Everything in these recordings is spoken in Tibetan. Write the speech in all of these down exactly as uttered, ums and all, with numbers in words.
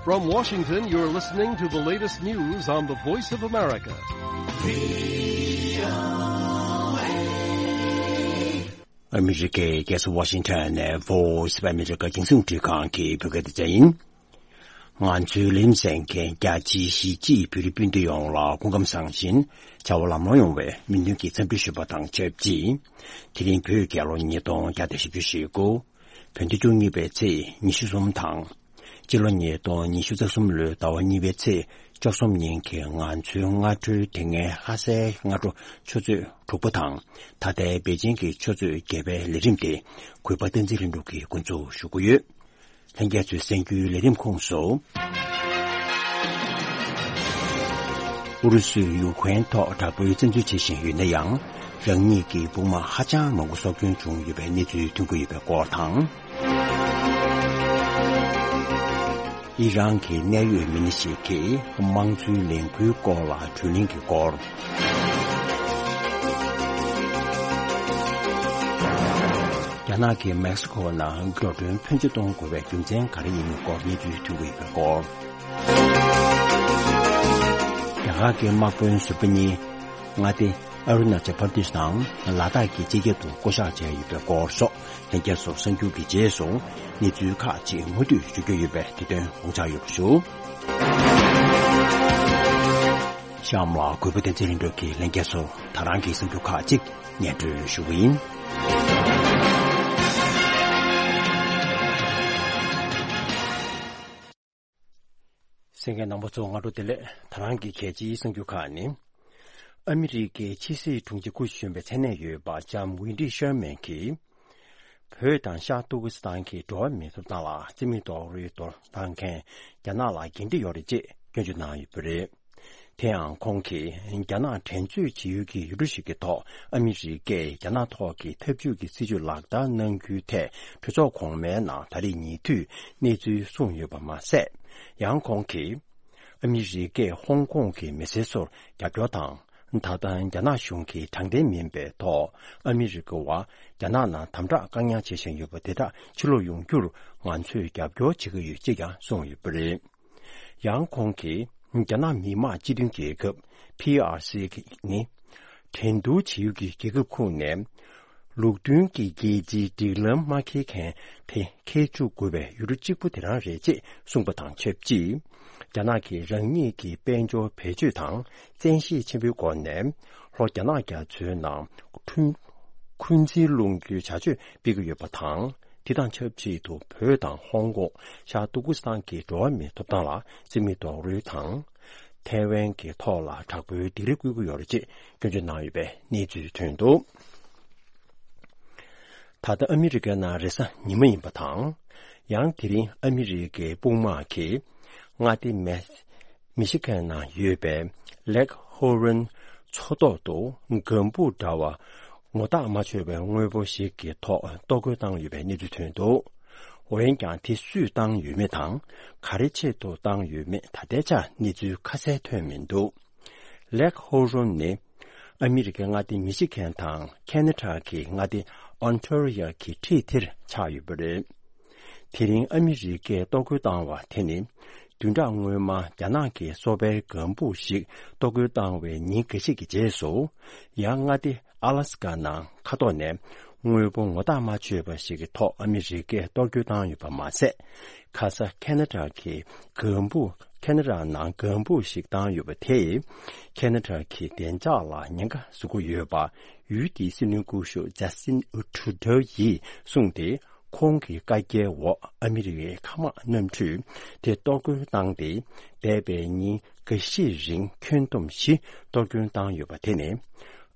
From Washington, you're listening to the latest news on the Voice of America. ཨ་མི་རི་ཀའི་རྒྱལ་ས་ཝ་ཤིང་ཊོན་ནས་Voice of America་རྒྱང་སྲིང་རླུང་འཕྲིན་ཁང་གི་བོད་སྐད་སྡེ་ཚན་ཡིན། ང་ཚོའི་ལེམ་གསན་མཁན་རྒྱ་ཆེའི་གཞིས་བྱེས་བོད་རིགས་སྤུན་ཟླ་ཡོངས་ལ་སྐུ་ཁམས་བཟང་ཞིང་བྱ་བ་ལམ་ལྷོང་ཡོང་བའི་སྨོན་འདུན་གྱི་འཚམས་འདྲི་ཞུ་བ་དང་ཆབས་ཅིག་དེ་རིང་བོད་རྒྱལ་ལོ་ཉིས་སྟོང་བརྒྱ་དང་བཞི་བཅུ་ཞེ་དགུ། བོད་ཟླ་བཅུ་གཉིས་པའི་ཚེས་ཉི་ཤུ་གསུམ་དང་། སྤྱི་ལོ་ཉིས་སྟོང་ཉི་ཤུ་རྩ་གསུམ་ལོའི་ཟླ་བ་གཉིས་པའི་ཚེས་བཅུ་གསུམ་ཉིན་གྱི་ང་ཚོའི་སྔ་དྲོའི་དེ་སྔའི་ལྷ་སའི་སྔ་དྲོ་ཆུ་ཚོད་དྲུག་པ་དང་། ད་ལྟའི་པེ་ཅིང་གི་ཆུ་ཚོད་བརྒྱད་པའི་ལས་རིམ་དེ་གུས་པ་བསྟན་འཛིན་ལྷུན་གྲུབ་ཀྱིས་འགོ་འཛུགས་ཞུ་གི་ཡོད། ལྷན་རྒྱས་ཚོས་གསན་རྒྱུའི་ལས་རིམ་ཁོངས་སུ། ཨུ་རུ་སུས་ཡུ་ཁུ་རེན་ཐོག་དྲག་པོའི་བཙན་འཛུལ་བྱེད་བཞིན་ཡོད་ན་ཡང་། རང་ཉིད་ཀྱི་དཔུང་དམག་ཧ་ཅང་མང་པོ་སྲོག་སྐྱོན་བྱུང་ཡོད་པའི་གནས་ཚུལ་ཐོན་གྱི་ཡོད་པའི་སྐོར་དང་། ཨི་རན་གྱི་གནད་ཡོད་མི་སྣ་ཞིག་གིས་དམངས་གཙོའི་ལས་འགུལ་སྐོར་ལ་གྲོས་གླེང་གི་སྐོར། རྒྱ་ནག་གིས་མེག་སི་ཁོ་ནང་འགྲོ་གྲོན་ཕོན་ཆེ་གཏོང་དགོས་པའི་རྒྱུ་མཚན་ག་རེ་ཡིན་མིན་སྐོར་གནས་ཚུལ་ཐོན་གྱི་ཡོད་པའི་སྐོར། རྒྱ་གར་གྱི་དམག་དཔོན་ཟུར་པ་གཉིས་མངའ་སྡེ་ཨ་རུ་ན་ཅལ་པར་དེཤ་དང་ལ་དྭགས་ཀྱི་སྤྱི་ཁྱབ་ཏུ་བསྐོ་གཞག་བྱས་ཡོད་པའི་སྐོར་སོགས་ལྷན་རྒྱས་ཚོ་གསར་འགྱུར་གྱི་རྗེས་སུ་གནས་ཚུལ་ཁག་ཅིག་མུ་མཐུད་ཞུ་རྒྱུ་ཡོད་པས་དེ་དོན་དགོངས་འཇགས་ཡོད་པ་ཞུ། གཤམ་ལ་གུས་པ་བསྟན་འཛིན་ལྷུན་གྲུབ་ཀྱིས་ལྷན་རྒྱས་ཚོར་ད་རང་གི་གསར་འགྱུར་ཁག་ཅིག་སྙན་སྒྲོན་ཞུ་གི་ཡིན། གསན་མཁན་རྣམ་པ་ཚོ་སྔ་དྲོ་བདེ་ལེགས། ད་རང་གི་གལ་ཆེའི་གསར་འགྱུར་ཁག་ནི། ཨ་མི་རི་ཀའི་ཕྱི་སྲིད་དྲུང་ཆེ་སྐུ་གཞོན་པའི་མཚན་གནས་ཡོད་པ་ལྕམ་ཝེན་ཌི་ཤར་མན་གྱིས། བོད་དང་ཤར་ཏུར་ཀི་སི་ཐན་གྱི་འགྲོ་བ་མིའི་ཐོབ་ཐང་ལ་རྩིས་མེད་རྡོག་རོལ་གཏོང་མཁན་རྒྱ་ནག་ལ་འགན་འཁྲི་ཡོད་རེད་ཅེས་སྐྱོན་བརྗོད་གནང་ཡོད་པ་རེད། དེ་ཡང་ཁོང་གིས་རྒྱ་ནག་འགྲན་རྩོད་བྱེད་ཡུལ་གྱི་ཡུལ་གྲུ་ཞིག་གི་ཐོག་ཨ་མི་རི་ཀས་རྒྱ་ནག་ཐོག་གི་འཐབ་ཇུས་ཀྱི་སྲིད་ཇུས་ལག་བསྟར་གནང་རྒྱུའི་ཐད་གྲོས་ཚོགས་གོང་མའི་ནང་ད་རེས་ཉེ་དུས་གནས་ཚུལ་གསུངས་ཡོད་པ་མ་ཟད། ཡང་ཁོང་གིས་ཨ་མི་རི་ཀས་ཧོང་ཀོང་གི་མི་སེར་ཚོར་རྒྱབ་སྐྱོར་དང་། ད་ལྟ་རྒྱ་ནག་གཞུང་གིས་དྲང་བདེན་མིན་པའི་ཐོག་ཨ་མི་རི་ཀ་བ་རྒྱ་ནག་ནང་དམ་དྲག་བཀག་ཉར་བྱེད་བཞིན་ཡོད་པ་དེ་དག་ཕྱིར་ལོག་ཡོང་རྒྱུར་ང་ཚོས་རྒྱབ་སྐྱོར་བྱེད་ཀྱི་ཡོད་ཅེས་ཀྱང་གསུངས་ཡོད་པ་རེད། ཡང་ཁོང་གིས་རྒྱ་ནག་མི་དམངས་སྤྱི་མཐུན་རྒྱལ་ཁབ་པི་ཨར་སི་ནི་འགྲན་བསྡུར་བྱེད་ཡུལ་གྱི་རྒྱལ་ཁབ་ཁོངས་ནས་ལུགས་མཐུན་གྱི་རྒྱལ་སྤྱིའི་སྒྲིག་ལམ་མ་འཁེལ་མཁན་དེ་འཁེལ་བཅུག་དགོས་པའི་ཡུལ་གྲུ་གཅིག་པུ་དེ་རང་རེད་ཅེས་གསུངས་པ་དང་ཆབས་ཅིག་རྒྱ་ནག་གིས་རང་ཉིད་ཀྱི་དཔལ་འབྱོར་བེད་སྤྱོད་དང་བཙན་ཤེད་ཆེན་པོའི་སྒོ་ནས་ལྷོ་རྒྱ་ནག་རྒྱ་མཚོའི་ནང་འཁྲུན་འཁོན་འཛིན་སློང་རྒྱུའི་བྱ་སྤྱོད་སྤེལ་གྱི་ཡོད་པ་དང་། དེ་དང་ཆབས་ཅིག་ཏུ་བོད་དང་ཧོང་ཀོང་ཤར་ཏུར་ཀི་སི་ཐན་གྱི་འགྲོ་བ་མིའི་ཐོབ་ཐང་ལ་རྩིས་མེད་རྡོག་རོལ་དང་། ཐའེ་ཝན་གྱི་ཐོག་ལ་དྲག་པོའི་སྡིགས་ར་བསྐུལ་གྱི་ཡོད་རེད་ཅེས་སྐྱོན་བརྗོད་གནང་ཡོད་པའི་གནས་ཚུལ་ཐོན་འདུག་ད་ལྟ་ཨ་མི་རི་ཀའི་ནང་རེས་གཟའ་ཉི་མ་ཡིན་པ་དང་། ཡང་དེ་རིང་ཨ་མི་རི་ཀའི་དཔུང་དམག་གིས་མངའ་སྡེ་མེ་མི་ཤི་གན་ནང་ཡོད་པའི་ལེག་ཧོ་རོན་མཚོ་ཐོག་ཏུ་ལྒང་བུ་འདྲ་བ་ངོ་རྟགས་མ་ཆོད་པའི་དངོས་པོ་ཞིག་གི་ཐོག་གཏོར་རྒོལ་བཏང་ཡོད་པའི་གནས་ཚུལ་ཐོན་འདུག་འོན་ཀྱང་དེ་སུས་བཏང་ཡོད་མེད་དང་། ག་རེ་ཆེད་དུ་བཏང་ཡོད་མེད་ད་ལྟའི་ཆར་གནས་ཚུལ་ཁ་གསལ་ཐོན་མི་འདུག་ལེག་ཧོ་རོན་ནི་ཨ་མི་རི་ཀའི་མངའ་སྡེ་མི་ཤི་གན་དང་ཁེ་ན་ཌ་གི་མངའ་སྡེ་ཨོན་ཊ་རི་ཡོ་གི་འཁྲིས་དེར་ཆགས་ཡོད་པ་རེད། དེ་རིང་ཨ་མི་རི་ཀས་གཏོར་རྒོལ་བཏང་བ་དེ་ནི། བདུན་ཕྲག་སྔོན་མ་རྒྱ་ནག་གིས་སོ་པའི་ལྒང་བུ་ཞིག་གཏོར་རྒོལ་བཏང་བའི་ཉིན་འགའ་ཤས་ཀྱི་རྗེས་སུ། ཡང་མངའ་སྡེ་ཨ་ལ་སི་ཀ་ནང་མཁའ་ཐོག་ནས་དངོས་པོ་ངོ་རྟགས་མ་ཆོད་པ་ཞིག་གི་ཐོག་ཨ་མི་རི་ཀས་གཏོར་རྒོལ་བཏང་ཡོད་པ་མ་ཟད། ཁ་ས་ཁེ་ན་ཌ་གི་ལྒང་བུ། ཁེ་ན་ཌ་ནང་ལྒང་བུ་ཞིག་བཏང་ཡོད་པ་དེས་ཁེ་ན་ཌ་གི་བདེ་འཇགས་ལ་ཉེན་ཁ་བཟོ་གི་ཡོད་པ་ཡུལ་དེའི་སྲིད་བློན་སྐུ་ཞབས་ཇ་སི་ཊིན་ཊུ་རུ་ཌོ་ཡིས་གསུངས་ཏེ། ཁོང་གི་བཀའ་རྒྱའི་འོག་ཨ་མི་རི་ཀའི་མཁའ་དམག་གནམ་གྲུས་དེ་གཏོར་རྒོལ་བཏང་སྟེ། འདས་པའི་ཉིན་འགའ་ཤས་རིང་ཁྱོན་བསྡོམས་བཞི་གཏོར་སྐྱོན་བཏང་ཡོད་པ་དེ་ནི།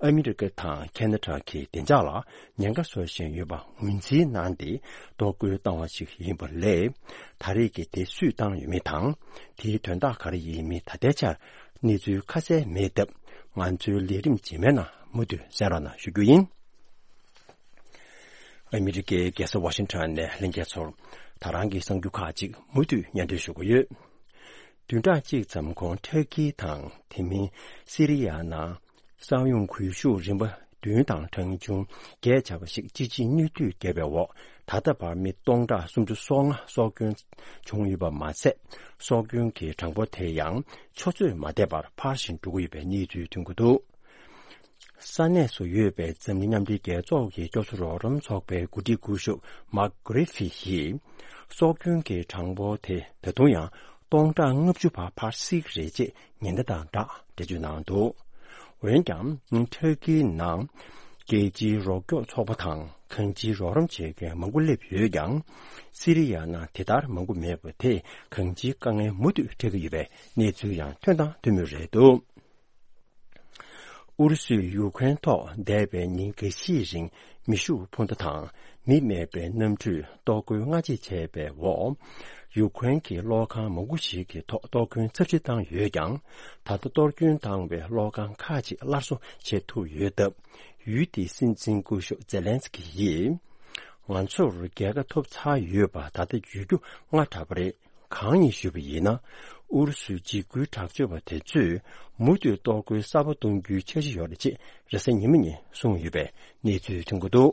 ཨ་མི་རི་ཀ་དང་ཁེ་ན་ཌ་གི་བདེ་འཇགས་ལ་ཉེན་ཁ་བཟོ་བཞིན་ཡོད་པ་ངོས་འཛིན་གནང་སྟེ་གཏོར་རྒོལ་བཏང་བ་ཞིག་ཡིན་པ་ལས། ད་རེས་ཀྱི་དེ་སུས་བཏང་ཡོད་མེད་དང་། དེའི་དོན་དག་ག་རེ་ཡིན་མིན་ད་ལྟའི་ཆར་གནས་ཚུལ་ཁ་གསལ་མེད་སྟབས། ང་ཚོའི་ལས་རིམ་རྗེས་མའི་ནང་མུ་མཐུད་གསན་རོགས་གནང་ཞུ་རྒྱུ་ཡིན། ཨ་མི་རི་ཀའི་རྒྱལ་ས་ཝ་ཤིང་ཊོན་ནས་ལྷན་རྒྱས་ཚོར་ད་རང་གི་གསར་འགྱུར་ཁག་ཅིག་མུ་མཐུད་སྙན་སྒྲོན་ཞུ་གི་ཡོད། བདུན་ཕྲག་གཅིག་ཙམ་གོང་ཊར་ཀི་དང་དེ་མིན་སི་རི་ཡ་ནང་ས་ཡོམ་གུལ་ཤུགས་རིམ་པ་ བདུན་དང་གྲངས་ཆུང་བརྒྱད་བྱ་བ་ཞིག་ཅི་ཆིའི་གནོད་འདུས་བརྒྱབ་པའི་འོག་ད་ལྟ་བར་མི་སྟོང་ཕྲག་སུམ་ཅུ་སོ་ལྔ་སྲོག་སྐྱོན་བྱུང་ཡོད་པ་མ་ཟད། སྲོག་སྐྱོན་གྱི་གྲངས་འབོར་དེ་ཡང་ཆུ་ཚོད་མ་འདས་པར་འཕར་བཞིན་འགྲོ་གི་ཡོད་པའི་གནས་ཚུལ་ཐོན་གྱི་འདུག་ས་གནས་སུ་ཡོད་པའི་འཛམ་གླིང་མཉམ་འབྲེལ་རྒྱལ་ཚོགས་ཀྱི་སྐྱོབ་གསོ་རོགས་རམ་ཚོགས་པའི་འགོ་ཁྲིད་སྐུ་ཞབས་Mark Griffiths་ཡིས། སྲོག་སྐྱོན་གྱི་གྲངས་འབོར་དེ་ད་དུང་ཡང་སྟོང་ཕྲག་ལྔ་བཅུ་བར་འཕར་སྲིད་ཀྱི་རེད་ཅེས་ཉེན་བརྡ་དང་སྦྲགས་འགྲེལ་བརྗོད་གནང་འདུག་འོན་ཀྱང་། ཊར་ཀིའི་ནང་རྒྱལ་སྤྱིའི་རོགས་སྐྱོབ་ཚོགས་པ་དང་གང་ཅིའི་རོགས་རམ་བྱེད་མཁན་མང་པོ་སླེབས་ཡོད་ཀྱང་། སི་རི་ཡ་ནང་དེ་ལྟར་མང་པོ་མེད་པ་དེས་གང་ཅིའི་དཀའ་ངལ་མུ་མཐུད་འཕྲད་ཀྱི་ཡོད་པའི་གནས་ཚུལ་ཡང་ཐོན་དང་ཐོན་མུས་རེད་འདུག་ཨུ་རུ་སུས་ཡུ་ཁུ་རེན་ཐོག་འདས་པའི་ཉིན་འགའ་ཤས་རིང་མེ་ཤུགས་འཕུར་མདའ་དང་མི་མེད་པའི་གནམ་གྲུས་གཏོར་རྒོལ་སྔ་རྗེས་བྱས་པའི་འོག་ཡུ་ཁུ་རེན་གྱི་གློག་ཁང་མང་པོ་ཞིག་གི་ཐོག་གཏོར་སྐྱོན་ཚབས་ཆེ་བཏང་ཡོད་ཀྱང་། ད་ལྟ་གཏོར་སྐྱོན་བཏང་བའི་གློག་ཁང་ཁག་ཅིག་སླར་གསོ་བྱེད་ཐུབ་ཡོད་སྟབས། ཡུལ་དེའི་སྲིད་འཛིན་སྐུ་ཞབས་ཛེ་ལན་སི་ཀི་ཡིས། ང་ཚོར་རྒྱལ་ཁ་ཐོབ་ཚར་ཡོད་པ་ད་ལྟ་བརྗོད་རྒྱུ་སྔ་དྲགས་པ་རེད། གང་ཡིན་ཞུས་པ་ཡིན་ན། ཨུ་རུ་སུས་འཇིགས་སྐུལ་དྲག་སྤྱོད་པ་དེ་ཚོས་མུ་མཐུད་གཏོར་རྒོལ་གསར་པ་གཏོང་རྒྱུའི་འཆར་གཞི་ཡོད་རེད་ཅེས་རེས་གཟའ་ཉི་མ་ཉིན་གསུངས་ཡོད་པའི་གནས་ཚུལ་ཐོན་གྱི་འདུག་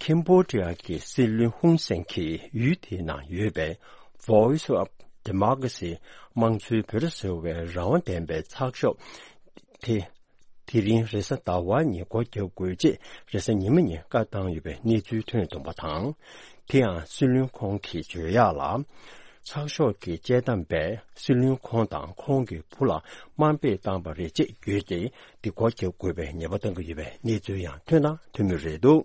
ཁེམ་བྷོ་ཌི་ཡ་གི་སྲིད་བློན་ཧུན་སེན་གྱིས་ཡུལ་དེའི་ནང་ཡོད་པའི་Voice of Democracy་དམངས་གཙོའི་འབོད་སྒྲ་ཟེར་བའི་རང་དབང་ལྡན་པའི་ཚགས་ཤོག་དེ། དེ་རིང་རེས་གཟའ་ཟླ་བ་ཉིན་སྒོ་བརྒྱབ་དགོས་ཅེས་རེས་གཟའ་ཉི་མ་ཉིན་བཀའ་བཏང་ཡོད་པའི་གནས་ཚུལ་ཐོན་ཡོད་པ་དང་། དེ་ཡང་སྲིད་བློན་ཁོང་གིས་བརྗོད་ཡག་ལ། ཚགས་ཤོག་གི་དཔྱད་གཏམ་པས་སྲིད་བློན་ཁོང་དང་ཁོང་གི་བུ་ལ་དམའ་འབེབས་བཏང་པ་རེད་ཅེས་བརྗོད་དེ། དེ་སྒོ་བརྒྱབ་དགོས་པའི་ཉེས་པ་བཏང་གི་ཡོད་པའི་གནས་ཚུལ་ཡང་ཐོན་དང་ཐོན་མུས་རེད་འདུག་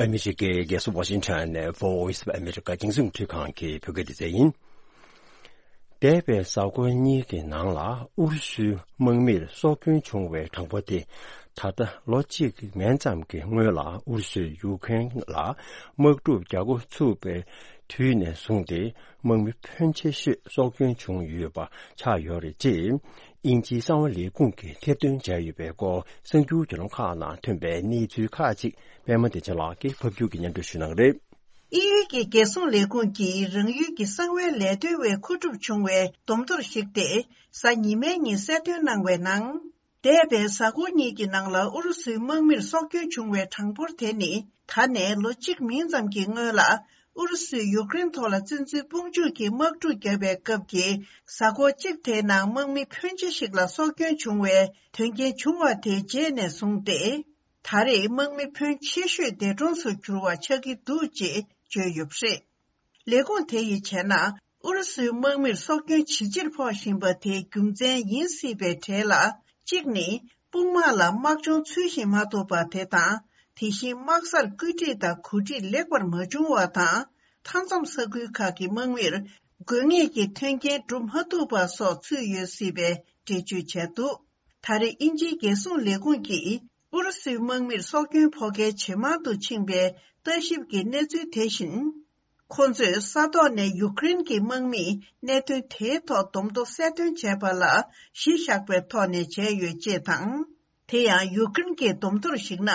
ཨ་མི་རི་ཀའི་རྒྱལ་ས་ཝ་ཤིང་ཊོན་ནས་Voice of America་རྒྱང་སྲིང་རླུང་འཕྲིན་ཁང་གི་བོད་སྐད་སྡེ་ཚན་ཡིན། འདས་པའི་གཟའ་འཁོར་གཉིས་ཀྱི་ནང་ལ་ཨུ་རུ་སུའི་དམག་མིར་སྲོག་སྐྱོན་བྱུང་བའི་གྲངས་འབོར་དེ། ད་ལྟ་ལོ་གཅིག་མན་ཙམ་གྱི་སྔོན་ལ་ཨུ་རུ་སུས་ཡུ་ཀེ་རེན་ལ་དམག་འཁྲུག་རྒྱག་འགོ་ཚུགས་པའི་དུས་ནས་བཟུང་སྟེ། དམག་མི་ཕོན་ཆེ་ཤོས་སྲོག་སྐྱོན་བྱུང་ཡོད་པ་ཆགས་ཡོད་རེད་ཅེས། དབྱིན་ཇིའི་གསང་བ་ལས་ཁུངས་ཀྱིས་ཐེར་འདོན་བྱས་ཡོད་པའི་སྐོར་གསར་འགྱུར་བརྒྱུད་ལམ་ཁག་ནང་ཐོན་པའི་གནས་ཚུལ་ཁག་ཅིག་པད་མ་བདེ་ཆེན་ལགས་ཀྱིས་ཕབ་སྒྱུར་གྱིས་སྙན་སྒྲོན་ཞུ་གནང་གི་རེད། དབྱིན་ཡུལ་གྱི་རྒྱལ་སྲུང་ལས་ཁུངས་ཀྱིས་རང་ཡུལ་གྱི་གསང་བའི་ལས་དོན་པས་མཁོ་སྒྲུབ་བྱུང་བའི་བསྡོམས་གཏོར་ཞིག་སྟེ། གཟའ་ཉི་མའི་ཉིན་གསལ་སྟོན་གནང་བའི་ནང་། འདས་པའི་གཟའ་འཁོར་གཉིས་ཀྱི་ནང་ལ་ཨུ་རུ་སུའི་དམག་མིར་སྲོག་སྐྱོན་བྱུང་བའི་གྲངས་འབོར་དེ་ནི། ད་ནས་ལོ་གཅིག་མིན་ཙམ་གྱི་སྔོན་ལ། ཨུ་རུ་སུས་ཡུཀ་རེན་ཐོག་ལ་བཙན་འཛུལ་དཔུང་འཇུག་གིས་དམག་འཁྲུག་བརྒྱབ་པའི་སྐབས་ཀྱི་གཟའ་འཁོར་གཅིག་དེའི་ནང་དམག་མི་ཕོན་ཆེ་ཞིག་ལ་སྲོག་སྐྱོན་བྱུང་བའི་དོན་རྐྱེན་བྱུང་བ་དེའི་རྗེས་ནས་བཟུང་སྟེ། ད་རེས་དམག་མི་ཕོན་ཆེ་ཤོས་འདས་གྲོངས་སུ་གྱུར་བ་ཆགས་ཀྱི་འདུག་ཅེས་བརྗོད་ཡོད་པ་རེད། ལས་ཁུངས་དེ་ཡིས་བྱས་ན། ཨུ་རུ་སུའི་དམག་མིར་སྲོག་སྐྱོན་ཇེ་ཆེར་ཕོག་བཞིན་པ་དེའི་རྒྱུ་མཚན་ཡིན་སྲིད་པའི་གྲས་ལ། གཅིག་ནི། དཔུང་དམག་ལ་དམག་སྦྱོང་ཚུལ་བཞིན་མ་ཐོབ་པ་དེ་དང་། དེ་བཞིན་དམག་སར་བཀོད་སྒྲིག་དང་གོ་སྒྲིག་ལེགས་པར་མ་བྱུང་བ་དང་། མཐའ་མཚམས་ས་ཁུལ་ཁག་གི་དམག་མིར། དགོས་ངེས་ཀྱི་མཐུན་རྐྱེན་བསྒྲུབ་མ་ཐུབ་པ་སོགས་ཚུད་ཡོད་སྲིད་པའི་འགྲེལ་བརྗོད་བྱས་འདུག་ད་རེས་དབྱིན་ཇིའི་རྒྱལ་སྲུང་ལས་ཁུངས་ཀྱིས། ཨུ་རུ་སུའི་དམག་མིར་སྲོག་སྐྱོན་ཕོག་མཁན་ཇེ་མང་དུ་ཕྱིན་པའི་ལྟ་ཞིབ་ཀྱི་གནས་ཚུལ་དེ་བཞིན། ཁོ་ཚོས་ས་ཐོག་ནས་ཡུཀ་རེན་གྱི་དམག་མིས་གནད་དོན་དེའི་ཐོག་བསྡོམས་ཐོ་གསལ་སྟོན་བྱས་པ་ལ་གཞི་བཞག་པའི་ཐོག་ནས་བྱས་ཡོད་ཅེས་དང་། དེ་ཡང་ཡུཀ་རེན་གྱི་བསྡོམས་ཐོར་གཞིགས་ན།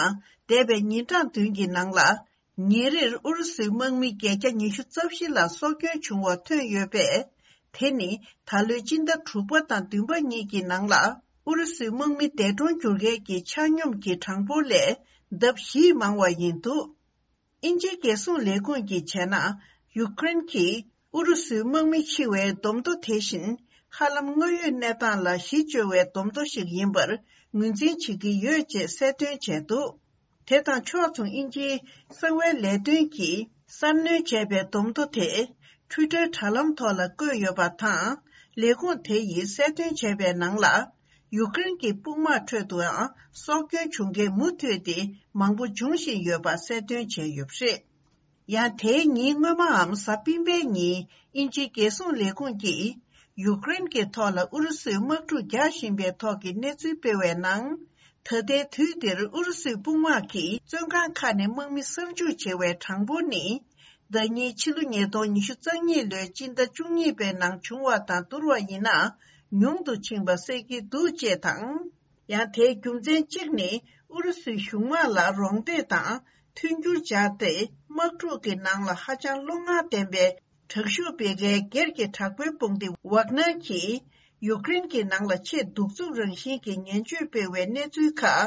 འདས་པའི་ཉིན་གྲངས་བདུན་གྱི་ནང་ལ། ཉིན་རེར་ཨུ་རུ་སུའི་དམག་མི་བརྒྱད་བརྒྱ་ཉི་ཤུ་རྩ་བཞི་ལ་སྲོག་སྐྱོན་བྱུང་བ་ཐོན་ཡོད་པས། དེ་ནི་ད་ལོའི་སྤྱི་ཟླ་དྲུག་པ་དང་བདུན་པ་གཉིས་ཀྱི་ནང་ལ། ཨུ་རུ་སུའི་དམག་མི་འདས་གྲོངས་གྱུར་མཁན་གྱི་ཆ་སྙོམས་ཀྱི་གྲངས་འབོར་ལས་ལྡབ་བཞིས་མང་བ་ཡིན་འདུག་དབྱིན་ཇིའི་རྒྱལ་སྲུང་ལས་ཁུངས་ཀྱིས་བྱས་ན། ཡུཀ་རེན་གྱིས་ཨུ་རུ་སུའི་དམག་མི་འཆི་བའི་བསྡོམས་ཐོ་དེ་བཞིན། ཧ་ལམ་དངོས་ཡོད་གནས་སྟངས་ལ་གཞི་བཅོལ་བའི་བསྡོམས་ཐོ་ཞིག་ཡིན་པར་ངོས་འཛིན་བྱེད་ཀྱི་ཡོད་ཅེས་གསལ་སྟོན་བྱས་འདུག་དེ་དང་ཕྱོགས་མཚུངས། དབྱིན་ཇིའི་གསང་བའི་ལས་དོན་གྱིས་གསར་སྣོན་བྱས་པའི་བསྡོམས་ཐོ་དེ། ཊུའི་ཊར་དྲ་ལམ་ཐོག་ལ་བཀོད་ཡོད་པ་དང་། ལས་ཁུངས་དེ་ཡིས་གསལ་སྟོན་བྱས་པའི་ནང་ལ། ཡུཀ་རེན་གྱི་དཔུང་དམག་ཁྲོད་དུའང་སྲོག་སྐྱོན་བྱུང་མཁན་མུ་མཐུད་དེ་མང་པོ་འབྱུང་བཞིན་ཡོད་པ་གསལ་སྟོན་བྱས་ཡོད་པ་རེད། ཡང་དེའི་ཉིན་སྔོན་མའམ་གཟའ་སྤེན་པའི་ཉིན། དབྱིན་ཇིའི་རྒྱལ་སྲུང་ལས་ཁུངས་ཀྱིས། ཡུཀ་རེན་གྱི་ཐོག་ལ་ཨུ་རུ་སུས་དམག་འཁྲུག་རྒྱག་བཞིན་པའི་ཐོག་གི་གནས་ཚུལ་སྤེལ་བའི་ནང་། ད་ལྟའི་དུས་འདིར་ཨུ་རུ་སུའི་དཔུང་དམག་གིས་བཙོན་ཁང་ཁག་ནས་དམག་མི་གསར་འཇུག་བྱེད་པའི་གྲངས་འབོར་ནི། ཟླ་ཉིན་ཕྱི་ལོ་ཉིས་སྟོང་ཉི་ཤུ་རྩ་གཉིས་ལོའི་སྤྱི་ཟླ་བཅུ་གཉིས་པའི་ནང་བྱུང་བ་དང་བསྡུར་བ་ཡིན་ན། ཉུང་དུ་ཕྱིན་པ་གསལ་གྱི་འདུག་ཅེས་དང་། ཡང་དེའི་རྒྱུ་མཚན་གཅིག་ནི། ཨུ་རུ་སུའི་གཞུང་དམག་ལ་རོགས་འདེགས་དང་མཐུན་འགྱུར་སྦྱར་ཏེ། དམག་འཁྲུག་གི་ནང་ལ་ཧ་ཅང་བློ་ངར་ལྡན་པའི་ དྲག་ཤུགས་སྤེལ་མཁན་སྒེར་གྱི་དྲག་པོའི་དཔུང་སྡེ་ཝག་ནར་གྱིས་ཡུཀ་རེན་གྱི་ནང་ལ་ཆེས་གདུག་རྩུབ་རང་བཞིན་གྱི་ངན་ཇུས་སྤེལ་བའི་གནས་ཚུལ་ཁག་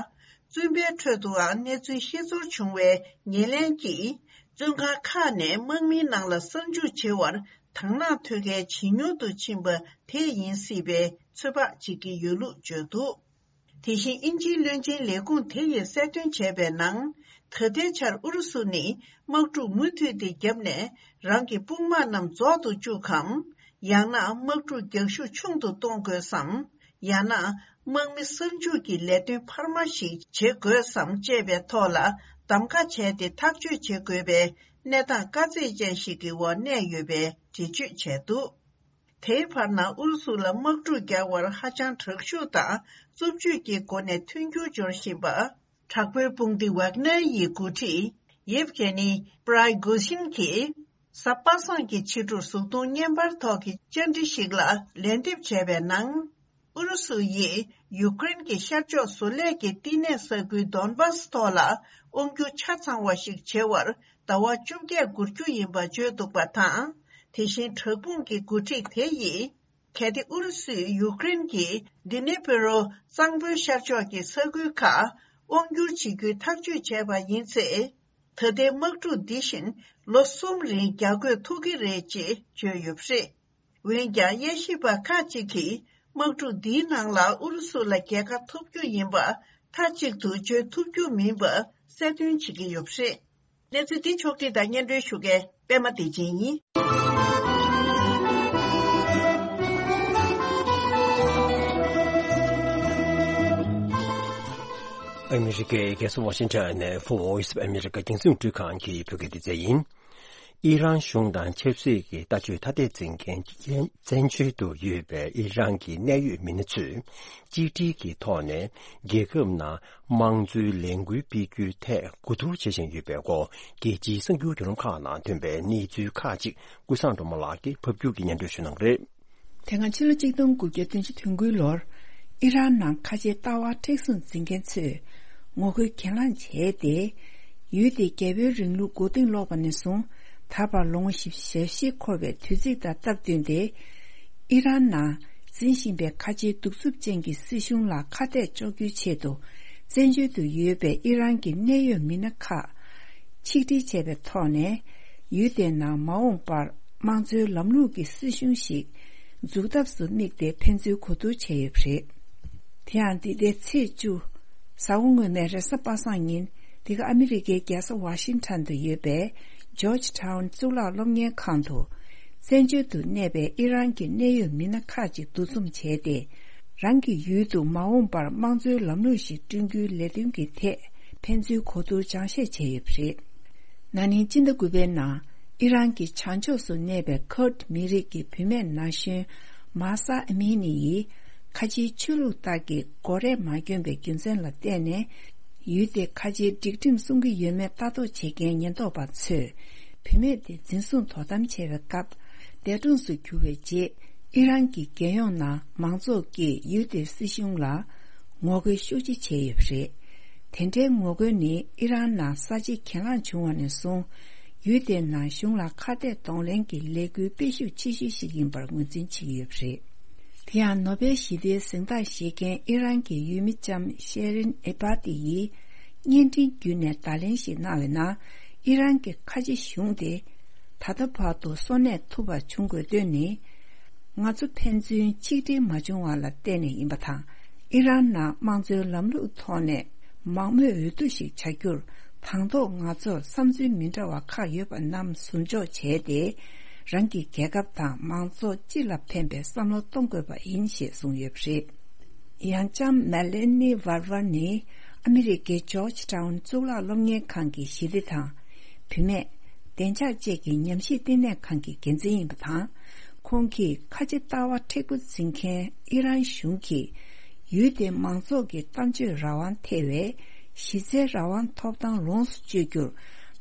བཙོན་པའི་ཁྲོད་དུའང་གནས་ཚུལ་ཤེས་ཚོར་བྱུང་བའི་ཉེར་ལེན་གྱིས། བཙོན་ཁང་ཁག་ནས་དམག་མིའི་ནང་ལ་གསར་འཇུག་བྱེད་པར་དང་བླངས་ཐོན་མཁན་ཇེ་ཉུང་དུ་ཕྱིན་པ་དེ་ཡིན་སྲིད་པའི་ཚོད་དཔག་བྱེད་ཀྱི་ཡོད་ལུགས་བརྗོད་འདུག་དེ་བཞིན་དབྱིན་ཇིའི་བློན་ཆེན་ལས་ཁུངས་དེ་ཡིས་གསལ་སྟོན་བྱས་པའི་ནང་། ད་ལྟའི་ཆར་ཨུ་རུ་སུ་ནི་དམག་འཁྲུག་མུ་མཐུད་དེ་བརྒྱབ་ནས་རང་གི་དཔུང་དམག་རྣམས་རྫོགས་སུ་བཅུག་གམ། ཡང་ན་དམག་འཁྲུག་རྒྱག་ཤུགས་ཆུང་དུ་གཏོང་དགོས་སམ། ཡང་ན་དམག་མི་གསར་འཇུག་གི་ལས་དོན་འཕར་མ་ཞིག་བྱེད་དགོས་སམ་བཅས་པའི་ཐོག་ལ་གདམ་ག་བྱས་ཏེ་ཐག་གཅོད་བྱེད་དགོས་པའི་གནས་སྟངས་དཀའ་ཚེགས་ཅན་ཞིག་གི་འོག་གནས་ཡོད་པའི་འགྲེལ་བརྗོད་བྱས་འདུག་དེའི་བར་ན་ཨུ་རུ་སུ་ལ་དམག་འཁྲུག་རྒྱག་པར་ཧ་ཅང་དྲག་ཤུགས་དང་རྩུབ་སྤྱོད་ཀྱི་སྒོ་ནས་མཐུན་འགྱུར་འབྱོར་བཞིན་པ། དྲག་པོའི་དཔུང་སྡེ་ཝག་ནར་ཡི་འགོ་ཁྲིད་ཡེབ་གྷེ་ནི་པྲའི་གོ་ཤིན་གྱིས། གཟའ་པ་སངས་ཀྱི་ཕྱི་དྲོར་གཟུགས་མཐོང་བརྙན་པར་ཐོག་གི་བཅར་འདྲི་ཞིག་ལ་ལན་འདེབས་བྱས་པའི་ནང་། ཨུ་རུ་སུ་ཡིས་ཡུཀ་རེན་གྱི་ཤར་ཕྱོགས་བཟོ་ལས་ཀྱི་བསྟི་གནས་ས་ཁུལ་དོན་བཱ་སི་ཐོག་ལ་དབང་སྒྱུར་ཆ་ཚང་བ་ཞིག་བྱེད་པར་ཟླ་བ་བཅོ་བརྒྱད་འགོར་རྒྱུ་ཡིན་པ་བརྗོད་འདུག་པ་དང་། དེ་བཞིན་དྲག་དཔུང་གི་འགོ་ཁྲིད་དེ་ཡིས། གལ་ཏེ་ཨུ་རུ་སུས་ཡུཀ་རེན་གྱི་ཌི་ནི་པི་རོ་གཙང་པོའི་ཤར་ཕྱོགས་ཀྱི་ས་ཁུལ་ཁག་དབང་སྒྱུར་བྱེད་རྒྱུའི་ཐག་གཅོད་བྱས་པ་ཡིན་ཚེ། ད་ལྟའི་དམག་འཁྲུག་འདི་བཞིན་ལོ་གསུམ་རིང་རྒྱག་དགོས་ཐུག་གི་རེད་ཅེས་བརྗོད་ཡོད་པ་རེད། འོན་ཀྱང་། དབྱེ་ཞིབ་པ་ཁག་ཅིག་གིས། དམག་འཁྲུག་འདིའི་ནང་ལ་ཨུ་རུ་སུ་ལ་རྒྱལ་ཁ་ཐོབ་རྒྱུ་ཡིན་པ་མཐའ་གཅིག་ཏུ་བརྗོད་ཐུབ་རྒྱུ་མིན་པ་གསལ་སྟོན་བྱེད་ཀྱི་ཡོད་པ་རེད། གནས་ཚུལ་འདི་ཕྱོགས་བསྒྲིགས་དང་སྙན་སྒྲོན་ཞུ་མཁན་པད་མ་བདེ་ཆེན་ཡིན། ཨ་མི་རི་ཀའི་རྒྱལ་ས་ཝ་ཤིང་ཊོན་ནས་Voice of America རྒྱང་སྲིང་རླུང་འཕྲིན་ཁང་གི་བོད་སྐད་སྡེ་ཚན་ཡིན། ཨི་རན་གཞུང་དང་ཆབ་སྲིད་ཀྱི་ལྟ་སྤྱོད་ཐ་དད་འཛིན་མཁན་བཙན་བྱོལ་དུ་ཡོད་པའི་ཨི་རན་གྱི་གནད་ཡོད་མི་སྣ་ཚོས་གཅིག་སྒྲིལ་གྱི་ཐོག་ནས་རྒྱལ་ཁབ་ནང་དམངས་གཙོའི་ལས་འགུལ་སྤེལ་རྒྱུའི་ཐད་གོ་བསྡུར་བྱེད་བཞིན་ཡོད་པའི་སྐོར། རྒྱལ་སྤྱིའི་གསར་འགྱུར་བརྒྱུད་ལམ་ཁག་ནང་ཐོན་པའི་གནས་ཚུལ་ཁག་ཅིག་ཀུན་བཟང་སྒྲོལ་མ་ལགས་ཀྱིས་ཕབ་སྒྱུར་གྱིས་སྙན་སྒྲོན་ཞུ་གནང་གི་རེད། དེ་སྔ་ཕྱི་ལོ་ཆིག་སྟོང་དགུ་བརྒྱ་བདུན་ཅུ་དོན་དགུའི་ལོར། ཨི་རན་ནང་ཁ་ཆེའི་ལྟ་བ་མཁྲེགས་བཟུང་འཛིན་མཁན་ཚོས་ངོ་རྒོལ་གྱེན་ལངས་བྱས་ཏེ། ཡུལ་དེའི་རྒྱལ་པོའི་རིང་ལུགས་མགོ་རྟིང་སློག་པ་ནས་བཟུང་ད་བར་ལོ་ངོ་བཞི་བཅུ་ཞེ་བཞི་འཁོར་བའི་དུས་ཚིགས་དང་སྟབས་བསྟུན་ཏེ། ཨི་རན་ནང་འཛིན་བཞིན་པའི་ཁ་ཆེའི་གདུག་རྩུབ་ཅན་གྱི་སྲིད་གཞུང་ལ་ཁ་གཏད་གཅོག་རྒྱུའི་ཆེད་དུ། བཙན་བྱོལ་དུ་ཡོད་པའི་ཨི་རན་གྱི་གནད་ཡོད་མི་སྣ་ཁག་ཆིག་སྒྲིལ་བྱས་པའི་ཐོག་ནས། ཡུལ་དེའི་ནང་མ་འོངས་པར་དམངས་གཙོའི་ལམ་ལུགས་ཀྱི་སྲིད་གཞུང་ཞིག་འཛུགས་ཐབས་སུ་དམིགས་ཏེ་ཕན་ཚུན་གོ་བསྡུར་བྱས་ཡོད་པ་རེད། དེ་ཡང་འདི་ཟླའི་ཚེས་བཅུ། གཟའ་འཁོར་སྔོན་མའི་རེས་གཟའ་པ་སངས་ཉིན། འདི་ག་ཨ་མི་རི་ཀའི་རྒྱལ་ས་ཝ་ཤིང་ཊོན་དུ་ཡོད་པའི་ཇོརྗ་ཊའུན་གཙུག་ལག་སློབ་གཉེར་ཁང་དུ། བཙན་བྱོལ་དུ་གནས་པའི་ཨི་རན་གྱི་གནད་ཡོད་མི་སྣ་ཁག་ཅིག་འདུ་འཛོམས་བྱས་ཏེ། རང་གི་ཡུལ་དུ་མ་འོངས་པར་དམངས་གཙོའི་ལམ་ལུགས་ཤིག་བསྐྲུན་རྒྱུའི་ལས་དོན་གྱི་ཐད་ཕན་ཚུན་གོ་བསྡུར་སྦྱང་བཤད་བྱས་ཡོད་པ་རེད། ན་ནིང་སྤྱི་ཟླ་དགུ་པའི་ནང་ཨི་རན་གྱི་བྱང་ཕྱོགས་སུ་གནས་པའི་ཁུར་ཌི་མི་རིགས་ཀྱི་བུད་མེད་ན་གཞོན་མཱ་ས་ཨ་མི་ནི་ཡིས་ཁ་ཆེའི་ཆོས་ལུགས་ལྟར་གྱི་མགོ་རས་མ་གྱོན་པའི་རྒྱུ་མཚན་ལ་བརྟེན་ནས། ཡུལ་དེ་ཁ་ཆེའི་སྒྲིག་ཁྲིམས་སྲུང་གི་ཡོད་མེད་ལྟ་རྟོག་བྱེད་མཁན་ཉེན་རྟོག་པ་ཚོས་བུད་མེད་དེ་འཛིན་བཟུང་དོ་དམ་བྱས་པའི་སྐབས། འདས་གྲོངས་སུ་གྱུར་བའི་རྗེས། ཨི་རན་གྱི་རྒྱལ་ཡོངས་ནང་མང་ཚོགས་ཀྱིས་ཡུལ་དེའི་སྲིད་གཞུང་ལ་ངོ་རྒོལ་ཤུགས་ཆེ་བྱས་ཡོད་པ་རེད། དེ་འདྲའི་ངོ་རྒོལ་ནི་ཨི་རན་ནང་གསར་བརྗེ་གྱེན་ལངས་བྱུང་བ་ནས་བཟུང་། ཡུལ་དེའི་ནང་གཞུང་ལ་ཁ་གཏད་གདོང་ལེན་གྱི་ལས་འགུལ་སྤེལ་ཤུགས་ཆེ་ཤོས་ཤིག་ཡིན་པར་ངོས་འཛིན་བྱེད་ཀྱི་ཡོད་པ་རེད། དེ་ཡང་ནོ་བེལ་ཞི་བདེའི་གཟེངས་རྟགས་བཞེས་མཁན་ཨི་རན་གྱི་ཡུལ་མི་ལྕམ་ཤེ་རིན་ཨེ་བྷ་ཏི་ཡིས་བརྙན་འཕྲིན་བརྒྱུད་ནས་བརྡ་ལན་ཞིག་གནང་བའི་ནང་། ཨི་རན་གྱི་ཁ་ཆེ་གཞུང་དེ་ད་ལྟ་བར་དུ་གསོ་གནས་ཐུབ་པ་བྱུང་དགོས་དོན་ནི། ང་ཚོ་ཕན་ཚུན་ཆིག་སྒྲིལ་མ་བྱུང་བ་ལ་བརྟེན་ནས་ཡིན་པ་དང་། ཨི་རན་ནང་དམངས་གཙོའི་ལམ་ལུགས་ཐོག་ནས་མང་མོས་འོས་བསྡུ་ཞིག་བྱ་རྒྱུར། དང་ཐོག་ང་ཚོར་བསམ་ཚུལ་མི་འདྲ་བ་ཁག་ཡོད་པ་རྣམས་ཟུར་འཇོག་བྱས་ཏེ། རང་གི་རྒྱལ་ཁབ་དང་མང་ཚོགས་སྤྱི་ལ་ཕན་པའི་བསམ་བློ་གཏོང་དགོས་པ་ཡིན་ཞེས་གསུངས་ཡོད་པ་རེད། ཡང་ལྕམ་མེ་ལེ་ནི་ཝར་ཝར་ནི་ཨ་མི་རི་ཀའི་ཇོརྗ་ཊའུན་གཙུག་ལག་སློབ་གཉེར་ཁང་གི་ཞི་བདེ་དང་། བུད་མེད། བདེ་འཇགས་བཅས་ཀྱི་ཉམས་ཞིབ་བསྟི་གནས་ཁང་གི་འགན་འཛིན་ཡིན་པ་དང་། ཁོང་གིས་ཁ་ཆེ་ལྟ་བ་མཁྲེགས་པོ་འཛིན་མཁན་ཨི་རན་གཞུང་གིས། ཡུལ་དེའི་མང་ཚོགས་ཀྱི་གཏམ་བརྗོད་རང་དབང་ཐེ་བའི་གཞི་རྩའི་རང་དབང་ཐོབ་ཐང་ལོངས་སུ་སྤྱོད་རྒྱུར་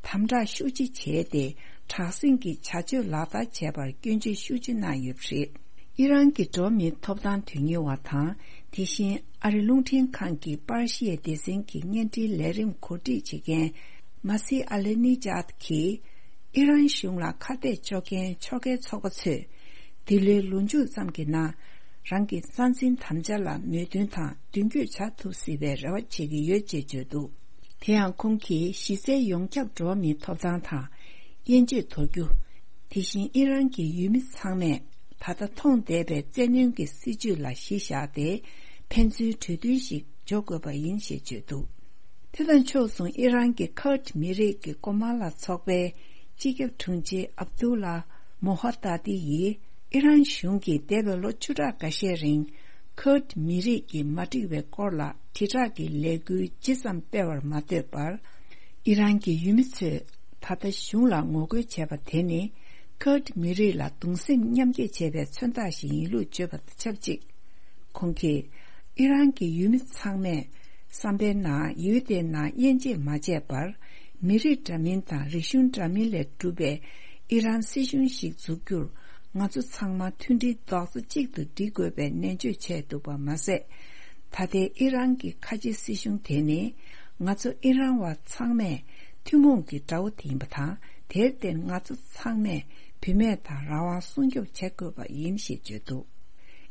དམ་དྲག་ཤུགས་ཆེ་བྱས་ཏེ། དྲག་ཟིང་གི་བྱ་སྤྱོད་ལག་བསྟར་བྱས་པར་སྐྱོན་བརྗོད་ཤུགས་ཆེ་གནང་ཡོད་པ་རེད། ཨི་རན་གྱི་འགྲོ་བ་མིའི་ཐོབ་ཐང་དོན་གཉེར་བ་དང་། དེ་བཞིན་ཨ་རི་རླུང་འཕྲིན་ཁང་གི་པར་ཤིའི་སྡེ་ཚན་གྱི་བརྙན་འཕྲིན་ལས་རིམ་གོ་སྒྲིག་བྱེད་མཁན་མ་སི་ཨ་ལེ་ནི་ཇཱད་ཀྱིས། ཨི་རན་གཞུང་ལ་ཁ་གཏད་གཅོག་མཁན་ཕྱོགས་འགལ་ཚོགས་པ་ཚོས་འདི་ལོའི་ལོ་མཇུག་ཙམ་གྱི་ནང་རང་གི་རྩ་འཛིན་དམ་བཅའ་ལ་མོས་མཐུན་དང་མདུན་སྐྱོད་བྱ་ཐུབ་སྲིད་པའི་རེ་བ་བྱེད་ཀྱི་ཡོད་ཅེས་བརྗོད་འདུག་དེ་ཡང་ཁོང་གིས་གཞི་རྩའི་ཡོངས་ཁྱབ་འགྲོ་བ་མིའི་ཐོབ་ཐང་དང་། དབྱེ་འབྱེད་དོར་རྒྱུ། དེ་བཞིན་ཨི་རན་གྱི་ཡུལ་མི་ཚང་མས་ད་ལྟ་མཐོང་བསྡད་པའི་བཙན་གནོན་གྱི་སྲིད་བྱུས་ལ་གཞི་བཞག་སྟེ། ཕན་ཚུན་གྲོས་མཐུན་ཞིག་འཇོག་དགོས་པ་ཡིན་ཞེས་བརྗོད་འདུག་དེ་དང་ཕྱོགས་མཚུངས་ཨི་རན་གྱི་ཁུར་མི་རིགས་ཀྱི་གོ་མ་ལ་ཚོགས་པའི་སྤྱི་ཁྱབ་དྲུང་ཆེ་ཨབ་དུ་ལ་མོ་ཧ་ཏཱ་ཏི་ཡིས་ཨི་རན་གཞུང་གིས་འདས་པའི་ལོ་བཅུ་ཕྲག་འགའ་ཤས་རིང་ཁུར་མི་རིགས་ཀྱི་མ་འགྲིག་པའི་སྐོར་ལ་དྲིལ་བསྒྲགས་ཀྱི་ལས་འགུལ་ཇི་ཙམ་སྤེལ་བར་མ་ལྟོས་པར། ཨི་རན་གྱི་ཡུལ་མི་ཚོས་ད་ལྟ་གཞུང་ལ་ངོ་རྒོལ་བྱས་པ་དེ་ནི་ཁུར་མི་རིགས་ལ་གདུང་སེམས་མཉམ་སྐྱེད་བྱས་པའི་མཚོན་རྟགས་ཤིག་ཡིན་ལུགས་བརྗོད་པ་དང་ཆབས་ཅིག་ཁོང་གིས་ཨི་རན་གྱི་ཡུལ་མི་ཚང་མས་བསམ་པའི་ནང་ཡུལ་དེའི་ནང་དབྱེ་འབྱེད་མ་བྱས་པར། མི་རིགས་འདྲ་མིན་དང་རིག་གཞུང་འདྲ་མིན་ལས་གྲུབ་པའི་ཨི་རན་སྲིད་གཞུང་ཞིག་འཛུགས་རྒྱུར་ང་ཚོ་ཚང་མ་མཐུན་སྒྲིལ་རྡོག་རྩ་གཅིག་ཏུ་སྒྲིལ་དགོས་པའི་ནན་བརྗོད་བྱས་འདུག་པ་མ་ཟད། ད་ལྟའི་ཨི་རན་གྱི་ཁ་ཆེ་སྲིད་གཞུང་དེ་ནི་ང་ཚོ་ཨི་རན་བ་ཚང་མས་ཐུན་མོང་གི་དགྲ་བོ་དེ་ཡིན་པ་དང་། དེར་བརྟེན་ང་ཚོ་ཚང་མས་བུད་མེད་དང་རང་དབང་སྲུང་སྐྱོབ་བྱེད་དགོས་པ་ཡིན་ཞེས་བརྗོད་འདུག་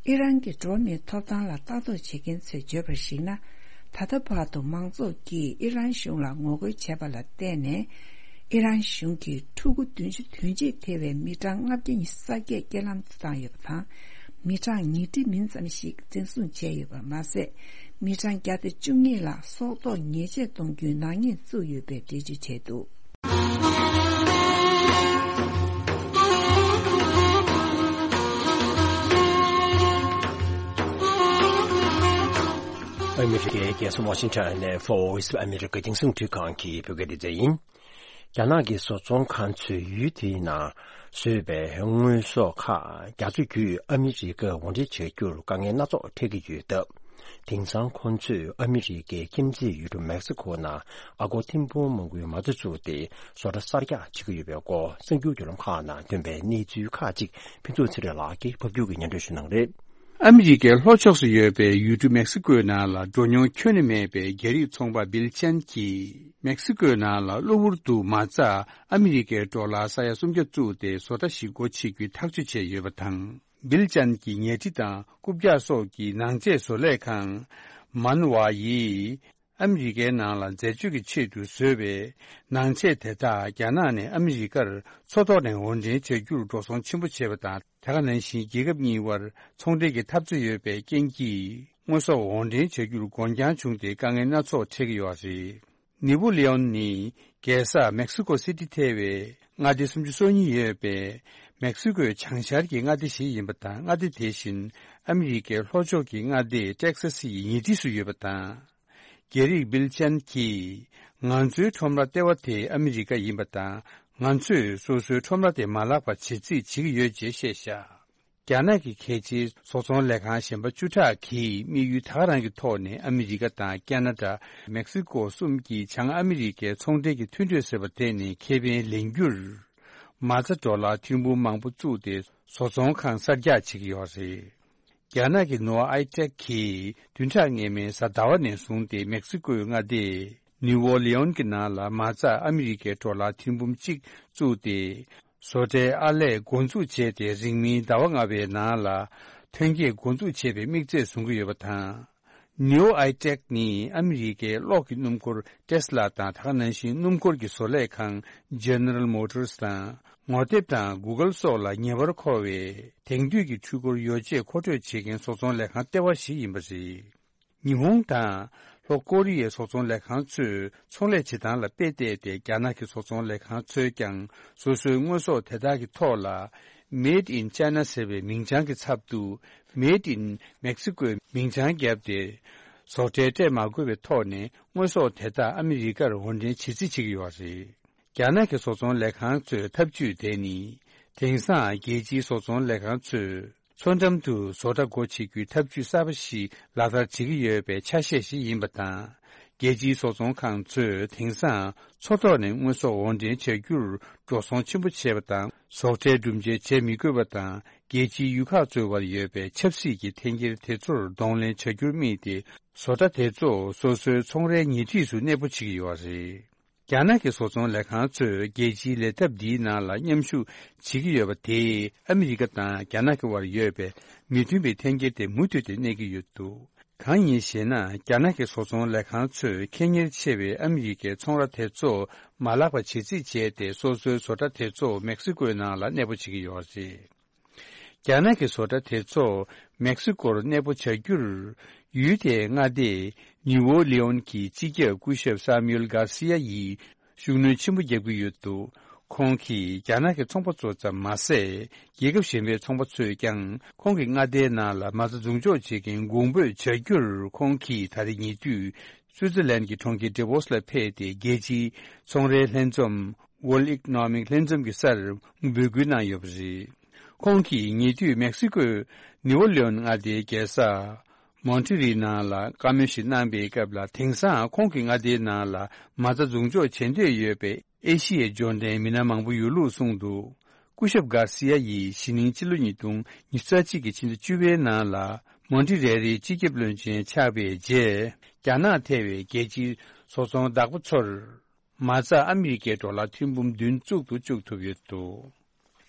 ཨི་རན་གྱི་འགྲོ་བ་མིའི་ཐོབ་ཐང་ལ་ལྟ་རྟོག་བྱེད་མཁན་ཚོས་བརྗོད་པར་གཞིགས་ན། ད་ལྟ་བར་དུ་མང་ཚོགས་ཀྱིས་ཨི་རན་གཞུང་ལ་ངོ་རྒོལ་བྱས་པ་ལ་བརྟེན་ནས། ཨི་རན་གཞུང་གིས་ཕྲུ་གུ་བདུན་ཅུ་དོན་གཅིག་ཐེ་བའི་མི་གྲངས་ལྔ་བརྒྱ་ཉི་ཤུ་རྩ་བརྒྱད་རྐྱེན་ལམ་དུ་བཏང་ཡོད་པ་དང་། མི་གྲངས་ཉིས་ཁྲི་མིན་ཙམ་ཞིག་འཛིན་བཟུང་བྱས་ཡོད་པ་མ་ཟད། མི་གྲངས་བརྒྱ་དང་བཅུ་གཉིས་ལ་སྲོག་ཐོག་ཉེས་ཆད་གཏོང་རྒྱུའི་ནག་ཉེས་བཙུགས་ཡོད་པའི་འགྲེལ་བརྗོད་བྱས་འདུག་ཨ་མི་རི་ཀའི་རྒྱལ་ས་ཝ་ཤིང་ཊོན་ནས་Voice of America་རྒྱང་སྲིང་འཕྲིན་ཁང་གི་བོད་སྐད་སྡེ་ཚན་ཡིན། རྒྱ་ནག་གི་བཟོ་ཚོང་ཁང་ཚོས་ཡུལ་དེའི་ནང་བཟོས་པའི་དངོས་ཟོག་ཁག་རྒྱ་མཚོ་བརྒྱུད་ཨ་མི་རི་ཀར་འོར་འདྲེན་བྱ་རྒྱུར་དཀའ་ངལ་སྣ་ཚོགས་འཕྲད་ཀྱི་ཡོད་སྟབས། དེང་སང་ཁོང་ཚོས་ཨ་མི་རི་ཀའི་ཁྱིམ་མཚེས་ཡུལ་གྲུ་མེག་སི་ཁོ་ནང་ཨ་སྒོར་ཐེར་འབུམ་མང་པོའི་མ་རྩ་བཙུགས་ཏེ་བཟོ་གྲྭ་གསར་རྒྱག་བྱེད་ཀྱི་ཡོད་པའི་སྐོར་གསར་འགྱུར་བརྒྱུད་ལམ་ཁག་ནང་ཐོན་པའི་གནས་ཚུལ་ཁག་ཅིག་ཕུན་ཚོགས་ཚེ་རིང་ལགས་ཀྱིས་ཕབ་སྒྱུར་གྱིས་སྙན་སྒྲོན་ཞུ་གནང་རེད། ཨ་མི་རི་ཀའི་ལྷོ་ཕྱོགས་སུ་ཡོད་པའི་ཡུལ་གྲུ་མེག་སི་ཀོའི་ནང་ལ་འགྲོ་མྱོང་ཁྱོན་ནས་མེད་པའི་རྒྱ་རིགས་ཚོང་པ་བིལ་ཅན་གྱིས་མེག་སི་ཀོའི་ནང་ལ་གློ་བུར་དུ་མ་རྩ་ཨ་མི་རི་ཀའི་ཌོ་ལར་ས་ཡ་སུམ་བརྒྱ་བཙུགས་ཏེ་བཟོ་གྲྭ་ཞིག་སྒོ་ཕྱེ་རྒྱུའི་ཐག་གཅོད་བྱས་ཡོད་པ་དང་། བིལ་ཅན་གྱི་ཉལ་ཁྲི་དང་རྐུབ་བཀྱག་སོགས་ཀྱི་ནང་ཆས་བཟོ་ལས་ཁང་མན་ཝ་ཡིས། ཨ་མི་རི་ཀའི་ནང་ལ་འཛད་སྤྱོད་ཀྱི་ཆེད་དུ་བཟོས་པའི་ནང་ཆས་དེ་དག་རྒྱ་ནག་ནས་ཨ་མི་རི་ཀར་མཚོ་ཐོག་ནས་འོར་འདྲེན་བྱ་རྒྱུར་འགྲོ་སོང་ཆེན་པོ་བྱས་པ་དང་། དེ་ག་ནང་བཞིན་རྒྱལ་ཁབ་གཉིས་དབར་ཚོང་འབྲེལ་གྱི་འཐབ་རྩོད་ཡོད་པའི་རྐྱེན་གྱིས། དངོས་ཟོག་འོར་འདྲེན་བྱ་རྒྱུར་འགོར་འགྱངས་བྱུང་སྟེ་དཀའ་ངལ་སྣ་ཚོགས་འཕྲད་ཀྱི་ཡོད་པ་རེད། ནིའུ་ལེ་ཨོན་ནི་རྒྱལ་ས་མེག་སི་ཀོ་སི་ཊི་ཐེ་བའི་མངའ་སྡེ་སུམ་ཅུ་སོ་གཉིས་ཡོད་པའི་མེག་སི་ཀོའི་བྱང་ཤར་གྱི་མངའ་སྡེ་ཞིག་ཡིན་པ་དང་། མངའ་སྡེ་དེ་བཞིན་ཨ་མི་རི་ཀའི་ལྷོ་ཕྱོགས་ཀྱི་མངའ་སྡེ་ཏེག་ས་སི་ཡི་ཉེ་འཁྲིས་སུ་ཡོད་པ་དང་། རྒྱ་རིགས་བིལ་ཅན་གྱིས། ང་ཚོའི་ཁྲོམ་ར་ལྟེ་བ་དེ་ཨ་མི་རི་ཀ་ཡིན་པ་དང་། ང་ཚོས་སོ་སོའི་ཁྲོམ་ར་དེ་མ་བརླག་པ་བྱེད་རྩིས་བྱེད་ཀྱི་ཡོད་ཅེས་བཤད་བཞག་རྒྱ་ནག་གི་གལ་ཆེའི་བཟོ་ཚོང་ལས་ཁང་གཞན་པ་བཅུ་ཕྲག་གིས་དམིགས་ཡུལ་ད་ག་རང་གི་ཐོག་ནས་ཨ་མི་རི་ཀ་དང་ཀེ་ན་ཌ། མེག་སི་ཀོ་གསུམ་གྱི་བྱང་ཨ་མི་རི་ཀའི་ཚོང་འབྲེལ་གྱི་མཐུན་གྲོས་ཟེར་བ་དེ་ནས་ཁེ་ཕན་ལེན་རྒྱུར། མ་རྩ་ཌོ་ལར་ཐེར་འབུམ་མང་པོ་བཙུགས་ཏེ་བཟོ་ཚོང་ཁང་གསར་རྒྱག་བྱེད་ཀྱི་ཡོད་རེད། རྒྱ་ནག་གི་ནོ་ཨའི་ཊེག་གིས་བདུན་ཕྲག་སྔོན་མའི་གཟའ་ཟླ་བ་ནས་བཟུང་སྟེ་མེག་སི་ཀོའི་མངའ་སྡེ་ནིའུ་ཨོ་ལེ་ཨོན་གྱི་ནང་ལ་མ་རྩ་ཨ་མི་རི་ཀའི་ཌོ་ལར་ཐེར་འབུམ་གཅིག་བཙུགས་ཏེ། བཟོ་གྲྭའི་ཨར་ལས་འགོ་འཛུགས་བྱས་ཏེ། རིང་མིན་ཟླ་བ་ལྔ་བའི་ནང་ལ་ཐོན་སྐྱེད་འགོ་འཛུགས་བྱེད་པའི་དམིགས་ཚད་བཟུང་གི་ཡོད་པ་དང་། ནིའུ་ཨའི་ཊེག་ནི་ཨ་མི་རི་ཀའི་གློག་གི་སྣུམ་འཁོར་ཊེ་སི་ལ་དང་། ད་ག་ནང་བཞིན་སྣུམ་འཁོར་གྱི་བཟོ་ལས་ཁང་General Motors་དང་། ངོ་དེབ་དང་Google་སོགས་ལ་ཉེ་བར་མཁོ་བའི་དེང་དུས་ཀྱི་འཕྲུལ་འཁོར་ཡོ་བྱད་མཁོ་སྤྲོད་བྱེད་མཁན་བཟོ་ཚོང་ལས་ཁང་ལྟེ་བ་ཞིག་ཡིན་པ་རེད། ཉི་ཧོང་དང་ལྷོ་ཀོ་རི་ཡའི་བཟོ་ཚོང་ལས་ཁང་ཚོས་ཚོང་ལས་བྱེད་སྟངས་ལ་དཔེ་བལྟས་ཏེ། རྒྱ་ནག་གི་བཟོ་ཚོང་ལས་ཁང་ཚོས་ཀྱང་སོ་སོའི་དངོས་ཟོག་དེ་དག་གི་ཐོག་ལ་Made in China་ཟེར་བའི་མིང་བྱང་གི་ཚབ་ཏུ་Made in Mexico་མིང་བྱང་བརྒྱབ་སྟེ། བཟོ་གྲྭས་སྤྲད་མ་དགོས་པའི་ཐོག་ནས་དངོས་ཟོག་དེ་དག་ཨ་མི་རི་ཀར་འོར་འདྲེན་བྱེད་རྩིས་བྱེད་ཀྱི་ཡོད་པ་རེད། རྒྱ་ནག་གི་བཟོ་ཚོང་ལས་ཁང་ཚོའི་ཐབས་ཇུས་དེ་ནི། དེང་སང་རྒྱལ་སྤྱིའི་བཟོ་ཚོང་ལས་ཁང་ཚོས་མཚོ་འགྲམ་དུ་བཟོ་གྲྭ་སྒོ་ཕྱེ་རྒྱུའི་ཐབས་ཇུས་གསར་པ་ཞིག་ལག་བསྟར་བྱེད་ཀྱི་ཡོད་པའི་ཆ་ཤས་ཤིག་ཡིན་པ་དང་། རྒྱལ་སྤྱིའི་བཟོ་ཚོང་ཁང་ཚོས་དེང་སང་མཚོ་ཐོག་ནས་དངོས་ཟོག་འོར་འདྲེན་བྱ་རྒྱུར་འགྲོ་སོང་ཆེན་པོ་བྱས་པ་དང་། བཟོ་གྲྭའི་སྒྲུབ་འཇལ་བྱེད་མི་དགོས་པ་དང་། རྒྱལ་སྤྱིའི་ཡུལ་ཁག་ཚོའི་བར་ཡོད་པའི་ཆབ་སྲིད་ཀྱི་འཐེན་འཁྱེར་དེ་ཚོར་གདོང་ལེན་བྱ་རྒྱུར་དམིགས་ཏེ། བཟོ་གྲྭ་དེ་ཚོ་སོ་སོའི་ཚོང་རའི་ཉེ་འཁྲིས་སུ་གནས་སྤོ་བྱེད་ཀྱི་ཡོད་པ་རེད། རྒྱ་ནག་གི་བཟོ་ཚོང་ལས་ཁང་ཚོས་རྒྱལ་སྤྱིའི་ལས་ཐབས་འདིའི་ནང་ལ་མཉམ་ཞུགས་བྱེད་ཀྱི་ཡོད་པ་དེས་ཨ་མི་རི་ཀ་དང་རྒྱ་ནག་གི་དབར་ཡོད་པའི་མི་མཐུན་པའི་འཐེན་འཁྱེར་དེ་མུ་མཐུད་དེ་གནས་ཀྱི་ཡོད་འདུག། གང་ཡིན་ཞེ་ན། རྒྱ་ནག་གི་བཟོ་ཚོང་ལས་ཁང་ཚོས་ཁེ་གཉེར་ཆེ་བའི་ཨ་མི་རི་ཀའི་ཚོང་ར་དེ་ཚོ་མ་བརླག་པ་བྱེད་རྩིས་བྱས་ཏེ། སོ་སོའི་བཟོ་གྲྭ་དེ་ཚོ་མེག་སི་ཀོའི་ནང་ལ་གནས་སྤོ་བྱེད་ཀྱི་ཡོད་རེད། རྒྱ་ནག་གི་བཟོ་གྲྭ་དེ་ཚོ་མེག་སི་ཀོར་གནས་སྤོ་བྱ་རྒྱུར། ཡུལ་དེའི་མངའ་སྡེ་ནིའུ་ཨོ་ལི་ཨོན་གྱི་སྤྱི་ཁྱབ་སྐུ་ཞབས་སཱ་མིའུལ་གྷར་སི་ཡ་ཡིས་ཤུགས་སྣོན་ཆེན་པོ་བརྒྱབ་ཀྱི་ཡོད་འདུག། ཁོང་གིས་རྒྱ་ནག་གི་ཚོང་པ་ཚོ་ཙམ་མ་ཟད། རྒྱལ་ཁབ་གཞན་པའི་ཚོང་པ་ཚོས་ཀྱང་ཁོང་གི་མངའ་སྡེའི་ནང་ལ་མ་རྩ་འཛུགས་འཇོག་བྱེད་མཁན་གོང་འབོད་བྱ་རྒྱུར། ཁོང་གིས་ད་རེས་ཉེ་དུས་སུའུ་ཙེར་ལན་གྱི་གྲོང་ཁྱེར་ཌེ་ཝོ་སི་ལ་ཕེབས་ཏེ། རྒྱལ་སྤྱིའི་ཚོང་རའི་ལྷན་འཛོམས། World Economic ལྷན་འཛོམས་ཀྱི་སར་འབོད་སྐུལ་གནང་ཡོད་པ་རེད། ཁོང་གིས་ཉེ་དུས་མེག་སི་ཀོའི་ནིའུ་ཨོ་ལི་ཨོན་མངའ་སྡེའི་རྒྱལ་ས་མོན་ཊི་རི་ནང་ལ་བཀའ་མོལ་ཞིག་གནང་པའི་སྐབས་ལ། དེང་སང་ཁོང་གི་མངའ་སྡེའི་ནང་ལ་མ་རྩ་འཛུགས་འཇོག་བྱེད་འདོད་ཡོད་པའི་ཨེ་ཤི་ཡའི་འབྱོར་ལྡན་མི་སྣ་མང་པོ་ཡོད་ལུགས་གསུངས་འདུག། སྐུ་ཞབས་གྷར་སི་ཡ་ཡིས་གཞེས་ནིང་ཕྱི་ལོ་ཉིས་སྟོང་ཉི་ཤུ་རྩ་གཅིག་གི་ཕྱི་ཟླ་བཅུ་པའི་ནང་ལ་མོན་ཊི་རེ་རིའི་སྤྱི་ཁྱབ་བློན་ཆེན་ཆགས་པའི་རྗེས། རྒྱ་ནག་ཐེ་བའི་རྒྱལ་སྤྱིའི་བཟོ་ཚོང་བདག་པོ་ཚོར། མ་རྩ་ཨ་མི་རི་ཀའི་ཌོ་ལར་ཐེར་འབུམ་བདུན་བཙུགས་དུ་བཅུག་ཐུབ་ཡོད་འདུག།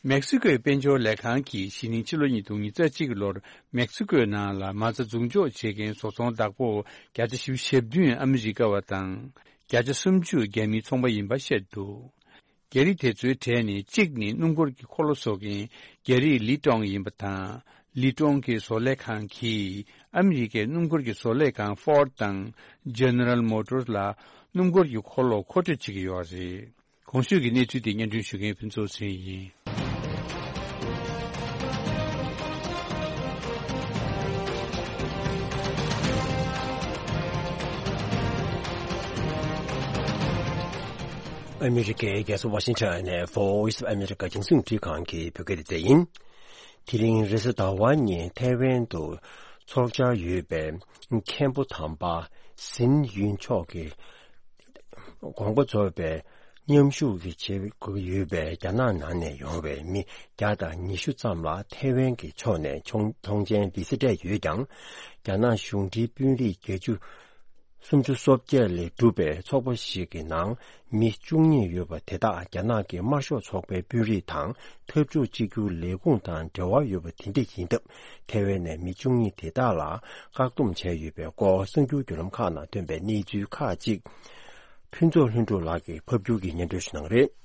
མེག་སི་ཀོའི་དཔལ་འབྱོར་ལས་ཁང་གིས་གཞེས་ནིང་ཕྱི་ལོ་ཉིས་སྟོང་ཉི་ཤུ་རྩ་གཅིག་གི་ལོར་མེག་སི་ཀོའི་ནང་ལ་མ་རྩ་འཛུགས་འཇོག་བྱེད་མཁན་བཟོ་ཚོང་བདག་པོ་བརྒྱ་ཆ་བཞི་བཅུ་ཞེ་བདུན་ཨ་མི་རི་ཀ་བ་དང་། བརྒྱ་ཆ་སུམ་ཅུ་རྒྱ་མིའི་ཚོང་པ་ཡིན་པ་བཤད་འདུག། རྒྱ་རིགས་དེ་ཚོའི་གྲས་ནས་གཅིག་ནི་སྣུམ་འཁོར་གྱི་འཁོར་ལོ་བཟོ་མཁན་རྒྱ་རིགས་ལི་ཀྲོང་ཡིན་པ་དང་། ལི་ཀྲོང་གི་བཟོ་ལས་ཁང་གིས་ཨ་མི་རི་ཀའི་སྣུམ་འཁོར་གྱི་བཟོ་ལས་ཁང་ཧྥོར་ཌི་དང་ཇེ་ནེ་རལ་མོ་ཊར་ལ་སྣུམ་འཁོར་གྱི་འཁོར་ལོ་མཁོ་སྤྲོད་བྱེད་ཀྱི་ཡོད་རེད། གོང་ཞུས་ཀྱི་གནས་ཚུལ་དེ་སྙན་སྒྲོན་ཞུ་མཁན་ཕུན་ཚོགས་ཚེ་རིང་ཡིན། ཨ་མི་རི་ཀའི་རྒྱལ་ས་ཝ་ཤིང་ཊོན་ནས་Voice of America རྒྱང་སྲིང་རླུང་འཕྲིན་ཁང་གི་བོད་སྐད་སྡེ་ཚན་ཡིན། དེ་རིང་རེས་གཟའ་ཟླ་བ་ཉིན་ཐའེ་ཝན་དུ་འཚོགས་འཆར་ཡོད་པའི་མཁན་པོ་དམ་པ་ཟིན་ཡུན་མཆོག་གི་དགོངས་པ་རྫོགས་པའི་མཉམ་ཞུགས་ཀྱི་བྱེད་དགོས་ཡོད་པའི་རྒྱ་ནག་ནང་ནས་ཡོང་བའི་མི་བརྒྱ་དང་ཉི་ཤུ་ཙམ་ལ་ཐའེ་ཝན་གྱི་ཕྱོགས་ནས་མཐོང་མཐོང་མཆན་བི་ཟ་སྤྲད་ཡོད་ཀྱང་། རྒྱ་ནག་གཞུང་འབྲེལ་དཔོན་རིགས་བརྒྱད་ཅུ་སུམ་ཅུ་སོ་བརྒྱད་ལས་གྲུབ་པའི་ཚོགས་པ་ཞིག་གི་ནང་མི་བཅུ་གཉིས་ཡོད་པ་དེ་དག་རྒྱ་ནག་གི་དམར་ཤོག་ཚོགས་པའི་དཔོན་རིགས་དང་འཐབ་ཕྱོགས་གཅིག་གྱུར་ལས་ཁུངས་དང་འབྲེལ་བ་ཡོད་པ་དེ་འདྲ་ཡིན་སྟབས། ཐའེ་ཝན་ནས་མི་བཅུ་གཉིས་དེ་དག་ལ་བཀག་སྡོམ་བྱས་ཡོད་པའི་སྐོར་གསར་འགྱུར་བརྒྱུད་ལམ་ཁག་ནང་ཐོན་པའི་གནས་ཚུལ་ཁག་ཅིག་ཕུན་ཚོགས་ལྷུན་གྲུབ་ལགས་ཀྱིས་ཕབ་སྒྱུར་གྱིས་སྙན་སྒྲོན་ཞུ་གནང་གི་རེད།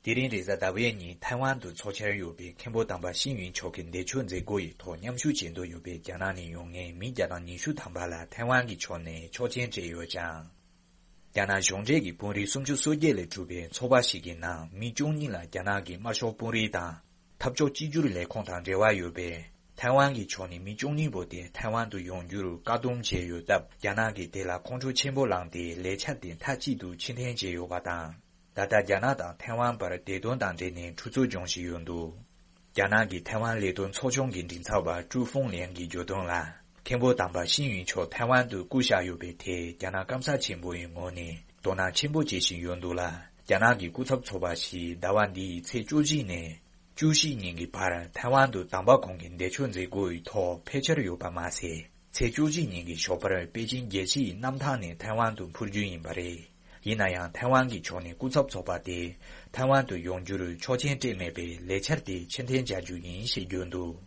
དེ་རིང་རེས་གཟའ་ཟླ་བའི་ཉིན་ཐའེ་ཝན་དུ་འཚོགས་འཆར་ཡོད་པའི་མཁན་པོ་དམ་པ་ཤིང་ཡུན་མཆོག་གི་འདས་མཆོད་མཛད་སྒོ་ཡི་ཐོག་མཉམ་ཞུགས་བྱེད་འདོད་ཡོད་པའི་རྒྱ་ནག་ནས་ཡོང་མཁན་མི་བརྒྱ་དང་ཉི་ཤུ་ཐམ་པ་ལ་ཐའེ་ཝན་གྱི་ཕྱོགས་ནས་ཆོག་མཆན་སྤྲད་ཡོད་ཅིང་། རྒྱ་ནག་གཞུང་འབྲེལ་གྱི་དཔོན་རིགས་སུམ་ཅུ་སོ་བརྒྱད་ལས་གྲུབ་པའི་ཚོགས་པ་ཞིག་གི་ནང་མི་བཅུ་གཉིས་ལ་རྒྱ་ནག་གི་དམར་ཤོག་དཔོན་རིགས་དང་འཐབ་ཕྱོགས་གཅིག་གྱུར་ལས་ཁུངས་དང་འབྲེལ་བ་ཡོད་པས། ཐའེ་ཝན་གྱི་ཕྱོགས་ནས་མི་བཅུ་གཉིས་པོ་དེ་ཐའེ་ཝན་དུ་ཡོང་རྒྱུར་བཀག་སྡོམ་བྱས་ཡོད་སྟབས། རྒྱ་ནག་གིས་དེ་ལ་ཁོང་ཁྲོ་ཆེན་པོ་ལངས་ཏེ་ལས་འཆར་དེ་མཐའ་གཅིག་ཏུ་ཕྱིར་འཐེན་བྱས་ཡོད་པ་དང་། ད་ལྟ་རྒྱ་ནག་དང་ཐའེ་ཝན་བར་བདེ་དོན་དང་འབྲེལ་ནས་འཁྲུག་རྩོད་འབྱུང་བཞིན་ཡོད་འདུག། རྒྱ་ནག་གི་ཐའེ་ཝན་ལས་དོན་ཚོགས་ཆུང་གི་མགྲིན་ཚབ་པ་ཀྲུའུ་ཧྥུང་ལིན་གྱིས་བརྗོད་དོན་ལ། མཁན་པོ་དམ་པ་ཤིང་ཡུན་མཆོག་ཐའེ་ཝན་དུ་སྐུ་གཤེགས་ཡོད་པའི་ཐད་རྒྱ་ནག་སྐམ་ས་ཆེན་པོ་ཡི་ངོས་ནས་དོ་སྣང་ཆེན་པོ་བྱེད་བཞིན་ཡོད་འདུག་ལ། རྒྱ་ནག་གི་སྐུ་ཚབ་ཚོགས་པ་ཞིག་ཟླ་བ་འདིའི་ཚེས་བཅུ་གཅིག་ནས་བཅུ་བཞི་ཉིན་གྱི་བར་ཐའེ་ཝན་དུ་དམ་པ་ཁོང་གི་འདས་མཆོད་མཛད་སྒོ་ཡི་ཐོག་ཕེབས་འཆར་ཡོད་པ་མ་ཟད། ཚེས་བཅུ་གཅིག་ཉིན་གྱི་ཞོགས་པར་པེ་ཅིན་རྒྱལ་སྤྱིའི་གནམ་ཐང་ནས་ཐའེ་ཝན་དུ་འཕུར་རྒྱུ་ཡིན་པ་རེད། ཡིན་ན་ཡང་ཐའེ་ཝན་གྱི་ཕྱོགས་ནས་སྐུ་ཚབ་ཚོགས་པ་དེ་ཐའེ་ཝན་དུ་ཡོང་རྒྱུར་ཆོག་མཆན་སྤྲད་མེད་པས་ལས་འཆར་དེ་ཕྱིར་འཐེན་བྱ་རྒྱུ་ཡིན་ཞེས་བརྗོད་འདུག།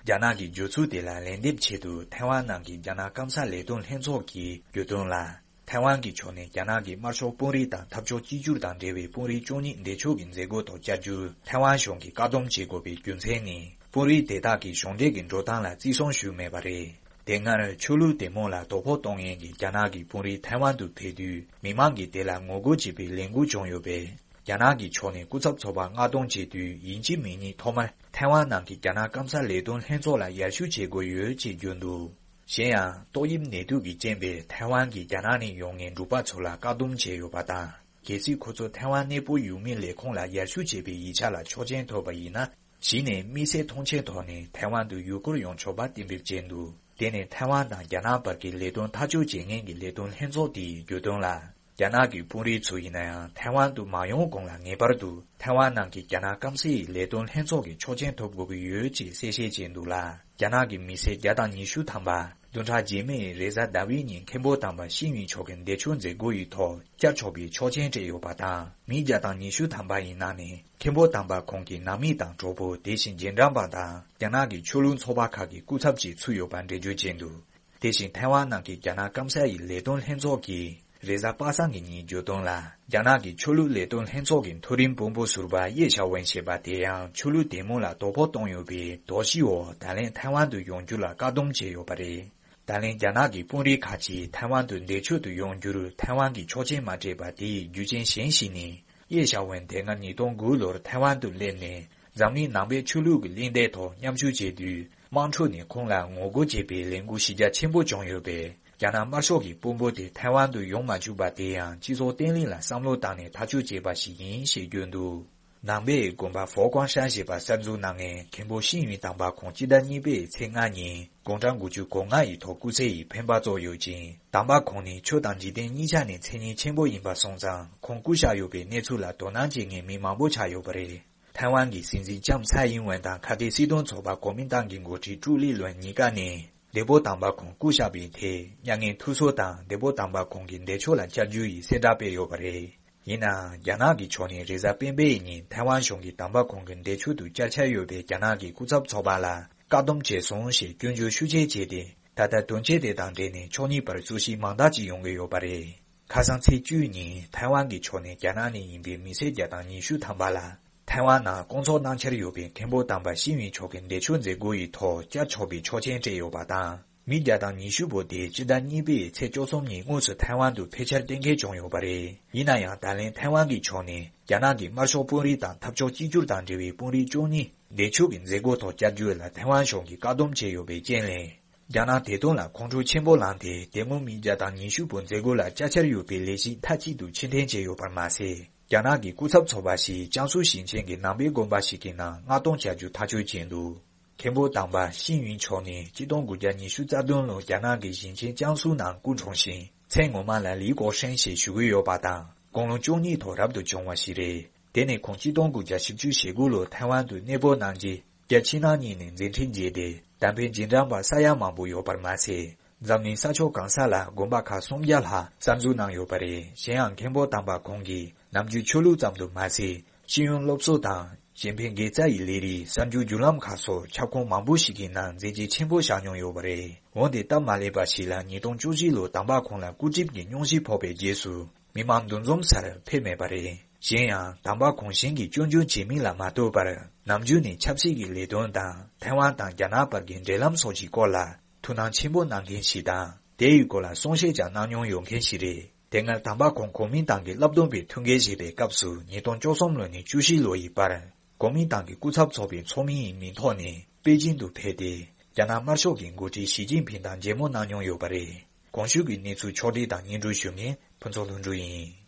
རྒྱ་ནག་གི་བརྗོད་ཚུལ་དེ་ལ་ལན་འདེབས་ཆེད་དུ་ཐའེ་ཝན་ནང་གི་རྒྱ་ནག་སྐམ་ས་ལས་དོན་ལྷན་ཚོགས་ཀྱིས་བརྗོད་དོན་ལ། ཐའེ་ཝན་གྱི་ཕྱོགས་ནས་རྒྱ་ནག་གི་དམར་ཤོག་དཔོན་རིགས་དང་འཐབ་ཕྱོགས་གཅིག་གྱུར་དང་འབྲེལ་བའི་དཔོན་རིགས་བཅུ་གཉིས་འདས་མཆོད་ཀྱི་མཛད་སྒོ་ཐོག་བཅར་རྒྱུར་ཐའེ་ཝན་གཞུང་གིས་བཀག་སྡོམ་བྱེད་དགོས་པའི་རྒྱུ་མཚན་ནི། དཔོན་རིགས་དེ་དག་གིས་གཞུང་འབྲེལ་གྱི་འགྲོ་སྟངས་ལ་བརྩི་སྲུང་ཞུས་མེད་པ་རེད། དེ་སྔར་ཆོས་ལུགས་དད་མོས་ལ་དོ་ཕོག་གཏོང་མཁན་གྱི་རྒྱ་ནག་གི་དཔོན་རིགས་ཐའེ་ཝན་དུ་ཕེབས་དུས་མི་མང་གིས་དེ་ལ་ངོ་རྒོལ་བྱེད་པའི་ལས་འགུལ་བྱུང་ཡོད་པས། རྒྱ་ནག་གི་ཕྱོགས་ནས་སྐུ་ཚབ་ཚོགས་པ་མངགས་གཏོང་བྱེད་དུས་ཡིན་གཅིག་མིན་གཉིས་ཐོག་མར་ཐའེ་ཝན་ནང་གི་རྒྱ་ནག་སྐམ་ས་ལས་དོན་ལྷན་ཚོགས་ལ་ཡར་ཞུ་བྱེད་དགོས་ཡོད་ཅེས་བརྗོད་འདུག། གཞན་ཡང་ཏོག་དབྱིབས་ནད་དུག་གི་རྐྱེན་པས་ཐའེ་ཝན་གྱི་རྒྱ་ནག་ནས་ཡོང་མཁན་འབྲུག་པ་ཚོ་ལ་བཀག་སྡོམ་བྱས་ཡོད་པ་དང་། གལ་སྲིད་ཁོ་ཚོ་ཐའེ་ཝན་གནས་སྤོ་ཡུལ་མིའི་ལས་ཁུངས་ལ་ཡར་ཞུ་བྱེད་པའི་ཡིག་ཆ་ལ་ཆོག་མཆན་ཐོབ་པ་ཡིན་ན། གཞི་ནས་དམིགས་བསལ་ཐོངས་མཆན་ཐོག་ནས་ཐའེ་ཝན་དུ་ཡུལ་སྐོར་ཡོང་ཆོག་པ་གཏན་འབེབས་བྱས་འདུག། དེ་ནི་ཐའེ་ཝན་དང་རྒྱ་ནག་བར་གྱི་ལས་དོན་ཐག་གཅོད་བྱེད་མཁན་གྱི་ལས་དོན་ལྷན་ཚོགས་དེས་བརྗོད་དོན་ལ། རྒྱ་ནག་གི་དཔོན་རིགས་ཚོ་ཡིན་ན་ཡང་ཐའེ་ཝན་དུ་མ་ཡོང་གོང་ལ་ངེས་པར་དུ་ཐའེ་ཝན་ནང་གི་རྒྱ་ནག་སྐམ་སའི་ལས་དོན་ལྷན་ཚོགས་ཀྱི་ཆོག་མཆན་ཐོབ་དགོས་ཀྱི་ཡོད་ཅེས་གསལ་བཤད་བྱས་འདུག་ལ། རྒྱ་ནག་གི་མི་སེར་བརྒྱ་དང་ཉི་ཤུ་ཐམ་པ་ བདུན་ཕྲག་རྗེས་མའི་རེས་གཟའ་ཟླ་བའི་ཉིན་མཁན་པོ་དམ་པ་ཤེས་ཡོན་མཆོག་གི་འདས་མཆོད་མཛད་སྒོ་ཡི་ཐོག་བཅར་ཆོག་པའི་ཆོག་མཆན་སྤྲད་ཡོད་པ་དང་། མི་བརྒྱ་དང་ཉི་ཤུ་ཐམ་པ་ཡི་ནང་ནས་མཁན་པོ་དམ་པ་ཁོང་གི་ནང་མི་དང་གྲོགས་པོ། དེ་བཞིན་རྗེས་འབྲང་པ་དང་རྒྱ་ནག་གི་ཆོས་ལུགས་ཚོགས་པ་ཁག་གི་སྐུ་ཚབ་བཅས་ཚུད་ཡོད་པ་འགྲེལ་བརྗོད་བྱས་འདུག་དེ་བཞིན་ཐའེ་ཝན་ནང་གི་རྒྱ་ནག་སྐམ་ས་ཡི་ལས་དོན་ལྷན་ཚོགས་ཀྱིས་རེས་གཟའ་པ་སངས་ཀྱི་ཉིན་བརྗོད་དོན་ལ། རྒྱ་ནག་གི་ཆོས་ལུགས་ལས་དོན་ལྷན་ཚོགས་ཀྱི་མཐོ་རིམ་དཔོན་པོ་ཟུར་པ་ཡེ་ཞའོ་ཝེན་ཞེས་པ་དེ་ཡང་ཆོས་ལུགས་དད་མོས་ལ་དོ་ཕོག་བཏང་ཡོད་པའི་དོགས་གཞིའི་འོག་ད་ལན་ཐའེ་ཝན་དུ་ཡོང་རྒྱུ་ལ་བཀག་སྡོམ་བྱས་ཡོད་པ་རེད། ད་ལན་རྒྱ་ནག་གི་དཔོན་རིགས་ཁག་ཅིག་ཐའེ་ཝན་དུ་འདས་མཆོད་དུ་ཡོང་རྒྱུར་ཐའེ་ཝན་གྱིས་ཆོག་མཆན་མ་སྤྲད་པ་དེའི་རྒྱུ་རྐྱེན་གཞན་ཞིག་ནི། ཡེ་ཞའོ་ཝེན་དེ་སྔ་ཉིས་སྟོང་དགུ་ལོར་ཐའེ་ཝན་དུ་སླེབས་ནས་འཛམ་གླིང་ནང་པའི་ཆོས་ལུགས་ཀྱི་གླེང་སྟེགས་ཐོག་མཉམ་ཞུགས་བྱས་དུས། དམངས་ཁྲོད་ནས་ཁོང་ལ་ངོ་རྒོལ་བྱེད་པའི་ལས་འགུལ་གཞི་རྒྱ་ཆེན་པོ་བྱུང་ཡོད་པས། རྒྱ་ནག་དམར་ཤོག་གི་དཔོན་པོ་དེ་ཐའེ་ཝན་དུ་ཡོང་མ་བཅུག་པ་དེ་ཡང་སྤྱི་ཚོགས་བརྟན་ལྷིང་ལ་བསམ་བློ་བཏང་ནས་ཐག་གཅོད་བྱས་པ་ཞིག་ཡིན་ཞེས་བརྗོད་འདུག་ནང་པའི་དགོན་པ་ཧྥོ་ཀོང་ཧྲན་ཞེས་པ་གསར་འཛུགས་གནང་མཁན་མཁན་པོ་ཤིན་ཡུན་དམ་པ་ཁོང་སྤྱི་ཟླ་གཉིས་པའི་ཚེས་ལྔ་ཉིན་དགུང་གྲངས་དགུ་བཅུ་གོ་ལྔ་ཡི་ཐོག་སྐུ་ཚེ་ཡི་འཕེན་པ་རྫོགས་ཡོད་ཅིང་། དམ་པ་ཁོང་ནི་ཆོས་དང་འཇིག་རྟེན་གཉིས་ཆ་ནས་མཚན་སྙན་ཆེན་པོ་ཡིན་པ་སོང་ཙང་། ཁོང་སྐུ་གཤེགས་ཡོད་པའི་གནས་ཚུལ་ལ་དོ་སྣང་བྱེད་མཁན་མི་མང་པོ་ཆགས་ཡོད་པ་རེད། ཐའེ་ཝན་གྱི་སྲིད་འཛིན་ལྕམ་ཚའེ་ཡིན་ཝེན་དང་ཁ་གཏད་སྲིད་དོན་ཚོགས་པ་གོ་མིན་ཏང་གི་འགོ་ཁྲིད་ཀྲུའུ་ལི་ལོན་གཉིས་ཀ་ནས་འདས་པོ་དམ་པ་ཁོང་སྐུ་གཤེགས་པའི་ཐད་མྱ་ངན་ཐུགས་གསོ་དང་འདས་པོ་དམ་པ་ཁོང་གི་འདས་མཆོད་ལ་བཅར་རྒྱུ་ཡི་གསལ་བསྒྲགས་སྤེལ་ཡོད་པ་རེད། ཡིན་ནའང་རྒྱ་ནག་གི་ཕྱོགས་ནས་རེས་གཟའ་སྤེན་པའི་ཉིན་ཐའེ་ཝན་གཞུང་གིས་དམ་པ་ཁོང་གི་འདས་མཆོད་དུ་བཅར་འཆར་ཡོད་པའི་རྒྱ་ནག་གི་སྐུ་ཚབ་ཚོགས་པ་ལ་བཀག་སྡོམ་བྱས་སོང་ཞེས་སྐྱོན་བརྗོད་ཤུགས་ཆེ་བྱས་ཏེ། ད་ལྟ་དོན་རྐྱེན་དེ་དང་འབྲེལ་ནས་ཕྱོགས་གཉིས་བར་རྩོད་གཞི་མང་དག་ཅིག་ཡོང་གི་ཡོད་པ་རེད། ཁ་སང་ཚེས་བཅུའི་ཉིན་ཐའེ་ཝན་གྱི་ཕྱོགས་ནས་རྒྱ་ནག་ནས་ཡིན་པའི་མི་སེར་བརྒྱ་དང་ཉི་ཤུ་ཐམ་པ་ལ་ཐའེ་ཝན་ནང་སྐོང་ཚོགས་གནང་འཆར་ཡོད་པའི་མཁན་པོ་དམ་པ་ཤིན་ཡུན་མཆོག་གི་འདས་མཆོད་མཛད་སྒོ་ཡི་ཐོག་བཅར་ཆོག་པའི་ཆོག་མཆན་སྤྲད་ཡོད་པ་དང་། མི་བརྒྱ་དང་ཉི་ཤུ་པོ་དེ་སྤྱི་ཟླ་གཉིས་པའི་ཚེས་བཅུ་གསུམ་ཉིན་དངོས་སུ་ཐའེ་ཝན་དུ་ཕེབས་འཆར་གཏན་འཁེལ་བྱུང་ཡོད་པ་རེད། ཡིན་ན་ཡང་ད་ལན་ཐའེ་ཝན་གྱི་ཕྱོགས་ནས་རྒྱ་ནག་གི་དམར་ཤོག་དཔོན་རིགས་དང་འཐབ་ཕྱོགས་གཅིག་གྱུར་དང་འབྲེལ་བའི་དཔོན་རིགས་བཅུ་གཉིས་འདས་མཆོད་ཀྱི་མཛད་སྒོ་ཐོག་བཅར་རྒྱུ་ལ་ཐའེ་ཝན་གཞུང་གིས་བཀག་སྡོམ་བྱས་ཡོད་པའི་རྐྱེན་ལས། རྒྱ་ནག་དེ་དོན་ལ་ཁོང་ཁྲོ་ཆེན་པོ་ལངས་ཏེ། དེ་སྔོན་མི་བརྒྱ་དང་ཉི་ཤུ་པོ་མཛད་སྒོ་ལ་བཅར་འཆར་ཡོད་པའི་ལས་གཞི་མཐའ་གཅིག་ཏུ་ཕྱིར་འཐེན་བྱས་ཡོད་པར་མ་ཟད། རྒྱ་ནག་གི་སྐུ་ཚབ་ཚོགས་པ་ཞིག་ཅང་སུའུ་ཞིང་ཆེན་གྱི་ནང་པའི་དགོན་པ་ཞིག་གི་ནང་མངགས་གཏོང་བྱ་རྒྱུ་ཐག་གཅོད་བྱས་འདུག་མཁན་པོ་དམ་པ་ཤིན་ཡུན་མཆོག་ནི་ཆིག་སྟོང་དགུ་བརྒྱ་ཉི་ཤུ་རྩ་བདུན་ལོར་རྒྱ་ནག་གི་ཞིང་ཆེན་ཅང་སུའུ་ནང་སྐུ་འཁྲུངས་ཤིང་། མཚན་ངོ་མ་ལ་ལི་ཀོ་ཧྲེང་ཞེས་ཞུ་གི་ཡོད་པ་དང་། དགུང་ལོ་བཅུ་གཉིས་ཐོག་རབ་ཏུ་བྱུང་བ་ཞིག་རེད། དེ་ནས་ཁོང་ཆིག་སྟོང་དགུ་བརྒྱ་བཞི་བཅུ་ཞེ་དགུ་ལོར་ཐའེ་ཝན་དུ་གནས་སྤོ་གནང་རྗེས། རྒྱལ་ཕྱི་ནང་གཉིས་ནས་མཛད་འཕྲིན་རྒྱས་ཏེ། དམ་པའི་རྗེས་འབྲང་པ་ས་ཡ་མང་པོ་ཡོད་པར་མ་ཟད། འཛམ་གླིང་ས་ཕྱོགས་གང་ས་ལ་དགོན་པ་ཁག་སུམ་བརྒྱ་ལྷག་གསར་འཛུགས་གནང་ཡོད་པ་རེད། གཞན་ཡང་མཁན་པོ་དམ་པ་ཁོང་གིས་ནམ་རྒྱུན་ཆོས་ལུགས་ཙམ་དུ་མ་ཟད། ཤེས་ཡོན་སློབ་གསོ་དང་གཞན་ཕན་དགེ་རྩ་ཡི་ལས་རིགས་གསར་འགྱུར་བརྒྱུད་ལམ་ཁག་སོགས་ཁྱབ་ཁོངས་མང་པོ་ཞིག་གི་ནང་མཛད་རྗེས་ཆེན་པོ་བཞག་མྱོང་ཡོད་པ་རེད། འོན་ཏེ་སྟབས་མ་ལེགས་པ་ཞིག་ལ་ཉིས་སྟོང་བཅུ་བཞི་ལོར་དམ་པ་ཁོང་ལ་སྐུ་གྲིབ་ཀྱི་སྙུང་གཞི་ཕོག་པའི་རྗེས་སུ། མི་མང་འདུ་འཛོམས་སར་ཕེབས་མེད་པ་རེད། གཞན་ཡང་དམ་པ་ཁོང་གཞན་གྱི་སྐྱོན་བརྗོད་བྱེད་མིན་ལ་མ་ལྟོས་པར། ནམ་རྒྱུན་ནས་ཆབ་སྲིད་ཀྱི་ལས་དོན་དང་ཐའེ་ཝན་དང་རྒྱ་ནག་བར་གྱི་འབྲེལ་ལམ་སོགས་ཀྱི་སྐོར་ལ་ཐུགས་སྣང་ཆེན་པོ་གནང་མཁན་ཞིག་དང་། དེ་ཡི་སྐོར་ལ་གསུང་བཤད་ཀྱང་གནང་མྱོང་ཡོད་མཁན་ཞིག་རེད། དེ་སྔར་དམ་པ་ཁོང་གོ་མིན་ཏང་གི་བསླབ་སྡོམ་པའི་ཐུགས་འགན་བཞེས་པའི་སྐབས་སུ་ཉིས་སྟོང་བཅུ་གསུམ་ལོ་ནས་བཅུ་བཞི་ལོ་ཡི་བར། གོ་མིན་ཏང་གི་སྐུ་ཚབ་ཚོགས་པའི་ཚོགས་མི་ཡི་མིང་ཐོག་ནས་པེ་ཅིན་དུ་ཕེབས་ཏེ། རྒྱ་ནག་དམར་ཤོག་གི་འགོ་ཁྲིད་ཞི་ཅིན་ཕིང་དང་མཇལ་མོལ་གནང་མྱོང་ཡོད་པ་རེད། གོང་ཞུས་ཀྱི་གནས་ཚུལ་ཕྱོགས་བསྒྲིགས་དང་སྙན་སྒྲོན་ཞུ་མཁན་ཕུན་ཚོགས་ལྷུན་གྲུབ་ཡིན།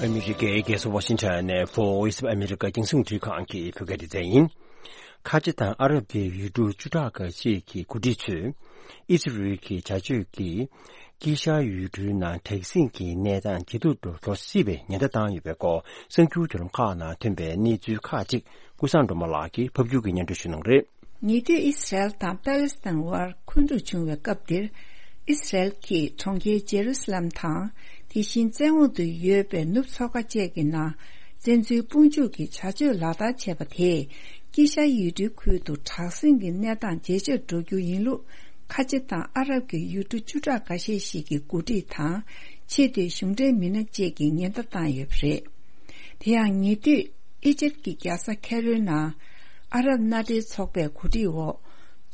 ཨ་མི་རི་ཀའི་རྒྱལ་ས་ཝ་ཤིང་ཊོན་ནས་Voice of America་རྒྱང་སྲིང་རླུང་འཕྲིན་ཁང་གི་བོད་སྐད་སྡེ་ཚན་ཡིན། ཁ་ཆེ་དང་ཨ་རབ་ཀྱི་ཡུལ་གྲུ་བཅུ་ཕྲག་འགའ་ཤས་ཀྱི་འགོ་ཁྲིད་ཚོས། ཨི་སི་རེལ་གྱི་བྱ་སྤྱོད་ཀྱིས། དཀྱིལ་ཤར་ཡུལ་གྲུའི་ནང་དྲག་ཟིང་གི་གནས་སྟངས་ཇེ་སྡུག་ཏུ་འགྲོ་སྲིད་པའི་ཉེན་བརྡ་བཏང་ཡོད་པའི་སྐོར། གསར་འགྱུར་བརྒྱུད་ལམ་ཁག་ནང་ཐོན་པའི་གནས་ཚུལ་ཁག་ཅིག་ཀུན་བཟང་སྒྲོལ་མ་ལགས་ཀྱིས་ཕབ་སྒྱུར་གྱིས་སྙན་སྒྲོན་ཞུ་གནང་རེད། ཉེ་དུས་ཨི་སི་རལ་དང་པ་ལི་སི་ཐན་དབར་འཁོན་འཁྲུག་བྱུང་བའི་སྐབས་འདིར། ཨི་སི་རལ་གྱིས་གྲོང་ཁྱེར་ཇེ་རུ་སི་ལམ་དང་། དེ་བཞིན་བཙན་འོག་ཏུ་ཡོད་པའི་ནུབ་མཚོ་ཁ་བཅས་ཀྱི་ནང་བཙན་འཛུལ་དཔུང་འཇུག་གི་བྱ་སྤྱོད་ལག་བསྟར་བྱས་པ་དེས། དཀྱིལ་ཤར་ཡུལ་གྲུའི་ཁུལ་དུ་དྲག་ཟིང་གི་གནས་སྟངས་ཇེ་ཆེར་འགྲོ་རྒྱུ་ཡིན་ལུགས། ཁ་ཆེ་དང་ཨ་རབ་ཀྱི་ཡུལ་གྲུ་བཅུ་ཕྲག་འགའ་ཤས་ཤིག་གི་འགོ་ཁྲིད་དང་། ཆེས་མཐོའི་གཞུང་འབྲེལ་མི་སྣ་བཅས་ཀྱིས་ཉེན་བརྡ་བཏང་ཡོད་པ་རེད། དེ་ཡང་ཉེ་དུས་ཨི་ཇིབ་ཀྱི་རྒྱལ་ས་ཁེ་རོའི་ནང་ཨ་རབ་མནའ་འབྲེལ་ཚོགས་པའི་གོ་སྒྲིག་འོག་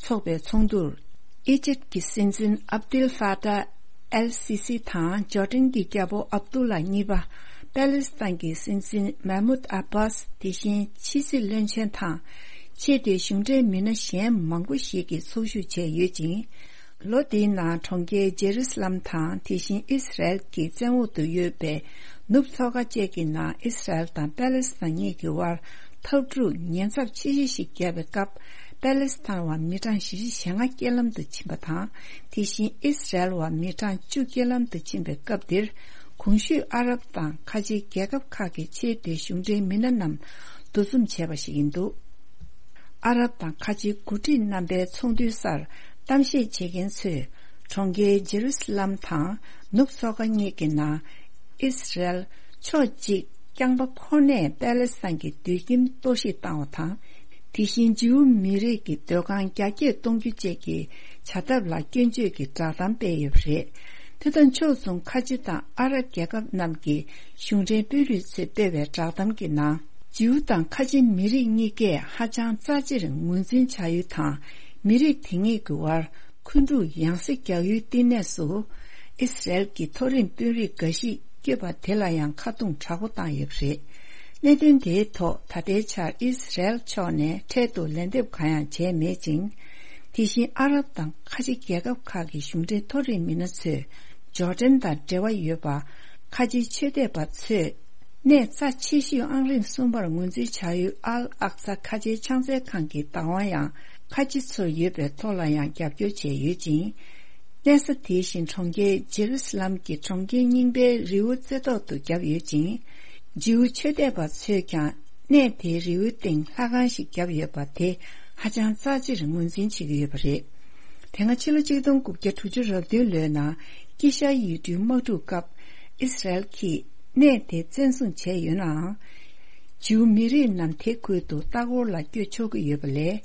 ཚོགས་པའི་ཚོགས་འདུར། ཨི་ཇིབ་ཀྱི་སྲིད་འཛིན་ཨབ་དུལ་ཧྥ་ཏཱ་ཨལ་སི་སི་དང་ཇོར་ཌན་གྱི་རྒྱལ་པོ་ཨབ་དུ་ལ་གཉིས་པ། པ་ལི་སི་ཐན་གྱི་སྲིད་འཛིན་མེ་མུད་ཨ་བྷཱས། དེ་བཞིན་ཕྱི་སྲིད་བློན་ཆེན་དང་། ཆེས་མཐོའི་གཞུང་འབྲེལ་མི་སྣ་གཞན་མང་པོ་ཞིག་གིས་ཚོགས་ཞུགས་བྱས་ཡོད་ཅིང་། ལོ་འདིའི་ནང་གྲོང་ཁྱེར་ཇེ་རུ་སི་ལམ་དང་། དེ་བཞིན་ཨི་སི་རལ་གྱི་བཙན་འོག་ཏུ་ཡོད་པའི་ནུབ་མཚོ་ཁ་བཅས་ཀྱི་ནང་ཨི་སི་རལ་དང་པ་ལི་སི་ཐན་གཉིས་ཀྱི་དབར་འཐབ་འཁྲུག་ཉེན་ཚབས་ཆེ་ཤོས་ཤིག་བརྒྱབ་པའི་སྐབས། པ་ལི་སི་ཐན་བ་མི་གྲངས་བཞི་བཅུ་ཞེ་ལྔ་རྐྱེན་ལམ་དུ་ཕྱིན་པ་དང་། དེ་བཞིན་ཨི་སི་རལ་བ་མི་གྲངས་བཅུ་རྐྱེན་ལམ་དུ་ཕྱིན་པའི་སྐབས་འདིར། གོང་ཞུས་ཨ་རབ་དང་ཁ་ཆེའི་རྒྱལ་ཁབ་ཁག་གི་ཆེས་མཐོའི་གཞུང་འབྲེལ་མི་སྣ་རྣམས་འདུ་འཛོམས་བྱས་པ་ཞིག་ཡིན་འདུག་ཨ་རབ་དང་ཁ་ཆེའི་འགོ་ཁྲིད་རྣམ་པའི་ཚོགས་འདུའི་སར་གཏམ་བཤད་བྱེད་མཁན་ཚོས་གྲོང་ཁྱེར་ཇེ་རུ་སི་ལམ་དང་ནུབ་མཚོ་ཁ་གཉིས་ཀྱི་ནང་ཨིས་རལ་ཕྱོགས་གཅིག་རྐྱང་པ་ཁོ་ནས་པེ་ལེ་སི་ཐན་གྱི་སྡོད་ཁྱིམ་གཏོར་བཤིག་བཏང་བ་དང་། དེ་བཞིན་ཇིའུ་མི་རིགས་ཀྱི་སྡོད་ཁང་རྒྱ་སྐྱེད་གཏོང་རྒྱུ་བཅས་ཀྱི་བྱ་ཐབས་ལ་སྐྱོན་བརྗོད་ཀྱི་བསྒྲགས་གཏམ་སྤེལ་ཡོད་པ་རེད། དེ་དང་ཕྱོགས་མཚུངས་ཁ་ཆེ་དང་ཨ་རབ་རྒྱལ་ཁབ་རྣམས་ཀྱི་གཞུང་འབྲེལ་དཔོན་རིགས་ཚོས་སྤེལ་བའི་བསྒྲགས་གཏམ་གྱི་ནང་། ཇིའུ་དང་ཁ་ཆེ་མི་རིགས་གཉིས་ཀས་ཧ་ཅང་རྩ་ཆེར་ངོས་འཛིན་བྱ་ཡུལ་དང་། མི་རིགས་དེ་གཉིས་ཀྱི་དབར་འཁོན་འཁྲུག་ཡང་སེ་རྒྱག་ཡུལ་བསྟི་གནས་སུ། ཨི་སི་རེལ་གྱི་མཐོ་རིམ་དཔོན་རིགས་འགའ་ཞིག་བསྐྱོད་པ་དེ་ལ་ཡང་ཁ་རྡུང་དྲག་པོ་བཏང་ཡོད་པ་རེད། གནད་དོན་དེའི་ཐོག་ད་ལྟའི་ཆར་ཨི་སི་རེལ་ཕྱོགས་ནས་འཕྲལ་དུ་ལན་འདེབས་གང་ཡང་བྱས་མེད་ཅིང་། དེ་བཞིན་ཨ་རབ་དང་ཁ་ཆེ་རྒྱལ་ཁབ་ཁག་གི་གཞུང་འབྲེལ་མཐོ་རིམ་མི་སྣ་ཚོས་ཇོར་ཌན་དང་འབྲེལ་བ་ཡོད་པ་ཁ་ཆེའི་ཆོས་དད་པ་ཚོས་གནས་རྩ་ཆེ་ཤོས་ཨང་རིམ་གསུམ་པར་ངོས་འཛིན་བྱ་ཡུལ་ཨལ་ཨག་ས་ཁ་ཆེའི་ཕྱག་འཚལ་ཁང་གི་བདག་དབང་ཡང་ཁ་ཆེ་ཚོར་ཡོད་པའི་ཐོག་ལ་ཡང་རྒྱབ་སྐྱོར་བྱས་ཡོད་ཅིང་། གནས་ས་དེ་བཞིན་གྲོང་ཁྱེར་ཇེ་རུ་སི་ལམ་གྱི་གྲོང་ཁྱེར་རྙིང་པའི་རི་བོ་རྩེ་ཐོག་ཏུ་བརྒྱབ་ཡོད་ཅིང་། ཇིའུ་ཆོས་དད་པ་ཚོས་ཀྱང་གནས་དེའི་རི་བོའི་སྟེང་ལྷ་ཁང་ཞིག་བརྒྱབ་ཡོད་པ་དེ་ཧ་ཅང་རྩ་ཆེར་ངོས་འཛིན་བྱེད་ཀྱི་ཡོད་པ་རེད། དེ་སྔ་ཕྱི་ལོ་ཆིག་སྟོང་དགུ་བརྒྱ་དྲུག་ཅུ་རེ་བདུན་ལོའི་ནང་དཀྱིལ་ཤར་ཡུལ་གྲུའི་དམག་འཁྲུག་སྐབས་ཨི་སི་རེལ་གྱིས་གནས་དེ་བཙན་བཟུང་བྱས་ཡོད་ནའང་། ཇིའུ་མི་རིགས་རྣམས་དེ་ཁུལ་དུ་ལྟ་སྐོར་ལ་བསྐྱོད་ཆོག་གི་ཡོད་པ་ལས།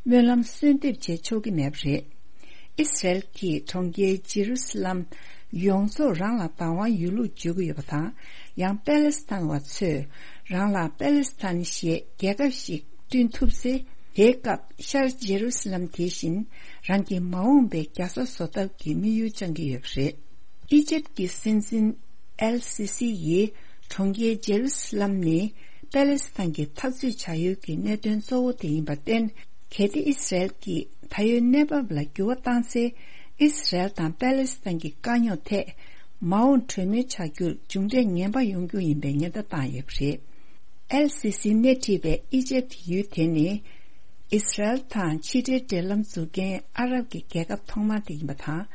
སྨོན་ལམ་གསོལ་འདེབས་བྱེད་ཆོག་གི་མེད་པ་རེད། ཨི་སི་རེལ་གྱིས་གྲོང་ཁྱེར་ཇེ་རུ་སི་ལམ་ཡོངས་རྫོགས་རང་ལ་བདག་དབང་ཡོད་ལུགས་བརྗོད་ཀྱི་ཡོད་པ་དང་། ཡང་པེ་ལེ་སི་ཐན་བ་ཚོས་རང་ལ་པེ་ལེ་སི་ཐན་ཞེས་རྒྱལ་ཁབ་ཞིག་བསྐྲུན་ཐུབ་ཚེ། དེའི་སྐབས་ཤར་ཇེ་རུ་སི་ལམ་དེ་བཞིན་རང་གི་མ་འོངས་པའི་རྒྱལ་ས་བཟོ་ཐབས་ཀྱི་དམིགས་ཡུལ་བཅངས་ཀྱི་ཡོད་པ་རེད། ཨི་ཇེབ་ཀྱི་སྲིད་འཛིན་ཨེལ་སི་སི་ཡིས་གྲོང་ཁྱེར་ཇེ་རུ་སི་ལམ་ནི་པེ་ལེ་སི་ཐན་གྱི་འཐབ་རྩོད་བྱ་ཡུལ་གྱི་གནད་དོན་གཙོ་བོ་དེ་ཡིན་པར་བརྟེན། གལ་ཏེ་ཨི་སི་རེལ་གྱིས་ད་ཡོད་གནས་བབ་ལ་འགྱུར་བ་བཏང་ཚེ། ཨི་སི་རེལ་དང་པེ་ལེ་སི་ཐན་གྱི་དཀའ་རྙོག་ཐད་མ་འོངས་གྲོས་མོལ་བྱ་རྒྱུར་མཇུག་འབྲས་ངན་པ་ཡོང་རྒྱུ་ཡིན་པའི་ཉེན་བརྡ་བཏང་ཡོད་པ་རེད། ཨེལ་སི་སི་སྣེ་ཁྲིད་པའི་ཨི་ཇེབ་ཡུལ་དེ་ནི། ཨི་སི་རེལ་དང་ཕྱི་འབྲེལ་འབྲེལ་ལམ་འཛུགས་མཁན་ཨ་རབ་ཀྱི་རྒྱལ་ཁབ་ཐོག་མ་དེ་ཡིན་པ་དང་།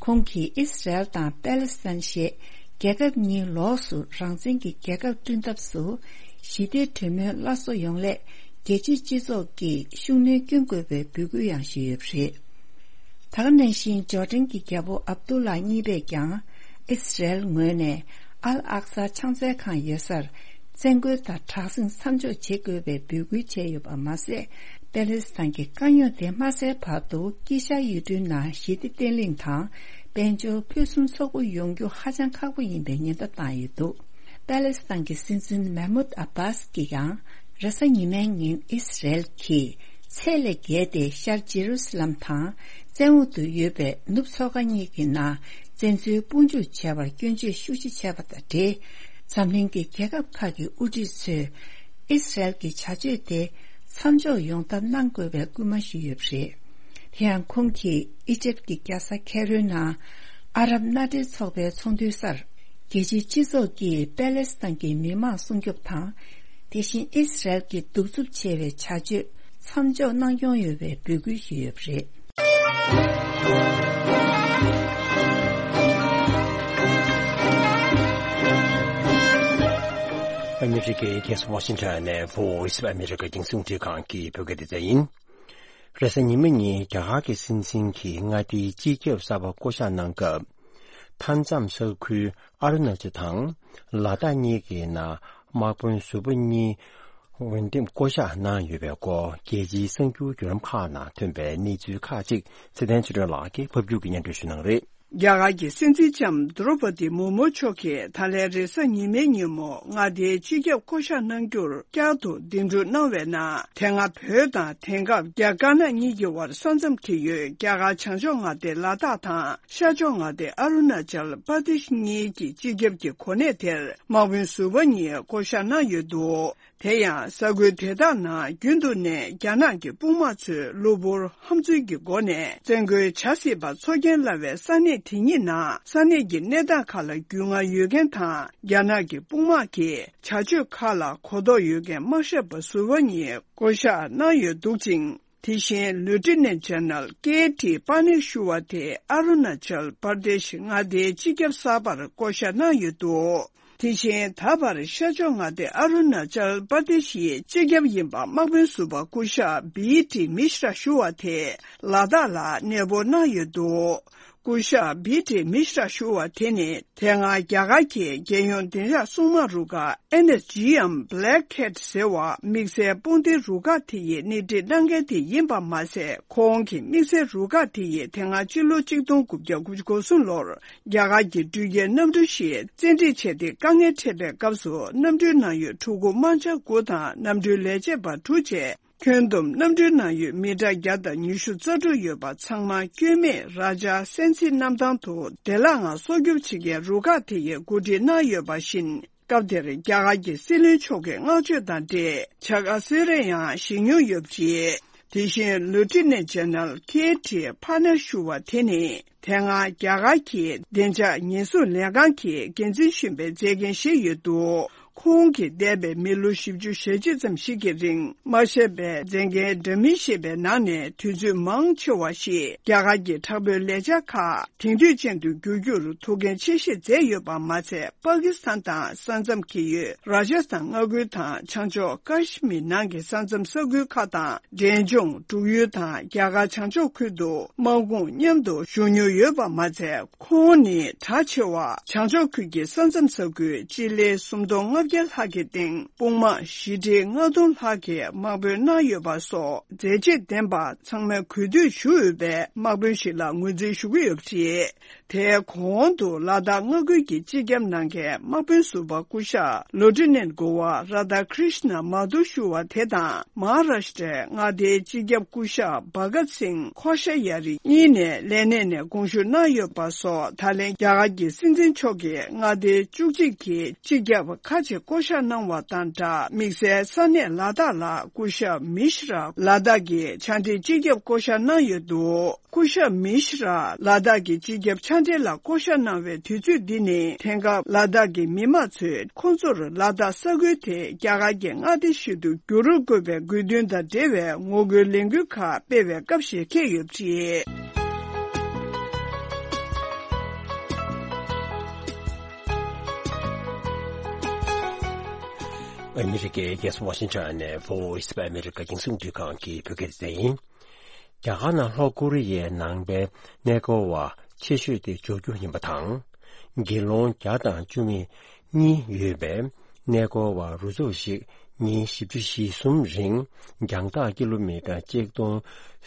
ཁོང་གིས་ཨི་སི་རེལ་དང་པེ་ལེ་སི་ཐན་ཞེས་རྒྱལ་ཁབ་གཉིས་ལོགས་སུ་རང་བཙན་གྱི་རྒྱལ་ཁབ་བསྐྲུན་ཐབས་སུ། ཞི་བདེ་གྲོས་མོལ་སླར་གསོ་ཡོང་སླད་རྒྱལ་སྤྱིའི་སྤྱི་ཚོགས་ཀྱིས་ཤུགས་སྣོན་སྐྱོན་དགོས་པའི་འབོད་སྐུལ་ཡང་ཞུས་ཡོད་པ་རེད། ད་ག་ནང་བཞིན་ཇོར་ཌན་གྱི་རྒྱལ་པོ་ཨབ་དུ་ལ་གཉིས་པས་ཀྱང་ཨི་སི་རེལ་ངོས་ནས་ཨལ་ཨག་ས་ཕྱག་འཚལ་ཁང་ཡོད་སར་བཙན་རྒོལ་དང་དྲག་ཟིང་མཚམས་འཇོག་བྱེད་དགོས་པའི་འབོད་སྐུལ་བྱས་ཡོད་པ་མ་ཟད། པེ་ལེ་སི་ཐན་གྱི་དཀའ་རྙོག་དེ་མ་སེལ་བར་དུ་དཀྱིལ་ཤར་ཡུལ་གྲུའི་ནང་ཞི་བདེ་བརྟན་ལྷིང་དང་དཔལ་འབྱོར་ཕུན་སུམ་ཚོགས་པོ་ཡོང་རྒྱུ་ཧ་ཅང་ཁག་པོ་ཡིན་པའི་ཉེན་བརྡ་བཏང་ཡོད་འདུག་པེ་ལེ་སི་ཐན་གྱི་སྲིད་འཛིན་མེ་མུད་ཨ་བྷཱས་ཀྱིས་ཀྱང་རེས་གཟའ་ཉི་མའི་ཉིན་ཨི་སི་རེལ་གྱིས་ཚད་ལས་བརྒལ་ཏེ་ཤར་ཇེ་རུ་སི་ལམ་དང་བཙན་འོག་ཏུ་ཡོད་པའི་ནུབ་མཚོ་ཁ་གཉིས་ཀྱི་ནང་བཙན་འཛུལ་དཔུང་འཇུག་བྱས་པར་སྐྱོན་བརྗོད་ཤུགས་ཆེ་བྱས་པ་དང་འབྲེལ། འཛམ་གླིང་གི་རྒྱལ་ཁབ་ཁག་གི་དབུ་ཁྲིད་ཚོས་ཨི་སི་རེལ་གྱི་བྱ་སྤྱོད་དེ་མཚམས་འཇོག་ཡོང་ཐབས་གནང་དགོས་པའི་སྐུལ་མ་ཞུས་ཡོད་པ་རེད། དེ་ཡང་ཁོང་གིས་ཨི་ཇེབ་ཀྱི་རྒྱལ་ས་ཁེ་རོའི་ནང་ཨ་རབ་མནའ་འབྲེལ་ཚོགས་པའི་ཚོགས་འདུའི་སར་རྒྱལ་སྤྱིའི་སྤྱི་ཚོགས་ཀྱིས་པེ་ལེ་སི་ཐན་གྱི་མི་མང་སྲུང་སྐྱོབ་དང་། དེ་བཞིན་ཨི་སི་རེལ་གྱི་གདུག་རྩུབ་ཆེ་བའི་བྱ་སྤྱོད་མཚམས་འཇོག་གནང་སྐྱོང་ཡོད་པའི་འབོད་སྐུལ་ཞུས་ཡོད་པ་རེད། ཨ་མི་རི་ཀའི་རྒྱལ་ས་ཝ་ཤིང་ཊོན་ནས་Voice of America་རྒྱང་སྲིང་རླུང་འཕྲིན་ཁང་གི་བོད་སྐད་སྡེ་ཚན་ཡིན། རེས་གཟའ་ཉི་མ་ཉིན་རྒྱ་གར་གྱི་སྲིད་འཛིན་གྱིས་མངའ་སྡེའི་སྤྱི་ཁྱབ་གསར་པ་བསྐོ་གཞག་གནང་སྐབས། མཐའ་མཚམས་ས་ཁུལ་ཨ་རུ་ན་ཅལ་དང་ལ་དྭགས་གཉིས་ཀྱི་ནང་དམག་དཔོན་ཟུར་པ་གཉིས་འོས་འདེམས་བསྐོ་གཞག་གནང་ཡོད་པའི་སྐོར་རྒྱལ་སྤྱིའི་གསར་འགྱུར་བརྒྱུད་ལམ་ཁག་ནང་ཐོན་པའི་གནས་ཚུལ་ཁག་ཅིག་ཚེ་བརྟན་ཆོས་སྒྲོན་ལགས་ཀྱིས་ཕབ་སྒྱུར་གྱིས་སྙན་སྒྲོན་ཞུ་གནང་གི་རེད། རྒྱ་གར་གྱི་སྲིད་འཛིན་ལྕམ་དྲོ་པ་ཏི་མུར་མུ་མཆོག་གིས་ད་ལན་རེས་གཟའ་ཉི་མའི་ཉིན་མོ་མངའ་སྡེའི་སྤྱི་ཁྱབ་བསྐོ་གཞག་གནང་རྒྱུར་བསྐྱར་དུ་གདན་འདྲེན་གནང་བའི་ནང་། དེ་སྔ་བོད་དང་དེང་སྐབས་རྒྱ་དཀར་ནག་གཉིས་ཀྱི་དབར་ས་མཚམས་འཁེལ་ཡོད་རྒྱ་གར་བྱང་ཕྱོགས་མངའ་སྡེ་ལ་དྭགས་དང་། ཤར་ཕྱོགས་མངའ་སྡེ་ཨ་རུ་ན་ཅལ་པར་དེཤ་གཉིས་ཀྱི་སྤྱི་ཁྱབ་ཀྱི་གོ་གནས་དེར་དམག་དཔོན་ཟུར་པ་གཉིས་བསྐོ་གཞག་གནང་ཡོད་འདུག་དེ་ཡང་ས་ཁུལ་དེ་དག་ནང་རྒྱུན་དུ་ནས་རྒྱ་ནག་གི་དཔུང་དམག་ཚོས་གློ་བུར་ཧམ་འཛུལ་གྱི་སྒོ་ནས་བཙན་རྒོལ་བྱ་སྲིད་པ་ཚོར་སྐྱེན་སླ་བའི་ས་གནས་དེ་གཉིས་ནང་ས་གནས་ཀྱི་གནས་སྟངས་ཁག་ལ་རྒྱུས་མངའ་ཡོད་མཁན་དང་། རྒྱ་ནག་གི་དཔུང་དམག་གི་བྱ་སྤྱོད་ཁག་ལ་གོ་རྟོགས་ཡོད་མཁན་དམག་ཞབས་པ་ཟུར་པ་གཉིས་བསྐོ་གཞག་གནང་ཡོད་འདུག་ཅིང་། དེ་བཞིན་ལུ་ཊི་ནན་ཇེ་ནེ་རལ་ཀེ་ཊི་པ་ནིར་ཞུ་བ་དེ་ཨ་རུ་ན་ཅལ་པར་དེ་ཤི་མངའ་སྡེའི་སྤྱི་ཁྱབ་གསར་པར་བསྐོ་བཞག་གནང་ཡོད་འདུག་དེ་བཞིན་ད་བར་ཤར་ཕྱོགས་མངའ་སྡེ་ཨ་རུ་ན་ཅལ་པར་དེ་ཤིའི་སྤྱི་ཁྱབ་ཡིན་པ་དམག་དཔོན་ཟུར་པ་སྐུ་ཞབས་བི་ཏི་མི་ཤྲ་ཞུ་བ་དེ་ལ་དྭགས་ལ་གནས་སྤོ་གནང་ཡོད་འདུག་སྐུ་ཞབས་བི་ཏི་མི་ཤྲ་ཞུ་བ་དེ་ནི་དེ་སྔ་རྒྱ་གར་གྱི་རྒྱལ་ཡོངས་བདེ་འཇགས་སྲུང་དམག་རུ་ཁག་ཨེན་ཨེས་ཇི་ཨེམ་Black Cat ཟེར་བ་དམིགས་བསལ་དཔུང་སྡེའི་རུ་ཁག་དེ་ཡི་སྣེ་ཁྲིད་གནང་མཁན་དེ་ཡིན་པ་མ་ཟད། ཁོང་གི་དམིགས་བསལ་རུ་ཁག་དེ་ཡིས་དེ་སྔ་ཕྱི་ལོ་གཅིག་སྟོང་དགུ་བརྒྱ་དགུ་བཅུ་གོ་གསུམ་ལོར་རྒྱ་གར་གྱི་འགྲུལ་སྐྱེལ་གནམ་གྲུ་ཞིག་བཙན་ཁྲིད་བྱས་ཏེ་དཀའ་ངལ་འཕྲད་པའི་སྐབས་སུ་གནམ་གྲུའི་ནང་ཡོད་ཕྲུ་གུ་དམར་འབྱར་དགུ་དང་གནམ་གྲུའི་ལས་བྱེད་པ་དྲུག་བཅས། ཁྱོན་བསྡོམས་གནམ་གྲུའི་ནང་ཡོད་མི་གྲངས་བརྒྱ་དང་ཉི་ཤུ་རྩ་དྲུག་ཡོད་པ་ཚང་མ་སྐྱོན་མེད་ར་ཇ་སན་སི་གནམ་ཐང་དུ་བདེ་བླག་ངང་སྲོག་སྐྱོབ་བྱེད་མཁན་རུ་ཁག་དེ་ཡིས་གོ་སྒྲིག་གནང་ཡོད་པ་བཞིན། སྐབས་དེར་རྒྱ་གར་གྱི་སྲིད་བློན་མཆོག་གི་བསྔགས་བརྗོད་དང་འབྲེལ་བྱ་དགའ་གསོལ་རས་ཡང་བཞེས་མྱོང་ཡོད་པ་རེད། དེ་བཞིན་ལུ་ཊི་ནན་ཇེ་ནེ་རལ་ཀེ་ཊི་པ་ནེར་ཞུ་བ་དེ་ནི་དེ་སྔ་རྒྱ་གར་གྱི་བདེ་འཇགས་ཉེན་སྲུང་ལས་ཁང་གི་འགན་འཛིན་གཞོན་པའི་མཛད་འགན་བཞེས་ཡོད་འདུག་ཁོང་གིས་འདས་པའི་མི་ལོ་བཞི་བཅུ་ཞེ་གཅིག་ཙམ་ཞིག་གི་རིང་མ་ཤེས་པའི་མཛད་འགན་འདྲ་མིན་བཞེས་པའི་ནང་ནས་དུས་ཚོད་མང་ཆེ་བ་ཞིག་རྒྱ་གར་གྱི་དྲག་པོའི་ལས་འཆར་ཁག་དེང་དུས་ཅན་དུ་བསྒྱུར་རྒྱུར་ཐུགས་འགན་ཆེ་བཞེས་མཛད་ཡོད་པ་མ་ཚད། པ་ཀི་སི་ཐན་དང་ས་མཚམས་ཀྱི་ཡུལ་ར་ཇ་སི་ཐན་མངའ་ཁུལ་དང་བྱང་ཕྱོགས་ཀ་ཤི་མིར་ནང་གི་ས་མཚམས་ས་ཁུལ་ཁག་དང་འབྲས་ལྗོངས་འབྲུག་ཡུལ་དང་རྒྱ་གར་བྱང་ཕྱོགས་ཁུལ་དུ་དམག་དཔུང་མཉམ་དུ་བཞུགས་མྱོང་ཡོད་པ་མ་ཚད། ཁོང་ནི་གྲགས་ཆེ་བ་བྱང་ཕྱོགས་ཁུལ་གྱི་ས་མཚམས་ས་ཁུལ་སྤྱི་ལེ་སུམ་སྟོང་ལྔ་བརྒྱ་ལྷག་གི་སྟེང་དཔུང་དམག་བཞི་ཁྲི་ལྔ་སྟོང་ལྷག་གི་དམག་དཔོན་གནང་ཡོད་པ་སོགས་མཛད་རྗེས་ལྡན་པ་ཚང་མས་གུས་འདུད་ཞུ་འོས་པའི་དམག་དཔོན་ཞིག་ལ་ངོས་འཛིན་ཞུ་གི་ཡོད་པ་རེད། དེའི་གོང་དུ་ལ་དྭགས་མངའ་ཁུལ་གྱི་སྤྱི་ཁྱབ་གནང་མཁན་དམག་དཔོན་ཟུར་པ་སྐུ་ཞབས་ལོ་ཊི་ནན་གོ་བ་ར་དྷ་ཀྲིཤ་ན་མ་དྷུ་ཞུ་བ་དེ་དང་། མ་ཧཱ་རཱ་ཤི་ཏྲའི་མངའ་སྡེའི་སྤྱི་ཁྱབ་སྐུ་ཞབས་བྷ་གཏ་སིང་ཁོ་ཤ་ཡ་རི་གཉིས་ནས་ལས་གནས་ནས་དགོངས་ཞུ་གནང་ཡོད་པ་སོགས། ད་ལན་རྒྱ་གར་གྱི་སྲིད་འཛིན་མཆོག་གིས་མངའ་སྡེ་བཅུ་གཅིག་གི་སྤྱི་ཁྱབ་ཁག་ཅིག་བསྐོ་གཞག་གནང་བ་དང་སྦྲགས། དམིགས་བསལ་ས་གནས་ལ་དྭགས་ལ་སྐུ་ཞབས་མི་ཤྲ་ལ་དྭགས་ཀྱི་ཕྱག་འབྲེལ་སྤྱི་ཁྱབ་བསྐོ་གཞག་གནང་ཡོད་འདུག་སྐུ་ཞབས་མི་ཤྲ་ལ་དྭགས་ཀྱི་སྤྱི་ཁྱབ་ཕྱག་འབྲེལ་ལ་བསྐོ་གཞག་གནང་བའི་དུས་ཚོད་འདི་ནི། དེང་སྐབས་ལ་དྭགས་ཀྱི་མི་མང་ཚོས་ཁོང་ཚོར་ལ་དྭགས་ས་ཁུལ་དེ་རྒྱ་གར་གྱི་མངའ་སྡེ་ཞིག་ཏུ་འགྱུར་རུ་དགོས་པའི་དགོས་འདུན་དང་འབྲེལ་བའི་ངོ་རྒོལ་ལས་འགུལ་ཁག་སྤེལ་བའི་སྐབས་ཤིག་འཁེལ་ཡོད་པ་རེད། ཨ་མི་རི་ཀའི་རྒྱལ་ས་ཝ་ཤིང་ཊོན་ནས་Voice of America རྒྱང་སྲིང་རླུང་འཕྲིན་ཁང་གི་བོད་སྐད་སྡེ་ཚན་ཡིན། རྒྱ་གར་ནང་ལྷོ་ཀོ་རི་ཡའི་ནང་པའི་གནས་སྐོར་བ་ཆེ་ཤོས་དེ་འབྱོར་རྒྱུ་ཡིན་པ་དང་། དགེ་སློང་བརྒྱ་དང་བཅུ་མེད་གཉིས་ཡོད་པའི་གནས་སྐོར་བ་རུ་ཚོགས་ཤིག་ཉིན་བཞི་བཅུ་ཞེ་གསུམ་རིང་རྒྱང་ཐག་ཀི་ལོ་མི་ཊར་གཅིག་སྟོང་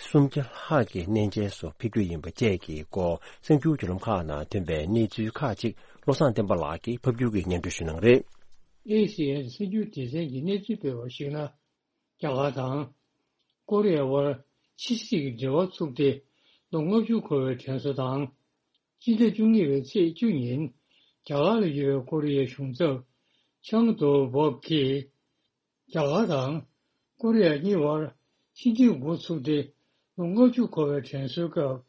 སུམ་བརྒྱ་ལྷག་གི་གནས་མཇལ་སོགས་ཕེབས་རྒྱུ་ཡིན་པ་བཅས་ཀྱི་སྐོར་གསར་འགྱུར་བརྒྱུད་ལམ་ཁག་ནང་ཐོན་པའི་གནས་ཚུལ་ཁག་ཅིག་བློ་བཟང་བསྟན་པ་ལགས་ཀྱིས་ཕབ་སྒྱུར་གྱིས་སྙན་སྒྲོན་ཞུ་གནང་རེད། ཨེ་སི་ཨེན་གསར་འགྱུར་སྡེ་ཚན་གྱིས་གནས་ཚུལ་སྤེལ་བར་གཞིགས་ན། རྒྱ་གར་དང་ཀོ་རི་ཡ་དབར་ཕྱི་སྲིད་ཀྱི་འབྲེལ་བ་ཚུགས་ཏེ་ལོ་ལྔ་བཅུ་འཁོར་བའི་དྲན་གསོ་དང་། སྤྱི་ཟླ་བཅུ་གཉིས་པའི་ཚེས་བཅུ་ཉིན་རྒྱ་གར་ལ་ཡོད་པའི་ཀོ་རི་ཡའི་གཞུང་ཚབ་ཆང་དོ་བོབ་ཀྱིས་རྒྱ་གར་དང་ཀོ་རི་ཡ་གཉིས་དབར་ཕྱི་འབྲེལ་འགོ་ཚུགས་ཏེ་ལོ་ལྔ་བཅུ་འཁོར་བའི་དྲན་གསོའི་སྐབས།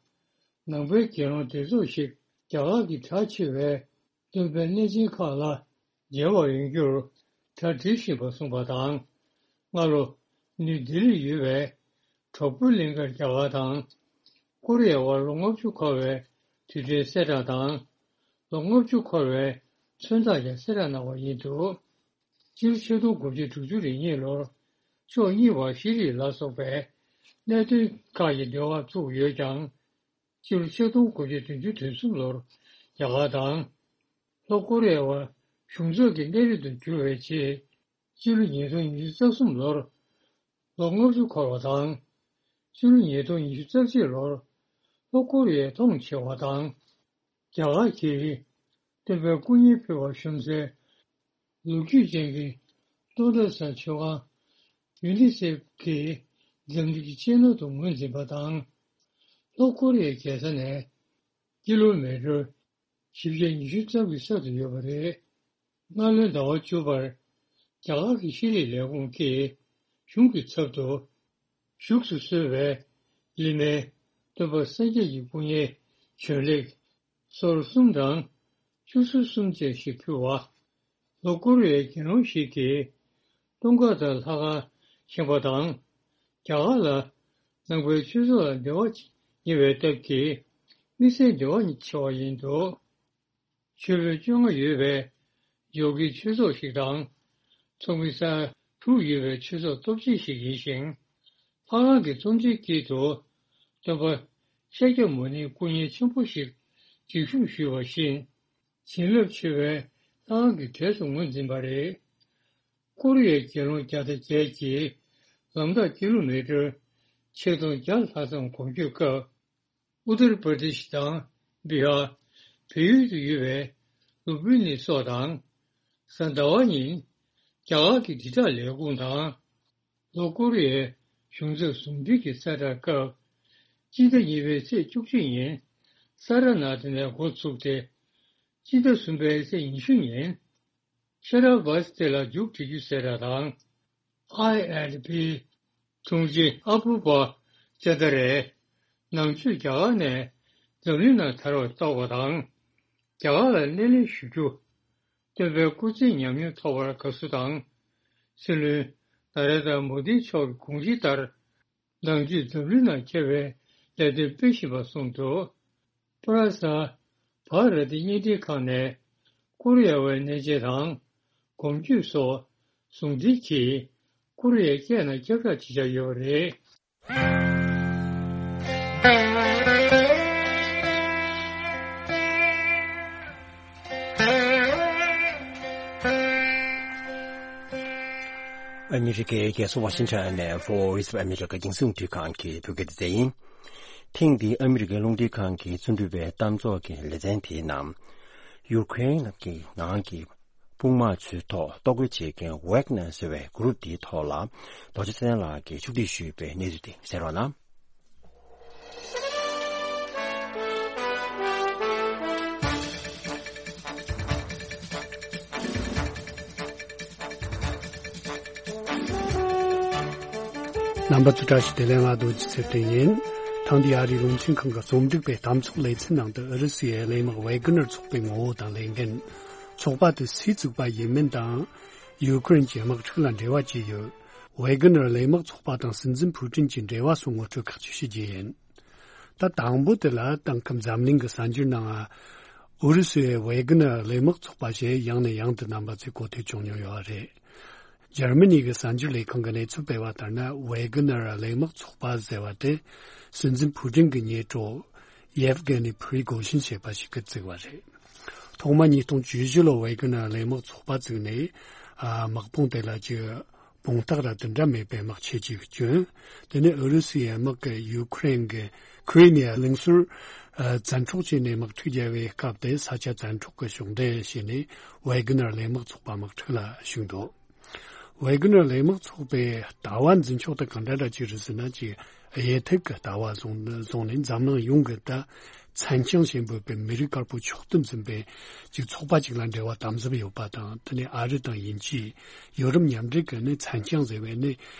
ནང་པའི་དགེ་སློང་སྡེ་ཚོགས་ཤིག་རྒྱ་གར་གྱི་གྲགས་ཆེ་བའི་སྟོན་པའི་གནས་ཆེན་ཁག་ལ་མཇལ་བར་ཡོང་རྒྱུར་གྲ་སྒྲིག་བཞིན་པ་གསུངས་པ་དང་། སྔ་ལོ་ནིའུ་ལྡི་ལིར་ཡོད་པའི་གྲོགས་པོའི་གླིང་གར་རྒྱ་གར་དང་ཀོ་རི་ཡའི་དབར་ལོ་ལྔ་བཅུ་འཁོར་བའི་དུས་དྲན་གསལ་བསྒྲགས་དང་། ལོ་ལྔ་བཅུ་འཁོར་བའི་མཚོན་རྟགས་ཀྱང་གསལ་བསྒྲགས་གནང་བ་ཡིན་འདུག་སྤྱི་ལོ་ཆིག་སྟོང་དགུ་བརྒྱ་དྲུག་ཅུ་རེ་གཉིས་ལོར་ཕྱོགས་གཉིས་བར་ཤེས་རིག་ལ་སོགས་པའི་གནད་དོན་ཁག་གི་འབྲེལ་བ་བཙུགས་ཡོད་ཀྱང་། སྤྱི་ལོ་ཆིག་སྟོང་དགུ་བརྒྱ་བདུན་ཅུ་དོན་གསུམ་ལོར་རྒྱ་གར་དང་ལྷོ་ཀོ་རི་ཡའི་དབར་གཞུང་ཚབ་ཀྱི་གནས་རིམ་དུ་གྱུར་བའི་རྗེས། སྤྱི་ལོ་ཉིས་སྟོང་ཉི་ཤུ་རྩ་གསུམ་ལོར་ལོ་ལྔ་བཅུ་འཁོར་བ་དང་། སྤྱི་ལོ་ཉིས་སྟོང་ཉི་ཤུ་རྩ་གཅིག་ལོར་ལྷོ་ཀོ་རི་ཡའི་མཐོང་ཆེ་བ་དང་། རྒྱ་གར་གྱིས་སྟོན་པའི་སྐུ་བརྙན་ཕུལ་བར་ཞུམ་སའི་ལོ་རྒྱུས་ཅན་གྱི་ལྟོ་འགྲོ་ས་མཆོད་ཁང་ཡུ་ནི་སེབ་ཀྱིས་འཛམ་གླིང་གི་གཅེས་ནོར་དུ་ངོས་འཛིན་པ་དང་། ལྷོ་ཀོ་རི་ཡའི་རྒྱལ་ས་ནས་ཀི་ལོ་མི་ཊར་བཞི་བརྒྱ་ཉི་ཤུ་ཙམ་གྱི་ས་དུ་ཡོད་པ་རེད། སྔ་ལོའི་ཟླ་བ་བཅུ་པར་རྒྱ་གར་གྱི་ཤེས་རིག་ལས་ཁུངས་ཀྱིས་གཞུང་གི་ཚབ་ཏུ་བཞུགས་སུ་གསོལ་བའི་ལི་མའི་སྟོན་པ་སངས་རྒྱས་ཀྱི་སྐུ་བརྙན་བྱོན་ལེགས་སོར་གསུམ་དང་བཅུ་ཚོད་གསུམ་བཅས་ཤིག་ཕུལ་བ། ལྷོ་ཀོ་རི་ཡའི་དགེ་སློང་ཞིག་གིས་སྟོན་ཁ་དང་ལྷ་ཁང་བཞེངས་པ་དང་། རྒྱ་གར་ལ་ ནང་པའི་ཆོས་ཚོགས་ལ་འབྲེལ་བ་ཉེ་བའི་སྟབས་ཀྱིས་དམིགས་བསལ་འབྲེལ་བ་ཆེ་བ་ཡིན་འདུག། ཆོས་དཔོན་བཅོ་ལྔ་ཡོད་པའི་ཇོ་ཀིའི་ཆོས་ཚོགས་ཤིག་དང་། ཚོགས་མི་ས་ཡ་དྲུག་ཡོད་པའི་ཆོས་ཚོགས་སྟོབས་ཆེན་ཞིག་ཡིན་ཞིང་། ལྷ་ཁང་གི་གཙོ་འཛིན་དཀྱིལ་དུ་སྟོན་པ་ཤཱཀྱ་མུ་ནེའི་སྐུ་བརྙན་ཆེན་པོ་ཞིག་སྒྲིག་བཞུགས་ཞུས་པ་བཞིན། བྱིན་རླབས་ཆེ་བའི་ལྷ་ཁང་གི་གྲས་སུ་ངོས་འཛིན་པ་རེད། ཀོ་རི་ཡའི་རྒྱལ་རླུང་བརྒྱ་དང་བརྒྱད་ཀྱིས་ལམ་ཐག་ཀི་ལོ་མི་ཊར་ཆིག་སྟོང་བརྒྱ་ལྷག་ཙམ་གོམ་བགྲོད་སྐབས། ཨུ་ཏར་པར་དེ་ཤི་དང་བི་ཧར། བལ་ཡུལ་དུ་ཡོད་པའི་ལུམ་བི་ནི་སོགས་དང་། གཟའ་ཟླ་བ་ཉིན་རྒྱ་གར་གྱི་དྲིལ་བསྒྲགས་ལས་ཁུངས་དང་། ལྷོ་ཀོ་རི་ཡའི་གཞུང་ཚབ་ཟུང་འབྲེལ་གྱི་གསལ་བསྒྲགས་སྐབས། སྤྱི་ཟླ་གཉིས་པའི་ཚེས་བཅུ་གཅིག་ཉིན་ས་ར་ནཱ་ཐི་ནས་འགོ་ཚུགས་ཏེ། སྤྱི་ཟླ་གསུམ་པའི་ཚེས་ཉི་ཤུ་ཉིན་ཤ་ར་བ་སི་ཏེ་ལ་མཇུག་སྒྲིལ་རྒྱུ་གསལ་བསྒྲགས་དང་། ཨའི་ཨེན་ཌི་པི་དྲུང་ཆེ་ཨ་བུ་པ་ཅན་ད་རེ་ནང་ཆོས་རྒྱ་གར་ནས་འཛམ་གླིང་ནང་དར་བར་གཏོགས་པ་དང་། རྒྱ་གར་ལ་སྣེ་ལེན་ཞུ་རྒྱུ། སྟོན་པའི་སྐུ་ཚེའི་ཉམས་མྱོང་ཐོབ་པར་དགའ་བསུ་དང་། སྲིད་བློན་ན་རེན་དྲ་མོ་དི་མཆོག་གི་དགོངས་གཞི་ལྟར། ནང་ཆོས་འཛམ་གླིང་ནང་ཁྱབ་པའི་ལས་དོན་སྤེལ་བཞིན་པ་གསུངས་འདུག། ཕ་ར་ས། བྷ་ར་ཏི་བརྙན་འཕྲིན་ཁང་ནས་ཀོ་རི་ཡ་བའི་གནས་མཇལ་དང་གོམ་བགྲོད་སོགས་ཟུང་འབྲེལ་གྱིས་ཀོ་རི་ཡའི་སྐད་ནང་ཁྱབ་བསྒྲགས་བྱེད་འཆར་ཡོད་པ་རེད། ཨ་མི་རི་ཀའི་རྒྱལ་ས་ཝ་ཤིང་ཊོན་ནས་Voice of America་རྒྱང་སྲིང་རླུང་འཕྲིན་ཁང་གི་བོད་སྐད་སྡེ་ཚན་ཡིན། ཐེངས་འདིའི་ཨ་མི་རི་ཀའི་རླུང་འཕྲིན་ཁང་གི་རྩོམ་སྒྲིག་པའི་གཏམ་ཚོགས་ཀྱི་ལེ་ཚན་དེའི་ནང་། ཡུ་ཀེ་རེན་གྱི་ནང་གི་དཔུང་དམག་ཚོའི་ཐོག་གཏོར་རྒོལ་བྱེད་མཁན་ཝེག་ནར་ཟེར་བའི་གུ་རུབ་དེའི་ཐོག་ལ། རྡོ་རྗེ་ཚེ་བརྟན་ལགས་ཀྱིས་ཕྱོགས་སྒྲིག་ཞུས་པའི་གནས་ཚུལ་དེ་གསན་རོགས་གནང་། རྣམ་པ་ཚོ་བཀྲ་ཤིས་བདེ་ལེགས། ང་རྡོ་རྗེ་ཚེ་བརྟན་ཡིན། ཐེངས་འདིའི་ཨ་རིའི་རླུང་འཕྲིན་ཁང་གི་རྩོམ་སྒྲིག་པའི་གཏམ་ཚོགས་ལེ་ཚན་ནང་དུ་ཨུ་རུ་སུའི་གླས་དམག་ཝེ་གྷི་ནར་ཚོགས་པའི་ངོ་བོ་དང་ལས་འགན། ཚོགས་པ་དེ་སུས་བཙུགས་པ་ཡིན་མིན་དང་། ཡུ་ཀེ་རེན་གྱི་དམག་འཁྲུག་ལ་འབྲེལ་བ་ཅི་ཡོད། ཝེ་གྷི་ནར་གླས་དམག་ཚོགས་པ་དང་སྲིད་འཛིན་ཕུའུ་ཀྲིན་གྱི་འབྲེལ་བ་སོགས་ངོ་སྤྲོད་ཁག་ཅིག་ཞུ་རྒྱུ་ཡིན། ད་དང་པོ་དེ་ལ་དེང་སྐབས་འཛམ་གླིང་གི་གསར་འགྱུར་ནང་ཨུ་རུ་སུའི་ཝེ་གྷི་ནར་གླས་དམག་ཚོགས་པ་ཞེས་ཡང་ནས་ཡང་དུ་རྣམ་པ་ཚོས་གོ་ཐོས་བྱུང་མྱོང་ཡོད་རེད། འཇར་མ་ནི་གི་གསར་འགྱུར་ལས་ཁང་གི་གནས་ཚུལ་སྤེལ་བ་ལྟར་ན། ཝེ་གྷི་ནར་གླས་དམག་ཚོགས་པ་ཟེར་བ་དེ་སྲིད་འཛིན་ཕུའུ་ཀྲིན་གྱི་ཉེ་གྲོགས་ཡེབ་གྷེ་ནི་ཕི་རི་གོ་ཤིན་ཞེས་པ་ཞིག་གིས་བཙུགས་པ་རེད། ཐོག་མ་ཉིས་སྟོང་བཅུ་བཞི་ལོ་ཝེ་གྷི་ནར་གླས་དམག་ཚོགས་པ་བཙུགས་ནས། ཨ། དམག་དཔུང་དེ་ལ་ཅིག་དཔུང་རྟགས་ར་དེ་འདྲ་མེད་པའི་དམག་ཆས་ཅིག་བསྐྱོན། དེ་ནས་ཨུ་རུ་སུའི་དམག་གིས་ཡུ་ཀེ་རེན་གྱི་ཁི་རི་མི་ཡ་གླིང་ཟུར་ཨ་བཙན་འཕྲོག་བྱས་ནས་དམག་འཁྲུག་བརྒྱབ་པའི་སྐབས་དེ་ས་ཆ་བཙན་འཕྲོག་གི་ཕྱོགས་འདེད་བྱས་ནས་ཝེ་གྷི་ནར་གླས་དམག་ཚོགས་པ་དམག་འཁྲུག་ལ་ཞུགས་འདུག། ཝེ་གྷི་ནར་གླས་དམག་ཚོགས་པའི་ལྟ་བ་འཛིན་ཕྱོགས་དེ་གང་འདྲ་འདྲ་ཅིག་རེད་ཟེར་ན། ཅིག་དབྱེ་ཐིག་གི་ལྟ་བ་བཟུང་བཟུང་ནས་འཛམ་གླིང་ཡོངས་ཀྱི་ད་མཚན་བྱང་ཞེས་འབོད་པའི་མི་རིགས་དཀར་པོ་མཆོག་ཏུ་འཛིན་པའི་ཅིག་ཚོགས་པ་ཅིག་ལ་འབྲེལ་བ་དམ་ཟབ་ཡོད་པ་དང་། དེ་ནས་ཨ་རི་དང་དབྱིན་ཇི། ཡོ་རོབ་མཉམ་འབྲེལ་གྱི་ནི་མཚན་བྱང་ཟེར་བའི་ནི་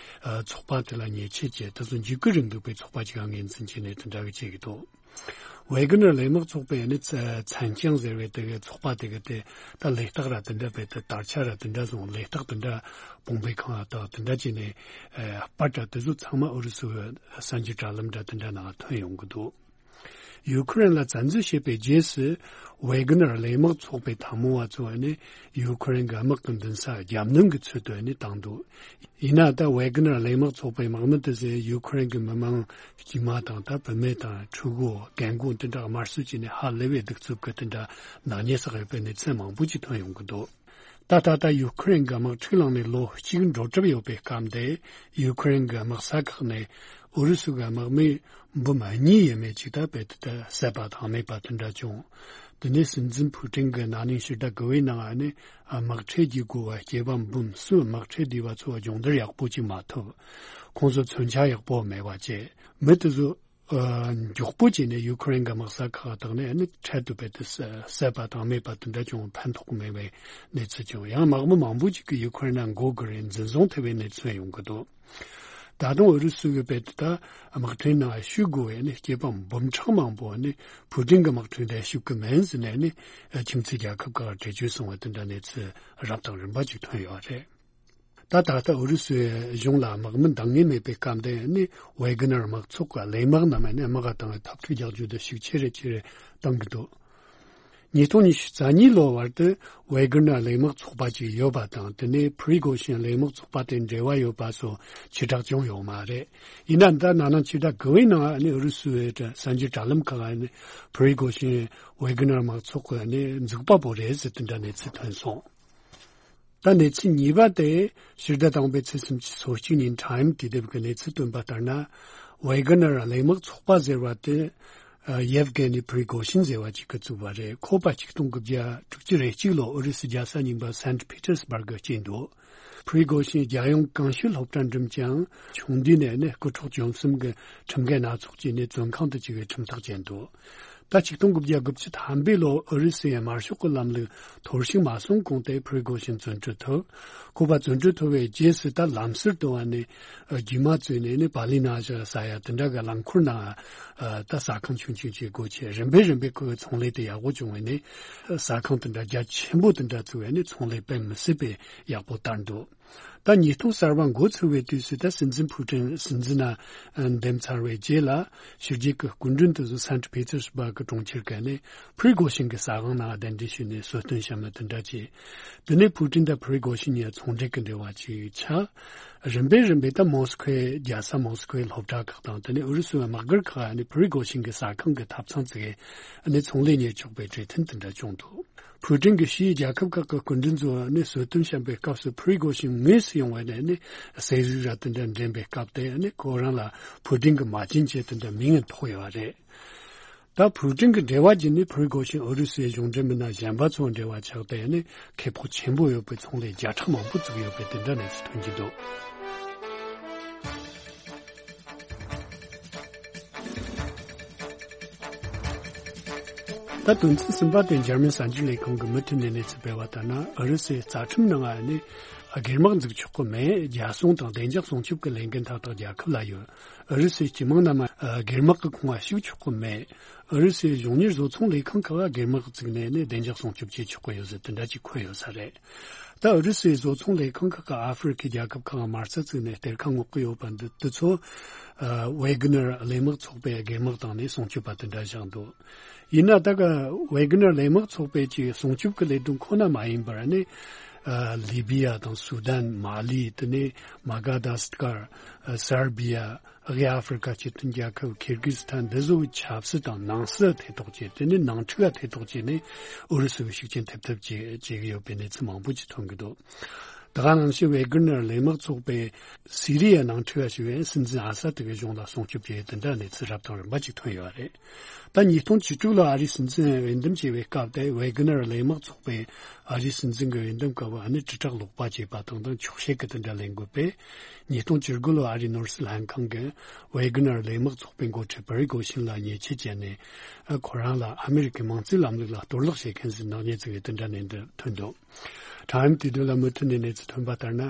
ཨ་ཚོགས་པ་དེ་ལ་ཉེས་ཆད་བཅད། དེ་ཚོ་འཇིགས་སྐུལ་རིང་ལུགས་པའི་ཚོགས་པ་ཅིག་ལ་ངོས་འཛིན་བྱས་ནས་དེ་འདྲ་བའི་བྱེད་ཀྱི་འདུག། ཝེ་གྷི་ནར་གླས་དམག་ཚོགས་པའི་ནི་མཚན་བྱང་ཟེར་བའི་དེ་གའི་ཚོགས་པ་དེ་གའི་དེ་ད་ལས་རྟགས་ར་དེ་འདྲ་བས། དེ་དར་ཆ་ར་དེ་འདྲ་བཟུང་། ལས་རྟགས་དེ་འདྲ་དཔུང་པའི་ཁང་ལ་བཏགས། དེ་འདྲ་བྱས་ནས་ཨ་པར་ར་དེ་ཚོ་ཚང་མ་ཨུ་རུ་སུའི་གསར་འགྱུར་དྲ་ལམ་ར་དེ་འདྲ་ནང་ཐོན་ཡོང་གི་འདུག། ཡུ་ཀེ་རེན་ལ་བཙན་འཛུལ་བྱས་པའི་རྗེས་སུ། ཝེ་གྷི་ནར་གླས་དམག་ཚོགས་པའི་འཐབ་མོ་བ་ཚོ་ནི་ཡུ་ཀེ་རེན་གྱི་དམག་གི་མདུན་སར་རྒྱབ་སྣོན་གྱི་ཚུལ་དུ་ནི་བཏང་འདུག། ཡིན་ན་ད་ཝེ་གྷི་ནར་གླས་དམག་ཚོགས་པའི་དམག་མི་དེ་ཚོས་ཡུ་ཀེ་རེན་གྱི་མི་མང་དཀྱུས་མ་དང་། ད་བུད་མེད་དང་ཕྲུ་གུ། རྒན་རྒོན་དེ་འདྲ་དམར་གསོད་བྱས་ནས་ཧ་ལས་པའི་གདུག་རྩུབ་ཀྱི་དེ་འདྲ་ནག་ཉེས་བསགས་ཡོད་པའི་གནས་ཚུལ་མང་པོ་ཅིག་ཐོན་ཡོང་གི་འདུག། ད་ད་ལྟ་ཡུ་ཀེ་རེན་གྱི་དམག་འཁྲུག་ལངས་ནས་ལོ་གཅིག་འགྲོ་གྲབས་ཡོད་པའི་སྐབས་འདི། ཡུ་ཀེ་རེན་གྱི་དམག་ས་ཁག་ནས་ཨུ་རུ་སུ་གི་དམག་མི་འབུམ་གཉིས་ཡས་མས་ཅིག་ད་རྦད་དེ་ད་བསད་པ་དང་རྨས་པ་དེ་འདྲ་བྱུང་། དེ་ནས་སྲིད་འཛིན་ཕུའུ་ཀྲིན་གྱིས་ན་ནིང་ཕྱི་ཟླ་དགུ་པའི་ནང་ནས་དམག་ཁྲལ་བགྱིད་དགོས་པ་སྐྱེས་པ་འབུམ་གསུམ་དམག་ཁྲལ་བསྡུས་པ་ཚོ་སྦྱོང་བརྡར་ཡག་པོ་ཅིག་མ་ཐོབ། ཁོང་ཚོ་མཚོན་ཆ་ཡག་པོ་མེད་པ་བྱས། མི་དེ་ཚོ་ཨ་མགྱོགས་པོ་བྱས་ནས་ཡུ་ཀེ་རེན་གྱི་དམག་ས་ཁག་དག་ནས་ནི་འཕྲལ་དུ་རྦད་དེ་བསད་བསད་པ་དང་རྨས་པ་དེ་འདྲ་བྱུང་། ཕན་ཐོགས་མེད་པའི་གནས་ཚུལ་བྱུང་། ཡང་དམག་མི་མང་པོ་ཅིག་གིས་ཡུ་ཀེ་རེན་ནང་འགོ་དགོས་རེད། འཛིན་བཟུང་ཐེབས་པའི་གནས་ཚུལ་ཡོང་གི་འདུག། ད་དུང་ཨུ་རུ་སུ་གིས་རྦད་དེ་ད་དམག་ཁྲིམས་ནང་ཞུགས་དགོས་པའི་ནི་སྐྱེས་པ་འབུམ་ཕྲག་མང་པོ་ནི་ཕུའུ་ཀྲིན་གྱི་དམག་ཁྲིམས་དེ་ཞུགས་ཀྱི་མིན་ཟེར་ནས་ནི་ཁྱིམ་མཚེས་རྒྱལ་ཁབ་ཁག་ལ་འགྲེལ་བརྗོད་སོང་བ་དེ་འདྲ་གནས་ཚུལ་རབ་དང་རིམ་པ་ཅིག་ཐོན་ཡོད་རེད། ད་ད་ལྟ་ཨུ་རུ་སུའི་གཞུང་ལ་དམག་མི་འདང་ངེས་མེད་པའི་སྐབས་དེ་ནི་ཝེ་གྷི་ནར་དམག་ཚོགས་ཀྱི་གླས་དམག་རྣམས་ནི་དམག་ག་བཏང་བའི་འཐབ་འཁྲུག་རྒྱག་རྒྱུ་དེ་ཤུགས་ཆེ་རུ་ཆེ་རུ་གཏོང་གི་འདུག་ཉིས་སྟོང་ཉི་ཤུ་རྩ་གཉིས་ལོ་བར་དུ་ཝེ་གྷི་ནར་གླས་དམག་ཚོགས་པ་ཅིག་ཡོད་པ་དང་། དེ་ནས་ཕི་རི་གོ་ཤིན་གླས་དམག་ཚོགས་པ་དེ་འབྲེལ་བ་ཡོད་པ་སོགས་ཕྱིར་བསྒྲགས་བྱུང་ཡོད་མ་རེད། ཡིན་ན་ད་ན་ནིང་ཕྱི་ཟླ་དགུ་པའི་ནང་ནས་ཨུ་རུ་སུའི་གསར་འགྱུར་དྲ་ལམ་ཁག་ནས་ཕི་རི་གོ་ཤིན་ཝེ་གྷི་ནར་དམག་ཚོགས་ཀྱི་ནས་འཛུགས་པ་པོ་རེད་ཟེར་དེ་འདྲ་གནས་ཚུལ་ཐོན་སོང་། ད་གནས་ཚུལ་གཉིས་པ་དེ་ཕྱི་ཟླ་དང་པོའི་ཚེས་སུམ་ཅུ་སོ་གཅིག་ཉིན་ཊའིམ་དུ་དེབ་ཀྱི་གནས་ཚུལ་བཏོན་པ་ལྟར་ན། ཝེ་གྷི་ནར་གླས་དམག་ཚོགས་པ་ཟེར་བ་དེ་ཡེབ་གྷེ་ནི་ཕི་རི་གོ་ཤིན་ཟེར་བ་ཅིག་གིས་བཙུགས་པ་རེད། ཁོ་པ་ཆིག་སྟོང་དགུ་བརྒྱ་དྲུག་ཅུ་རེ་གཅིག་ལོ་ཨུ་རུ་སུའི་རྒྱལ་ས་རྙིང་པ་སན་ཊི་ཕི་ཏེར་སྦུར་གི་སྐྱེས་འདུག་ཕི་རི་གོ་ཤིན་རྒྱལ་ཡོངས་གངས་ཤུད་སློབ་གྲྭར་འགྲིམས་ཀྱང་ཆུང་དུས་ནས་ནི་རྐུ་འཕྲོག་བཅོམ་གསུམ་གྱི་ཁྲིམས་འགལ་སྣ་ཚོགས་ཀྱི་ནི་བཙོན་ཁང་དུ་བཅུག་པའི་ཁྲིམས་ཐག་བཅད་འདུག་ད་ཆིག་སྟོང་དགུ་བརྒྱ་དགུ་བཅུ་ཐམ་པའི་ལོ་ཨུ་རུ་སུའི་དམར་ཤོག་གི་ལམ་ལུགས་འཐོར་ཞིག་མ་སོང་གོང་དེ་ཕི་རི་གོ་ཤིན་བཙོན་གྲོལ་ཐུབ། ཁོ་པ་བཙོན་གྲོལ་ཐུབ་པའི་རྗེས་སུ་ད་ལམ་ཟུར་དུ་བ་ནས་རྒྱུས་མ་བཙུགས་ནས་ནི་པ་ལི་ན་ཞིག་ཟ་ཡ་དེ་འདྲ་གི་རླངས་འཁོར་ནང་ད་ཟ་ཁང་ཆུང་ཆུང་ཅིག་སྒོ་ཕྱེ། རིམ་པས་རིམ་པས་ཁོའི་ཚོང་ལས་དེ་ཡག་པོ་བྱུང་བས་ནི་ཟ་ཁང་དེ་འདྲ་རྒྱ་ཆེན་པོ་དེ་འདྲ་བཙུགས་བས་ནི་ཚོང་ལས་དཔེ་མི་སྲིད་པའི་ཡག་པོ་བསྟར་འདུག་ད་ཉིས་སྟོང་གསར་པ་འགོ་ཚུགས་པའི་དུས་སུ་ད་སྲིད་འཛིན་ཕུའུ་ཀྲིན་སྲིད་འཛིན་ན་འདེམས་ཚར་བའི་རྗེས་ལ་ཕྱི་རྒྱལ་གྱི་སྐུ་མགྲོན་དེ་ཚོ་སན་ཊི་ཕི་ཏེར་སྦུར་གྱི་གྲོང་ཁྱེར་ག་ནས་ཕི་རི་གོ་ཤིན་གྱི་ཟ་ཁང་ནང་གདན་འདྲེན་ཞུས་ནས་གསོལ་སྟོན་བཤམས་ནས་དེ་འདྲ་བྱས། དེ་ནས་ཕུའུ་ཀྲིན་དང་ཕི་རི་གོ་ཤིན་གཉིས་ཚོང་འབྲེལ་གྱི་འབྲེལ་བ་ཅིག་ཆགས། རིམ་པས་རིམ་པས་ད་མོ་སི་ཁོའི་རྒྱལ་ས་མོ་སི་ཁོའི་སློབ་གྲྭ་ཁག་དང་དེ་ནས་ཨུ་རུ་སུའི་དམག་སྒར་ཁག་ནས་ཕི་རི་གོ་ཤིན་གྱི་ཟ་ཁང་གི་ཐབ་ཚང་བཙུགས་ནས་ཚོང་ལས་གཉེར་ཆོག་པའི་གྲོས་མཐུན་དེ་འདྲ་བྱུང་འདུག་ཕུའུ་ཀྲིན་གྱིས་ཕྱིའི་རྒྱལ་ཁབ་ཁག་གི་སྐུ་མགྲོན་ཚོ་ནས་གསོལ་སྟོན་བཤམས་པའི་སྐབས་སུ་ཕི་རི་གོ་ཤིན་དངོས་སུ་ཡོང་བ་ནས་ནི་ཟས་རིགས་ར་དེ་འདྲ་འདྲེན་པའི་སྐབས་དེ་ནི་ཁོ་རང་ལ་ཕུའུ་ཀྲིན་གྱིས་མ་བྱན་ཅེས་དེ་འདྲ་མིང་ཐོགས་ཡོད་པ་རེད། ད་ཕུའུ་ཀྲིན་གྱི་འབྲེལ་བ་བརྒྱུད་ནས་ཕི་རི་གོ་ཤིན་ཨུ་རུ་སུའི་གཞུང་འབྲེལ་མི་སྣ་གཞན་པ་ཚོའི་འབྲེལ་བ་ཆགས་ཏེ་ནི་ཁེ་སྤོགས་ཆེན་པོ་ཡོད་པའི་ཚོང་ལས་བརྒྱ་ཕྲག་མང་པོ་བཙུགས་ཡོད་པའི་དེ་འདྲ་གནས་ཚུལ་ཐོན་གྱི་འདུག་ད་དོན་ཚན་གསུམ་པ་དེ་འཇར་མན་གསར་འགྱུར་ལས་ཁང་གིས་མུ་མཐུད་ནས་གནས་ཚུལ་སྤེལ་བ་ལྟར་ན། ཨུ་རུ་སུའི་རྩ་ཁྲིམས་ནང་ཨ་ནི་སྒེར་དམག་འཛུགས་ཆོག་གི་མེད། རྒྱལ་སྲུང་དང་བདེ་འཇགས་སྲུང་སྐྱོབ་ཀྱི་ལས་འགན་མཐའ་དག་རྒྱལ་ཁབ་ལ་ཡོད། ཨུ་རུ་སུའི་སྤྱི་དམངས་རྣམས་སྒེར་དམག་གི་ཁོངས་ལ་ཞུགས་ཆོག་གི་མེད། ཨུ་རུ་སུའི་གཞུང་གཉེར་བཟོ་ཚོང་ལས་ཁང་ཁག་སྒེར་དམག་བཙུགས་ནས་ནི་བདེ་འཇགས་སྲུང་སྐྱོབ་བྱེད་ཆོག་གི་ཡོད་ཟེར་དེ་འདྲ་ཅིག་འཁོད་ཡོད་ས་རེད། ད་ཨུ་རུ་སུའི་བཟོ་ཚོང་ལས་ཁང་ཁག་གིས་ཨ་ཧྥེ་རི་ཁའི་རྒྱལ་ཁབ་ཁག་མ་རྩ་བཙུགས་ནས་གཏེར་ཁ་སྔོག་གི་ཡོད་པ་འདི་དེ་ཚོ་ཨ་ཝེ་གྷི་ནར་གླས་དམག་ཚོགས་པའི་སྒེར་དམག་བཏང་ནས་སྲུང་སྐྱོབ་པ་དེ་འདྲ་བཞག་འདུག་ཡིན་ན་ད་ག་ཝེ་གྷི་ནར་གླས་དམག་ཚོགས་པའི་ཀྱི་སྲུང་སྐྱོབ་ཀྱི་ལས་དོན་ཁོ་ན་མ་ཡིན་པར་ནི་ཨ་ལི་བི་ཡ་དང་སུ་དན། མ་ལི། དེ་ནས་མ་ག་དཱ་སི་ཀར། ཨ་སར་བི་ཡ། དབུས་ཨ་ཧྥེ་རི་ཁ་སྤྱི་མཐུན་རྒྱལ་ཁབ། ཁིར་གྷི་སི་ཐན། འདི་ཚོའི་ཆབ་སྲིད་དང་ནང་སྲིད་ཐེ་གཏོགས་བྱས། དེ་ནས་ནང་འཁྲུག་ལ་ཐེ་གཏོགས་བྱས་ནས་ཨུ་རུ་སུའི་ཤུགས་རྐྱེན་ཐེབས་ཐབས་བྱེད་བྱེད་ཀྱི་ཡོད་པའི་གནས་ཚུལ་མང་པོ་ཅིག་ཐོན་གྱི་འདུག་ད་ག་ནང་བཞིན་ཝེ་གྷི་ནར་གླས་དམག་ཚོགས་པས་སི་རི་ཡའི་ནང་འཁྲུག་ལ་ཞུགས་པའི་སྲིད་འཛིན་ཨ་ས་ཏི་གི་གཞུང་ལ་སྲུང་སྐྱོབ་བྱས་ཡོད། དེ་འདྲ་གནས་ཚུལ་རབ་དང་རིམ་པ་ཅིག་ཐོན་ཡོད་རེད། ད་ཉིས་སྟོང་བཅུ་དྲུག་ལོ་ཨ་རིའི་སྲིད་འཛིན་འོས་འདེམས་བྱས་པའི་སྐབས་དེ་ཝེ་གྷི་ནར་གླས་དམག་ཚོགས་པས་ཨ་རིའི་སྲིད་འཛིན་གྱི་འོས་འདེམས་སྐབས་ཨ་ནི་དྲིལ་བསྒྲགས་ལོག་པ་བྱས་པ་དང་དང་འཁྱོག་བཤད་ཀྱི་དེ་འདྲ་ལས་འགུལ་སྤེལ། ཉིས་སྟོང་བཅུ་དགུ་ལོ་ཨ་རིའི་ནོར་སྲིད་ལྷན་ཁང་གིས་ཝེ་གྷི་ནར་གླས་དམག་ཚོགས་པའི་འགོ་ཁྲིད་ཕི་རི་གོ་ཤིན་ལ་ཉེས་ཆད་བཅད་ནས། ཨ་ཁོ་རང་ལ་ཨ་མི་རི་ཀའི་མང་གཙོའི་ལམ་ལུགས་ལ་གཏོར་བརླག་བྱེད་མཁན་ཟེར་ནག་ཉེས་བཙུགས་པའི་དེ་འདྲ་གནས་ཚུལ་ཐོན་འདུག་ཊའིམ་དུས་དེབ་ལ་མུ་མཐུད་ནས་གནས་ཚུལ་ཐོན་པ་ལྟར་ན།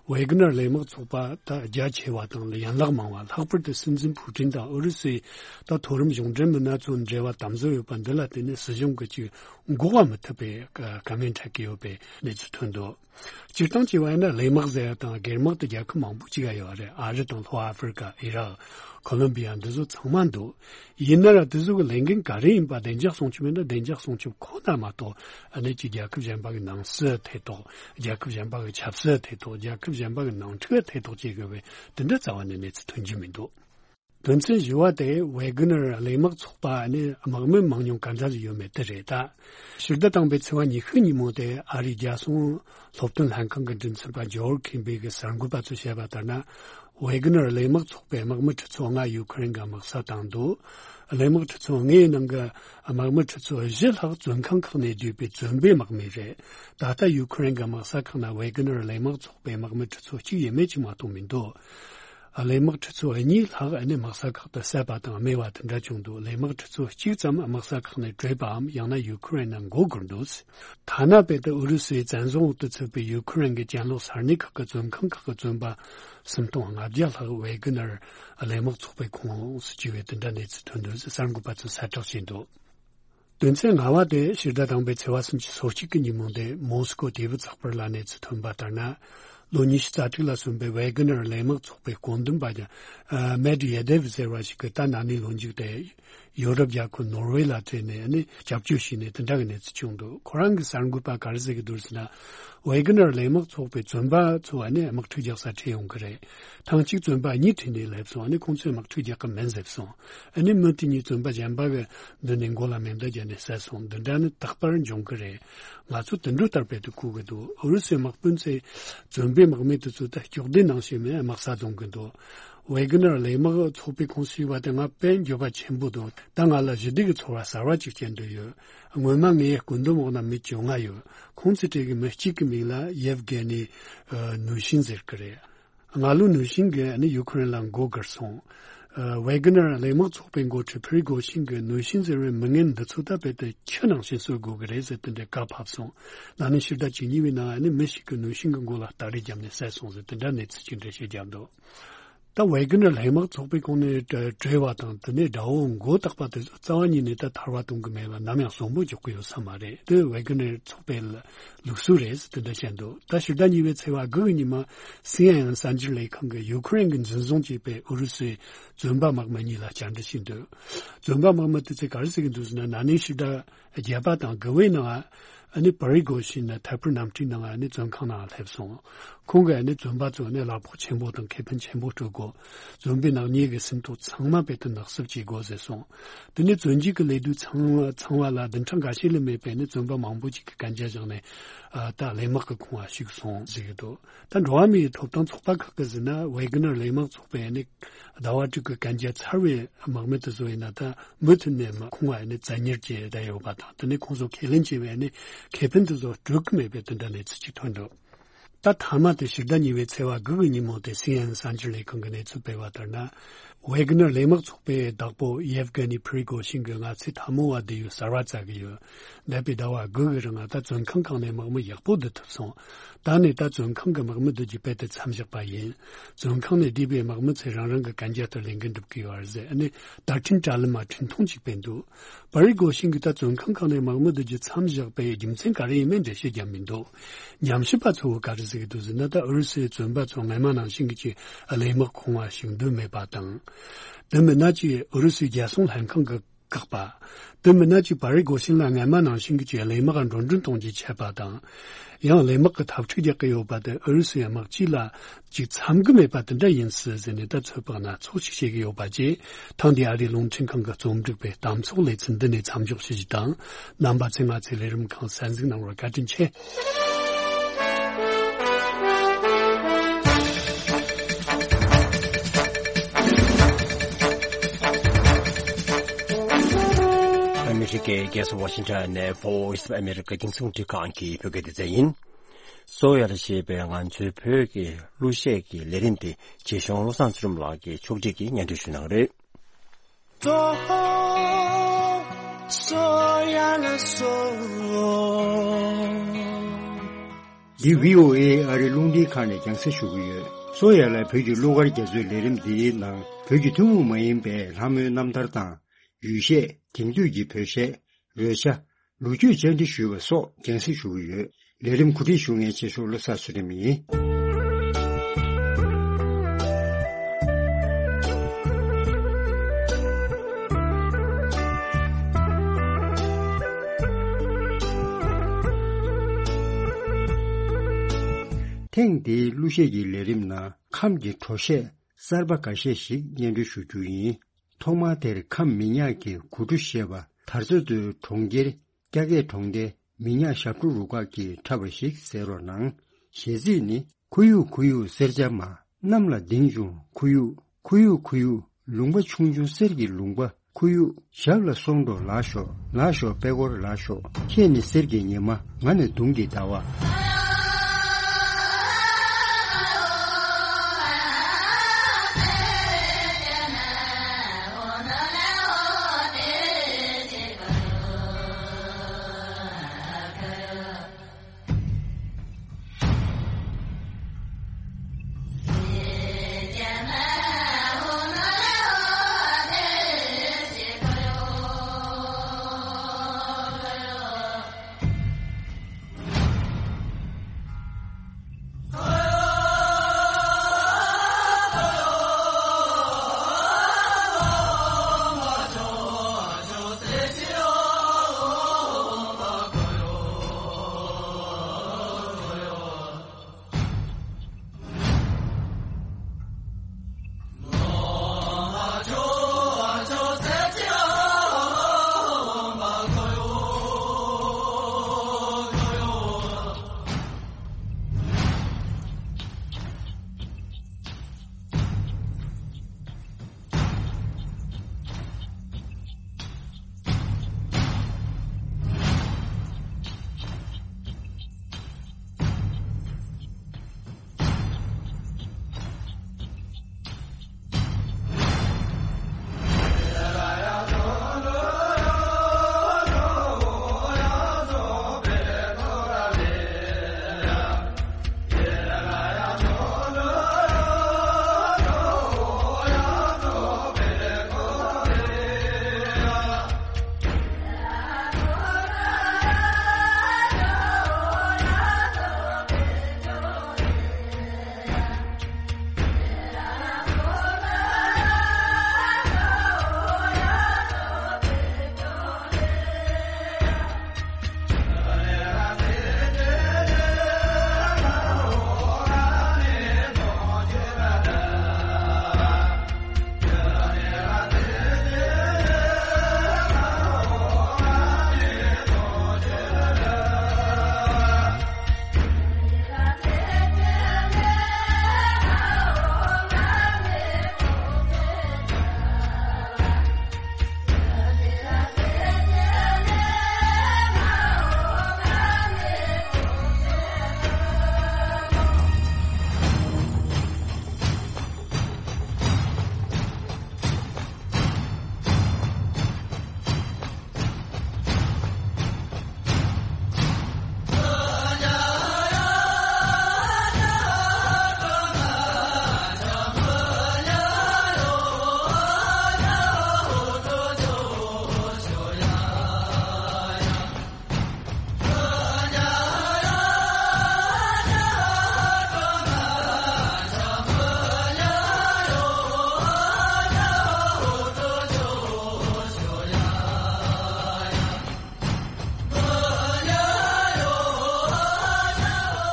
ཝེ་གྷི་ནར་གླས་དམག་ཚོགས་པ་ད་རྒྱ་ཆེ་བ་དང་ཡན་ལག་མང་བ། ལྷག་པར་དུ་སྲིད་འཛིན་ཕུའུ་ཀྲིན་དང་ཨུ་རུ་སུའི་ད་མཐོ་རིམ་གཞུང་འབྲེལ་མི་སྣ་ཚོའི་འབྲེལ་བ་དམ་ཟབ་ཡོད་པ་འདི་ལ་བརྟེན་ནས་སྲིད་གཞུང་གིས་ཅིག་འགོག་པ་མི་ཐུབ་པའི་བཀའ་མོལ་འཕྲད་ཀྱི་ཡོད་པའི་གནས་ཚུལ་ཐོན་འདུག་སྤྱིར་བཏང་བྱས་པ་ཡིན་ན་གླས་དམག་ཟེར་ཡ་དང་སྒེར་དམག་དེ་རྒྱལ་ཁབ་མང་པོ་ཅིག་ལ་ཡོད་རེད། ཨ་རི་དང་ལྷོ་ཨ་ཧྥེ་རི་ཀ། ཨི་རག། ཁོ་ལོམ་བི་ཡ། འདི་ཚོ་ཚང་མ་འདུག་ཡིན་ན་ར་དེ་ཚོ་གི་ལས་འགན་ག་རེ་ཡིན་པ། བདེ་འཇགས་སྲུང་སྐྱོབ་ཡིན་ན་བདེ་འཇགས་སྲུང་སྐྱོབ་ཁོ་ན་མ་གཏོགས། ཨ་ནི་ཅིག་རྒྱལ་ཁབ་གཞན་པ་གི་ནང་སྲིད་ཐེ་གཏོགས། རྒྱལ་ཁབ་གཞན་པ་གི་ཆབ་སྲིད་ཐེ་གཏོགས། རྒྱལ་ཁབ་གཞན་པ་གི་ནང་འཁྲུག་ཐེ་གཏོགས་བྱེད་དགོས་པའི་དེ་འདྲ་རྩ་བ་ནས་གནས་ཚུལ་ཐོན་གྱི་མི་འདུག་དོན་ཚན་བཞི་པ་དེ་ཝེ་གྷི་ནར་གླས་དམག་ཚོགས་པ་ནི་དམག་མི་མང་ཉུང་ག་འདྲ་ཡོད་མེད་དེ་རེད། ད་ཕྱི་ཟླ་དང་པོའི་ཚེས་པ་ཉི་ཤུ་ཉིན་མོ་དེ་ཨ་རིའི་རྒྱལ་སྲུང་སློབ་སྟོན་ལྷན་ཁང་གི་མགྲིན་ཚབ་པ་ཇོར་ཁིམ་བི་གིས་གསར་འགོད་པ་ཚོར་བཤད་པ་ལྟར་ན། ཝེ་གྷི་ནར་གླས་དམག་ཚོགས་པའི་དམག་མི་ཁྲི་ཚོ་ལྔ་ཡུ་ཁུ་རེན་གྱི་དམག་སར་བཏང་འདུག་གླས་དམག་ཁྲི་ཚོ་ལྔའི་ནང་གི་དམག་མི་ཁྲི་ཚོ་བཞི་ལྷག་བཙོན་ཁང་ཁག་ནས་བསྡུས་པའི་བཙོན་པའི་དམག་མི་རེད། ད་ལྟ་ཡུ་ཁུ་རེན་གྱི་དམག་ས་ཁག་ན་ཝེ་གྷི་ནར་གླས་དམག་ཚོགས་པའི་དམག་མི་ཁྲི་ཚོ་གཅིག་ཡས་མས་ཅིག་མ་གཏོགས་མི་འདུག་གླས་དམག་ཁྲི་ཚོ་གཉིས་ལྷག་ནི་དམག་ས་ཁག་ཏུ་བསད་པ་དང་རྨས་པ་དེ་འདྲ་བྱུང་འདུག་གླས་དམག་ཁྲི་ཚོ་གཅིག་ཙམ་དམག་ས་ཁག་ནས་བྲོས་པའམ་ཡང་ན་ཡུ་ཁུ་རེན་ནང་མགོ་སྒུར་འདུག་ཐ་ན་དཔེ་དེ་ཨུ་རུ་སུའི་བཙན་བཟུང་འོག་ཏུ་ཚུད་པའི་ཡུ་ཁུ་རེན་གྱི་གྱེན་ལོག་ས་གནས་ཁག་གི་བཙོན་ཁང་ཁག་གི་བཙོན་པ་སུམ་སྟོང་ལྔ་བརྒྱ་ལྷག་ཝེ་གྷི་ནར་གླས་དམག་ཚོགས་པའི་ཁོངས་སུ་བཅུག་པའི་དེ་འདྲ་གནས་ཚུལ་ཐོན་འདུག་ཟེར་གསར་འགོད་པ་ཚོས་གསལ་བསྒྲགས་བྱས་འདུག་དོན་ཚན་ལྔ་པ་དེ་ཕྱི་ཟླ་དང་པོའི་ཚེས་པ་སུམ་ཅུ་སོ་གཅིག་གི་ཉིན་མོ་དེ་མོ་སི་ཀོ་དེ་བུ་ཚགས་པར་ལ་གནས་ཚུལ་ཐོན་པ་ལྟར་ན། ལོ་ཉི་ཤུ་རྩ་དྲུག་ལ་སོན་པའི་ཝེ་གྷི་ནར་གླས་དམག་ཚོགས་པའི་བཀོད་འདོམས་པ་ཀྱང་མེད་ཡེ་དེབ་ཟེར་བ་ཞིག་གིས་ད་ན་ནིང་ལོ་མཇུག་དེ་ཡོ་རོབ་རྒྱལ་ཁབ་ནོར་ཝེ་ལ་ཕེབས་ནས་ནི་སྐྱབས་བཅོལ་ཞུས་ནས་དེ་འདྲ་གི་གནས་ཚུལ་བྱུང་འདུག་ཁོ་རང་གི་གསར་འགོད་པ་ག་རེ་ཟེར་གི་འདུག་ཟེར་ན། ཝེ་གྷི་ནར་གླས་དམག་ཚོགས་པའི་བཙོན་པ་ཚོ་ནི་དམག་འཁྲུག་རྒྱག་ས་ཁྲིད་ཡོང་གི་རེད། ཐེངས་གཅིག་བཙོན་པ་གཉིས་ཁྲིད་ནས་སླེབས་སོང་ནི་ཁོང་ཚོས་དམག་འཁྲུག་རྒྱག་གི་མིན་ཟེར་སོང་། ཨ་ནི་མི་དེ་གཉིས་བཙོན་པ་གཞན་པ་གི་མདུན་ནས་མགོ་ལ་མེ་མདའ་བརྒྱབ་ནས་བསད་སོང་། འདི་འདྲ་ནི་རྟག་པར་འབྱུང་གི་རེད། ང་ཚོ་དུད་འགྲོ་ལྟར་དཔེ་དེ་གོ་གི་འདུག་ཨུ་རུ་སུའི་དམག་དཔོན་ཚོས་བཙོན་པའི་དམག་མི་དེ་ཚོ་ད་སྐྱོགས་ཟློས་ནང་བཞིན་མིན་དམག་ས་རྫོང་གི་འདུག་ཝེ་གྷི་ནར་གླས་དམག་ཚོགས་པའི་ཁོངས་སུ་ཞུགས་པ་དེ་ང་དཔེ་འགྱོད་པ་ཆེན་པོ་འདུག་ད་ང་ལ་ཞི་བདེ་གི་ཚོར་བ་གསར་བ་ཅིག་སྐྱེ་འདོད་ཡོད། སྔོན་མ་ངའི་སྐུ་མདུན་འོག་ན་མི་བཅོ་ལྔ་ཡོད། ཁོང་ཚོའི་གྲས་ཀྱི་མི་གཅིག་གི་མིང་ལ་ཡེབ་གྷེ་ནི་ནུ་ཤིན་ཟེར་གི་རེད། སྔ་ལོ་ནུ་ཤིན་གྱིས་ནི་ཡུ་ཁུ་རེན་ལ་མགོ་སྒུར་སོང་། ཝེ་གྷི་ནར་གླས་དམག་ཚོགས་པའི་འགོ་ཁྲིད་ཕི་རི་གོ་ཤིན་གྱིས་ནུ་ཤིན་ཟེར་བའི་མི་ངན་འདི་ཚོ་ད་དཔེ་དེ་ཁྱི་ནང་བཞིན་གསོད་དགོས་ཀྱི་རེད་ཟེར་དེ་འདྲའི་བཀའ་ཕབ་སོང་། ན་ནིང་ཕྱི་ཟླ་བཅུ་གཉིས་པའི་ནང་ནི་མི་ཞིག་གིས་ནུ་ཤིན་གྱི་མགོ་ལ་སྟ་རེ་བརྒྱབ་ནས་བསད་སོང་ཟེར་དེ་འདྲ་གནས་ཚུལ་ཅིག་འགྲེལ་བཤད་བརྒྱབ་འདུག་ད་ཝེ་གྷི་ནར་གླས་དམག་ཚོགས་པའི་ཁོངས་ནས་གྲོལ་བ་དང་དེ་ནས་དགྲ་བོ་མགོ་བཏགས་པ་དེ་ཚོ་རྩ་བ་ཉིད་ནས་ད་ཐར་བ་གཏོང་གི་མེད་པ་ནམ་ཡང་གསོན་པོ་འཇོག་གི་ཡོད་ས་མ་རེད། དེ་ཝེ་གྷི་ནར་ཚོགས་པའི་ལུགས་སྲོལ་རེད་ཟེར་དེ་འདྲ་བཤད་འདུག་ད་ཕྱི་ཟླ་གཉིས་པའི་ཚེས་པ་དགུ་གི་ཉིན་མ་སི་ཨེན་ཨེན་གསར་འགྱུར་ལས་ཁང་གིས་ཡུ་ཁུ་རེན་གྱིས་འཛིན་བཟུང་བྱས་པའི་ཨུ་རུ་སུའི་བཙོན་པ་དམག་མི་གཉིས་ལ་བཅར་འདྲི་བྱས་འདུག་བཙོན་པ་དམག་མི་དེ་ཚོས་ག་རེ་ཟེར་གྱི་འདུག་ཟེར་ན། ན་ནིང་ཕྱི་ཟླ་བརྒྱད་པ་དང་དགུ་པའི་ནང་ཨ་ནི་པ་རི་གོ་ཤིན་ནི་ཐད་འཕུར་གནམ་གྲུའི་ནང་ཨ་ནི་བཙོན་ཁང་ནང་སླེབས་སོང་། ཁོང་གིས་ཨ་ནི་བཙོན་པ་ཚོ་ནི་གླ་ཕོགས་ཆེན་པོ་དང་ཁེ་ཕན་ཆེན་པོ་སྤྲོད་དགོས། བཙོན་པའི་ནག་ཉེས་ཀྱི་ཟིན་ཐོ་ཚང་མ་དཔེ་དེ་ནག་བསུབ་བྱེད་དགོས་ཟེར་སོང་། དེ་ནས་བཙོན་འཇུག་གི་ལས་དུས་ཚང་ཚང་བ་ལ་བདུན་ཕྲག་འགའ་ཤས་ལས་མེད་པའི་ནི་བཙོན་པ་མང་པོ་ཅིག་གིས་གན་རྒྱ་བཞག་ནས་ཨ་ད་གླས་དམག་གི་ཁོངས་ལ་ཞུགས་སོང་ཟེར་གྱི་འདུག་ད་འགྲོ་བ་མིའི་ཐོབ་ཐང་ཚོགས་པ་ཁག་གིས་ཟེར་ན། ཝེ་གྷི་ནར་གླས་དམག་ཚོགས་པས་ནི་ཟླ་བ་དྲུག་གི་གན་རྒྱ་ཚར་བའི་དམག་མི་དེ་ཚོ་ཡིན་ན་ད་མུ་མཐུད་ནས་མ་ཁོང་ལ་ནི་བཙན་ཉར་བྱས་བསྡད་ཡོད་པ་དང་། དེ་ནས་ཁོང་ཚོ་ཁས་ལེན་བྱས་པའི་ནི་ཁེ་ཕན་དེ་ཚོ་སྤྲོད་ཀྱི་མེད་པའི་དེ་འདྲ་གནས་ཚུལ་ཅིག་ཐོན་འདུག་ད་མཐའ་མ་དེ་ཕྱི་ཟླ་གཉིས་པའི་ཚེས་པ་དགུ་གི་ཉིན་མོ་དེ་སི་ཨེན་ཨེན་གསར་འགྱུར་ལས་ཁང་གིས་གནས་ཚུལ་སྤེལ་བ་ལྟར་ན། ཝེ་གྷི་ནར་གླས་དམག་ཚོགས་པའི་བདག་པོ་ཡེབ་གྷེ་ནི་ཕི་རི་གོ་ཤིན་གྱིས་ང་ཚོས་འཐབ་མོ་བ་དེ་ཡོད་གསར་བ་བཙལ་གི་ཡོད། འདས་པའི་ཟླ་བ་དགུ་གི་རིང་ང་ད་བཙོན་ཁང་ཁག་ནས་དམག་མི་ཡག་པོ་བསྡུ་ཐུབ་སོང་། ད་ནི་ད་བཙོན་ཁང་གི་དམག་མི་བསྡུ་རྒྱུ་དཔེ་དེ་མཚམས་བཞག་པ་ཡིན། བཙོན་ཁང་ནས་བསྡུས་པའི་དམག་མི་ཚོས་རང་རང་གི་གན་རྒྱ་ལྟར་ལས་འགུལ་འགྲུབ་ཀྱི་ཡོད་རེད་ཟེར་ཨ་ནི་བརྡ་འཕྲིན་དྲ་ལམ་མ་འཕྲིན་ཐུང་ཅིག་སྤེལ་འདུག་པ་རི་གོ་ཤིན་གྱིས་ད་བཙོན་ཁང་ཁག་ནས་དམག་མི་བསྡུ་རྒྱུ་མཚམས་བཞག་པའི་རྒྱུ་མཚན་ག་རེ་ཡིན་མིན་འགྲེལ་བཤད་བརྒྱབ་མི་འདུག་ཉམས་ཞིབ་པ་ཚོས་ག་རེ་ཟེར་གྱི་འདུག་ཟེར་ན། ད་ཨུ་རུ་སུའི་བཙོན་པ་ཚོ་སྔ་མ་ནང་བཞིན་གྱི་གླས་དམག་ཁོངས་ལ་ཞུགས་འདོད་མེད་པ་དང་། དེ་མིན་ན་ཅིག་ཨུ་རུ་སུའི་རྒྱལ་སྲུང་ལྷན་ཁང་གིས་བཀག་པ། དེ་མིན་ན་ཅིག་པ་རི་གོ་ཤིན་ལ་སྔ་མ་ནང་བཞིན་གྱི་གླས་དམག་འགྲོ་གྲོན་གཏོང་རྒྱུའི་ཆད་པ་དང་། ཡང་གླས་དམག་གིས་འཐབ་འཁྲུག་རྒྱག་གི་ཡོད་པ་དེ་ཨུ་རུ་སུའི་དམག་སྤྱི་ལ་ཅིག་འཚམ་གྱི་མེད་པ་དེ་འདྲ་ཡིན་སྲིད་ཟེར་ནས་ད་ཚོད་དཔག་སྣ་ཚོགས་ཤིག་བྱེད་ཀྱི་ཡོད་པ་བཅས། ཐེངས་འདིའི་ཨ་རིའི་རླུང་འཕྲིན་ཁང་གི་རྩོམ་སྒྲིག་པའི་གཏམ་ཚོགས་ལེ་ཚན་འདི་ནས་མཚམས་འཇོག་ཞུ་རྒྱུ་དང་། རྣམ་པ་ཚོས་ང་ཚོའི་ལས་རིམ་ཁག་གསན་གཟིགས་གནང་བར་བཀའ་དྲིན་ཆེ། ཨ་མི་རི་ཀའི་རྒྱལ་ས་ཝ་ཤིང་ཊོན་ནས་Voice of America རྒྱང་སྲིང་རླུང་འཕྲིན་ཁང་གི་བོད་སྐད་སྡེ་ཚན་ཡིན། གསོ་ཡ་ལ་ཞེས་པའི་ང་ཚོའི་བོད་ཀྱི་གླུ་གཞས་ཀྱི་ལས་རིམ་དེ་རྗེ་གཞུང་བློ་བཟང་ཚེ་རིང་ལགས་ཀྱིས་ཕྱོགས་སྒྲིག་གིས་སྙན་སྒྲོན་ཞུ་གནང་རེད། གསོ་ཡ་ལ་གསོ། འདི་བྷི་ཨོ་ཨེ་ཨ་རི་རླུང་འཕྲིན་ཁང་ནས་རྒྱང་སྲིང་ཞུ་གི་ཡོད། གསོ་ཡ་ལ་བོད་ཀྱི་གླུ་གར་རྒྱ་མཚོའི་ལས་རིམ་འདིའི་ནང་བོད་ཀྱི་ཐུན་མོང་མ་ཡིན་པའི་ལྷ་མོའི་རྣམ་ཐར་དང་། ཡུལ་གཞས། དེང་དུས་ཀྱི་བོད་གཞས། རོལ་ཆ། ལོ་རྒྱུས་བཅར་འདྲི་ཞུས་པ་སོགས་རྒྱང་སྲིང་ཞུ་གི་ཡོད། ལས་རིམ་གོ་སྒྲིག་ཞུ་མཁན་ཆེ་ཤོས་བློ་བཟང་ཚུལ་ཁྲིམས་ཡིན། ཐེངས་འདིའི་གླུ་གཞས་ཀྱི་ལས་རིམ་ནང་ཁམས་ཀྱི་བྲོ་གཞས་གསར་པ་འགའ་ཤས་ཤིག་སྙན་སྒྲོན་ཞུ་རྒྱུ་ཡིན། ཐོག་མར་དེར་ཁམས་མི་ཉག་གི་གོ་ཁྲུ་ཞེས་པ་དར་ཚོ་མདོའི་གྲོང་ཁྱེར་སྐྱ་སྐད་གྲོང་སྡེ་མི་ཉག་ཞབས་བྲོ་རུ་ཁག་གིས་འཁྲབ་པ་ཞིག་གསན་རོགས་གནང་། གཞས་ཚིག་ནི། ཁུ་ཡུག་ཁུ་ཡུག་སེར་སྐྱ་མ། གནམ་ལ་ལྡིང་བྱུང་ཁུ་ཡུག་ཁུ་ཡུག་ཁུ་ཡུག་ལུང་པ་ཆུང་ཆུང་གསེར་གྱི་ལུང་པ། ཁུ་ཡུག་ཞབས་ལ་སོང་འགྲོ་ལགས་ཤོག་ལགས་ཤོག་པད་སྐོར་ལགས་ཤོག་ཁྱེད་ནི་གསེར་གྱི་ཉི་མ། ང་ནི་དུང་གི་ཟླ་བ།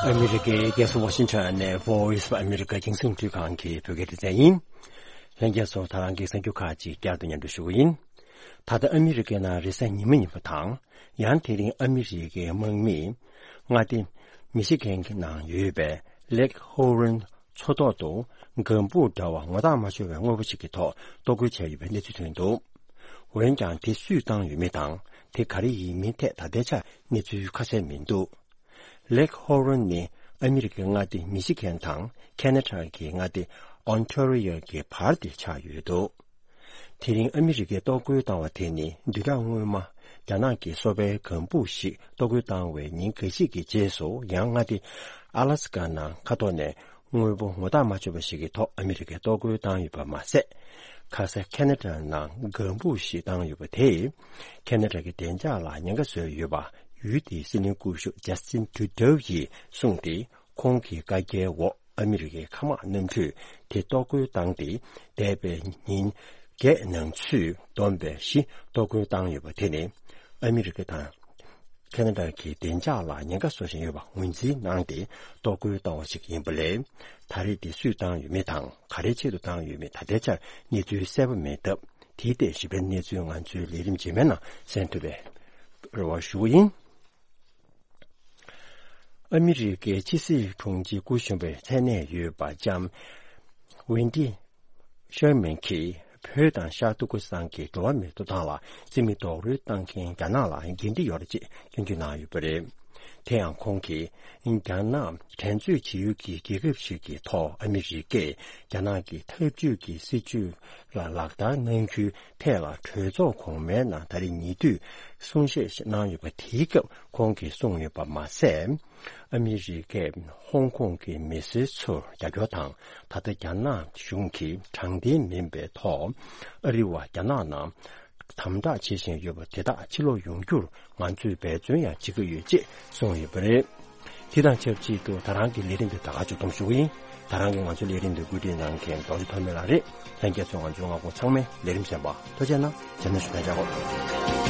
ཨ་མི་རི་ཀའི་རྒྱལ་ས་ཝ་ཤིང་ཊོན་ནས་Voice of America རྒྱང་སྲིང་རླུང་འཕྲིན་ཁང་གི་བོད་སྐད་སྡེ་ཚན་ཡིན། ལྷན་རྒྱས་ཚོ་ད་རང་གི་གསར་འགྱུར་ཁག་ཅིག་བསྐྱར་དུ་སྙན་སྒྲོན་ཞུ་གི་ཡིན། ད་ལྟ་ཨ་མི་རི་ཀའི་ནང་རེས་གཟའ་ཉི་མ་ཉིན་མོ་དང་། ཡང་དེ་རིང་ཨ་མི་རི་ཀའི་དམག་མིས་མངའ་སྡེ་མི་ཤི་གན་གྱི་ནང་ཡོད་པའི་Lake Huron མཚོ་ཐོག་ཏུ་ལྒང་བུ་འདྲ་བ་ངོ་ཐག་མ་ཆོད་པའི་དངོས་པོ་ཞིག་གི་ཐོག་གཏོར་རྒོལ་བྱས་ཡོད་པའི་གནས་ཚུལ་ཐོན་འདུག་འོན་ཀྱང་དེ་སུས་བཏང་ཡོད་མེད་དང་དེ་ག་རེ་ཡིན་མིན་ཐད་ད་ལྟའི་ཆར་གནས་ཚུལ་ཁ་གསལ་མི་འདུག Lake Huron ནི་ཨ་མི་རི་ཀའི་མངའ་སྡེ་མི་ཤི་གན་དང་ཁེ་ན་ཌ་གི་མངའ་སྡེ་ཨོན་ཊ་རི་ཡོ་གི་བར་དེ་ཆགས་ཡོད་འདུག་དེ་རིང་ཨ་མི་རི་ཀས་གཏོར་རྒོལ་བཏང་བ་དེ་ནི་བདུན་ཕྲག་སྔོན་མ་རྒྱ་ནག་གི་སོ་པའི་ལྒང་བུ་ཞིག་གཏོར་རྒོལ་བཏང་བའི་ཉིན་འགའ་ཤས་ཀྱི་རྗེས་སུ་ཡང་མངའ་སྡེ་ཨ་ལ་སི་ཀ་ནང་མཁའ་ཐོག་ནས་དངོས་པོ་ངོ་ཐག་མ་ཆོད་པ་ཞིག་གི་ཐོག་ཨ་མི་རི་ཀས་གཏོར་རྒོལ་བཏང་ཡོད་པ་མ་ཟད། ཁ་ས་ཁེ་ན་ཌ་ནང་ལྒང་བུ་ཞིག་བཏང་ཡོད་པ་དེས་ཁེ་ན་ཌ་གི་བདེ་འཇགས་ལ་ཉེན་ཁ་བཟོས་ཡོད་པ་ཡུལ་དེའི་སྲིད་བློན་སྐུ་ཞབས་ཇ་སི་ཊིན་ཏུ་རུ་ཌོ་ཡིས་གསུངས་ཏེ། ཁོང་གི་བཀའ་རྒྱའི་འོག་ཨ་མི་རི་ཀའི་མཁའ་དམག་གནམ་གྲུས་དེ་གཏོར་རྒོལ་བཏང་སྟེ། འདས་པའི་ཉིན་བརྒྱད་ནང་ཚུད་བསྡོམས་པའི་བཞི་གཏོར་རྒོལ་བཏང་ཡོད་པ་དེ་ནི་ཨ་མི་རི་ཀ་དང་ཁེ་ན་ཌ་གི་བདེ་འཇགས་ལ་ཉེན་ཁ་བཟོ་བཞིན་ཡོད་པ་ངོས་འཛིན་གནང་སྟེ་གཏོར་རྒོལ་བཏང་བ་ཞིག་ཡིན་པ་ལས། ད་རེས་དེ་སུས་བཏང་ཡོད་མེད་དང་ག་རེའི་ཆེད་དུ་བཏང་ཡོད་མེད་ད་ལྟའི་ཆར་གནས་ཚུལ་གསལ་པོ་མེད་སྟབས། དེའི་ཐད་ཞིབ་ཕྲའི་གནས་ཚུལ་ང་ཚོའི་ལས་རིམ་རྗེས་མའི་ནང་གསན་ཐུབ་པའི་རེ་བ་ཞུ་གི་ཡིན། ཨ་མི་རི་ཀའི་ཕྱི་སྲིད་དྲུང་ཆེ་སྐུ་གཞོན་པའི་མཚན་གནས་ཡོད་པ་ལྕམ་ཝེན་ཏི་ཤར་མན་གྱིས་བོད་དང་ཤར་ཏུར་ཀི་སི་ཐན་གྱི་འགྲོ་བ་མིའི་ཐོབ་ཐང་ལ་བརྩི་མེད་རྡོག་རོལ་བཏང་མཁན་རྒྱ་ནག་ལ་འགན་འཁྲི་ཡོད་རེད་ཅེས་སྐྱོན་བརྗོད་གནང་ཡོད་པ་རེད། དེ་ཡང་ཁོང་གིས་རྒྱ་ནག་འགྲན་རྩོད་བྱེད་ཡུལ་གྱི་རྒྱལ་ཁབ་ཞིག་གི་ཐོག་ཨ་མི་རི་ཀས་རྒྱ་ནག་གི་འཐབ་ཇུས་ཀྱི་སྲིད་ཇུས་ལ་ལག་བསྟར་གནང་རྒྱུའི་ཐད་ལ་གྲོས་ཚོགས་གོང་མའི་ནང་ད་རེས་ཉེ་དུས་གསུང་བཤད་ཞིག་གནང་ཡོད་པ། དེའི་སྐབས་ཁོང་གིས་གསུངས་ཡོད་པ་མ་ཟད། ཨ་མི་རི་ཀས་ཧོང་ཀོང་གི་མི་སེར་ཚོར་རྒྱབ་སྐྱོར་དང་། ད་ལྟ་རྒྱ་ནག་གཞུང་གིས་དྲང་བདེན་མིན་པའི་ཐོག་ཨ་རི་བ་རྒྱ་ནག་ནང་དམ་དྲག་བྱེད་བཞིན་ཡོད་པ་དེ་དག་ཕྱིར་ལོག་ཡོང་རྒྱུར་ང་ཚོས་འབད་བརྩོན་ཡང་བྱེད་ཀྱི་ཡོད་ཅེས་གསུངས་ཡོད་པ་རེད། དེ་དང་ཆབས་ཅིག་ཏུ་ད་རང་གི་ལས་རིམ་དེ་ད་ག་མཇུག་བསྡོམས་ཞུ་གི་ཡིན། ད་རང་གིས་ང་ཚོའི་ལས་རིམ་དེ་བཀོད་སྒྲིག་གནང་མཁན་རྡོ་རྗེ་ཐོགས་མེད་ལགས་རེད། ལྷན་རྒྱས་ཚོས་ང་ཚོའི་ངག་དབང་ཚང་མའི་ལས་རིམ་གསན་པ་ཐུགས་རྗེ་གནང་། རྗེས་མ་ཞུ་ཐག་བཅད་གོ།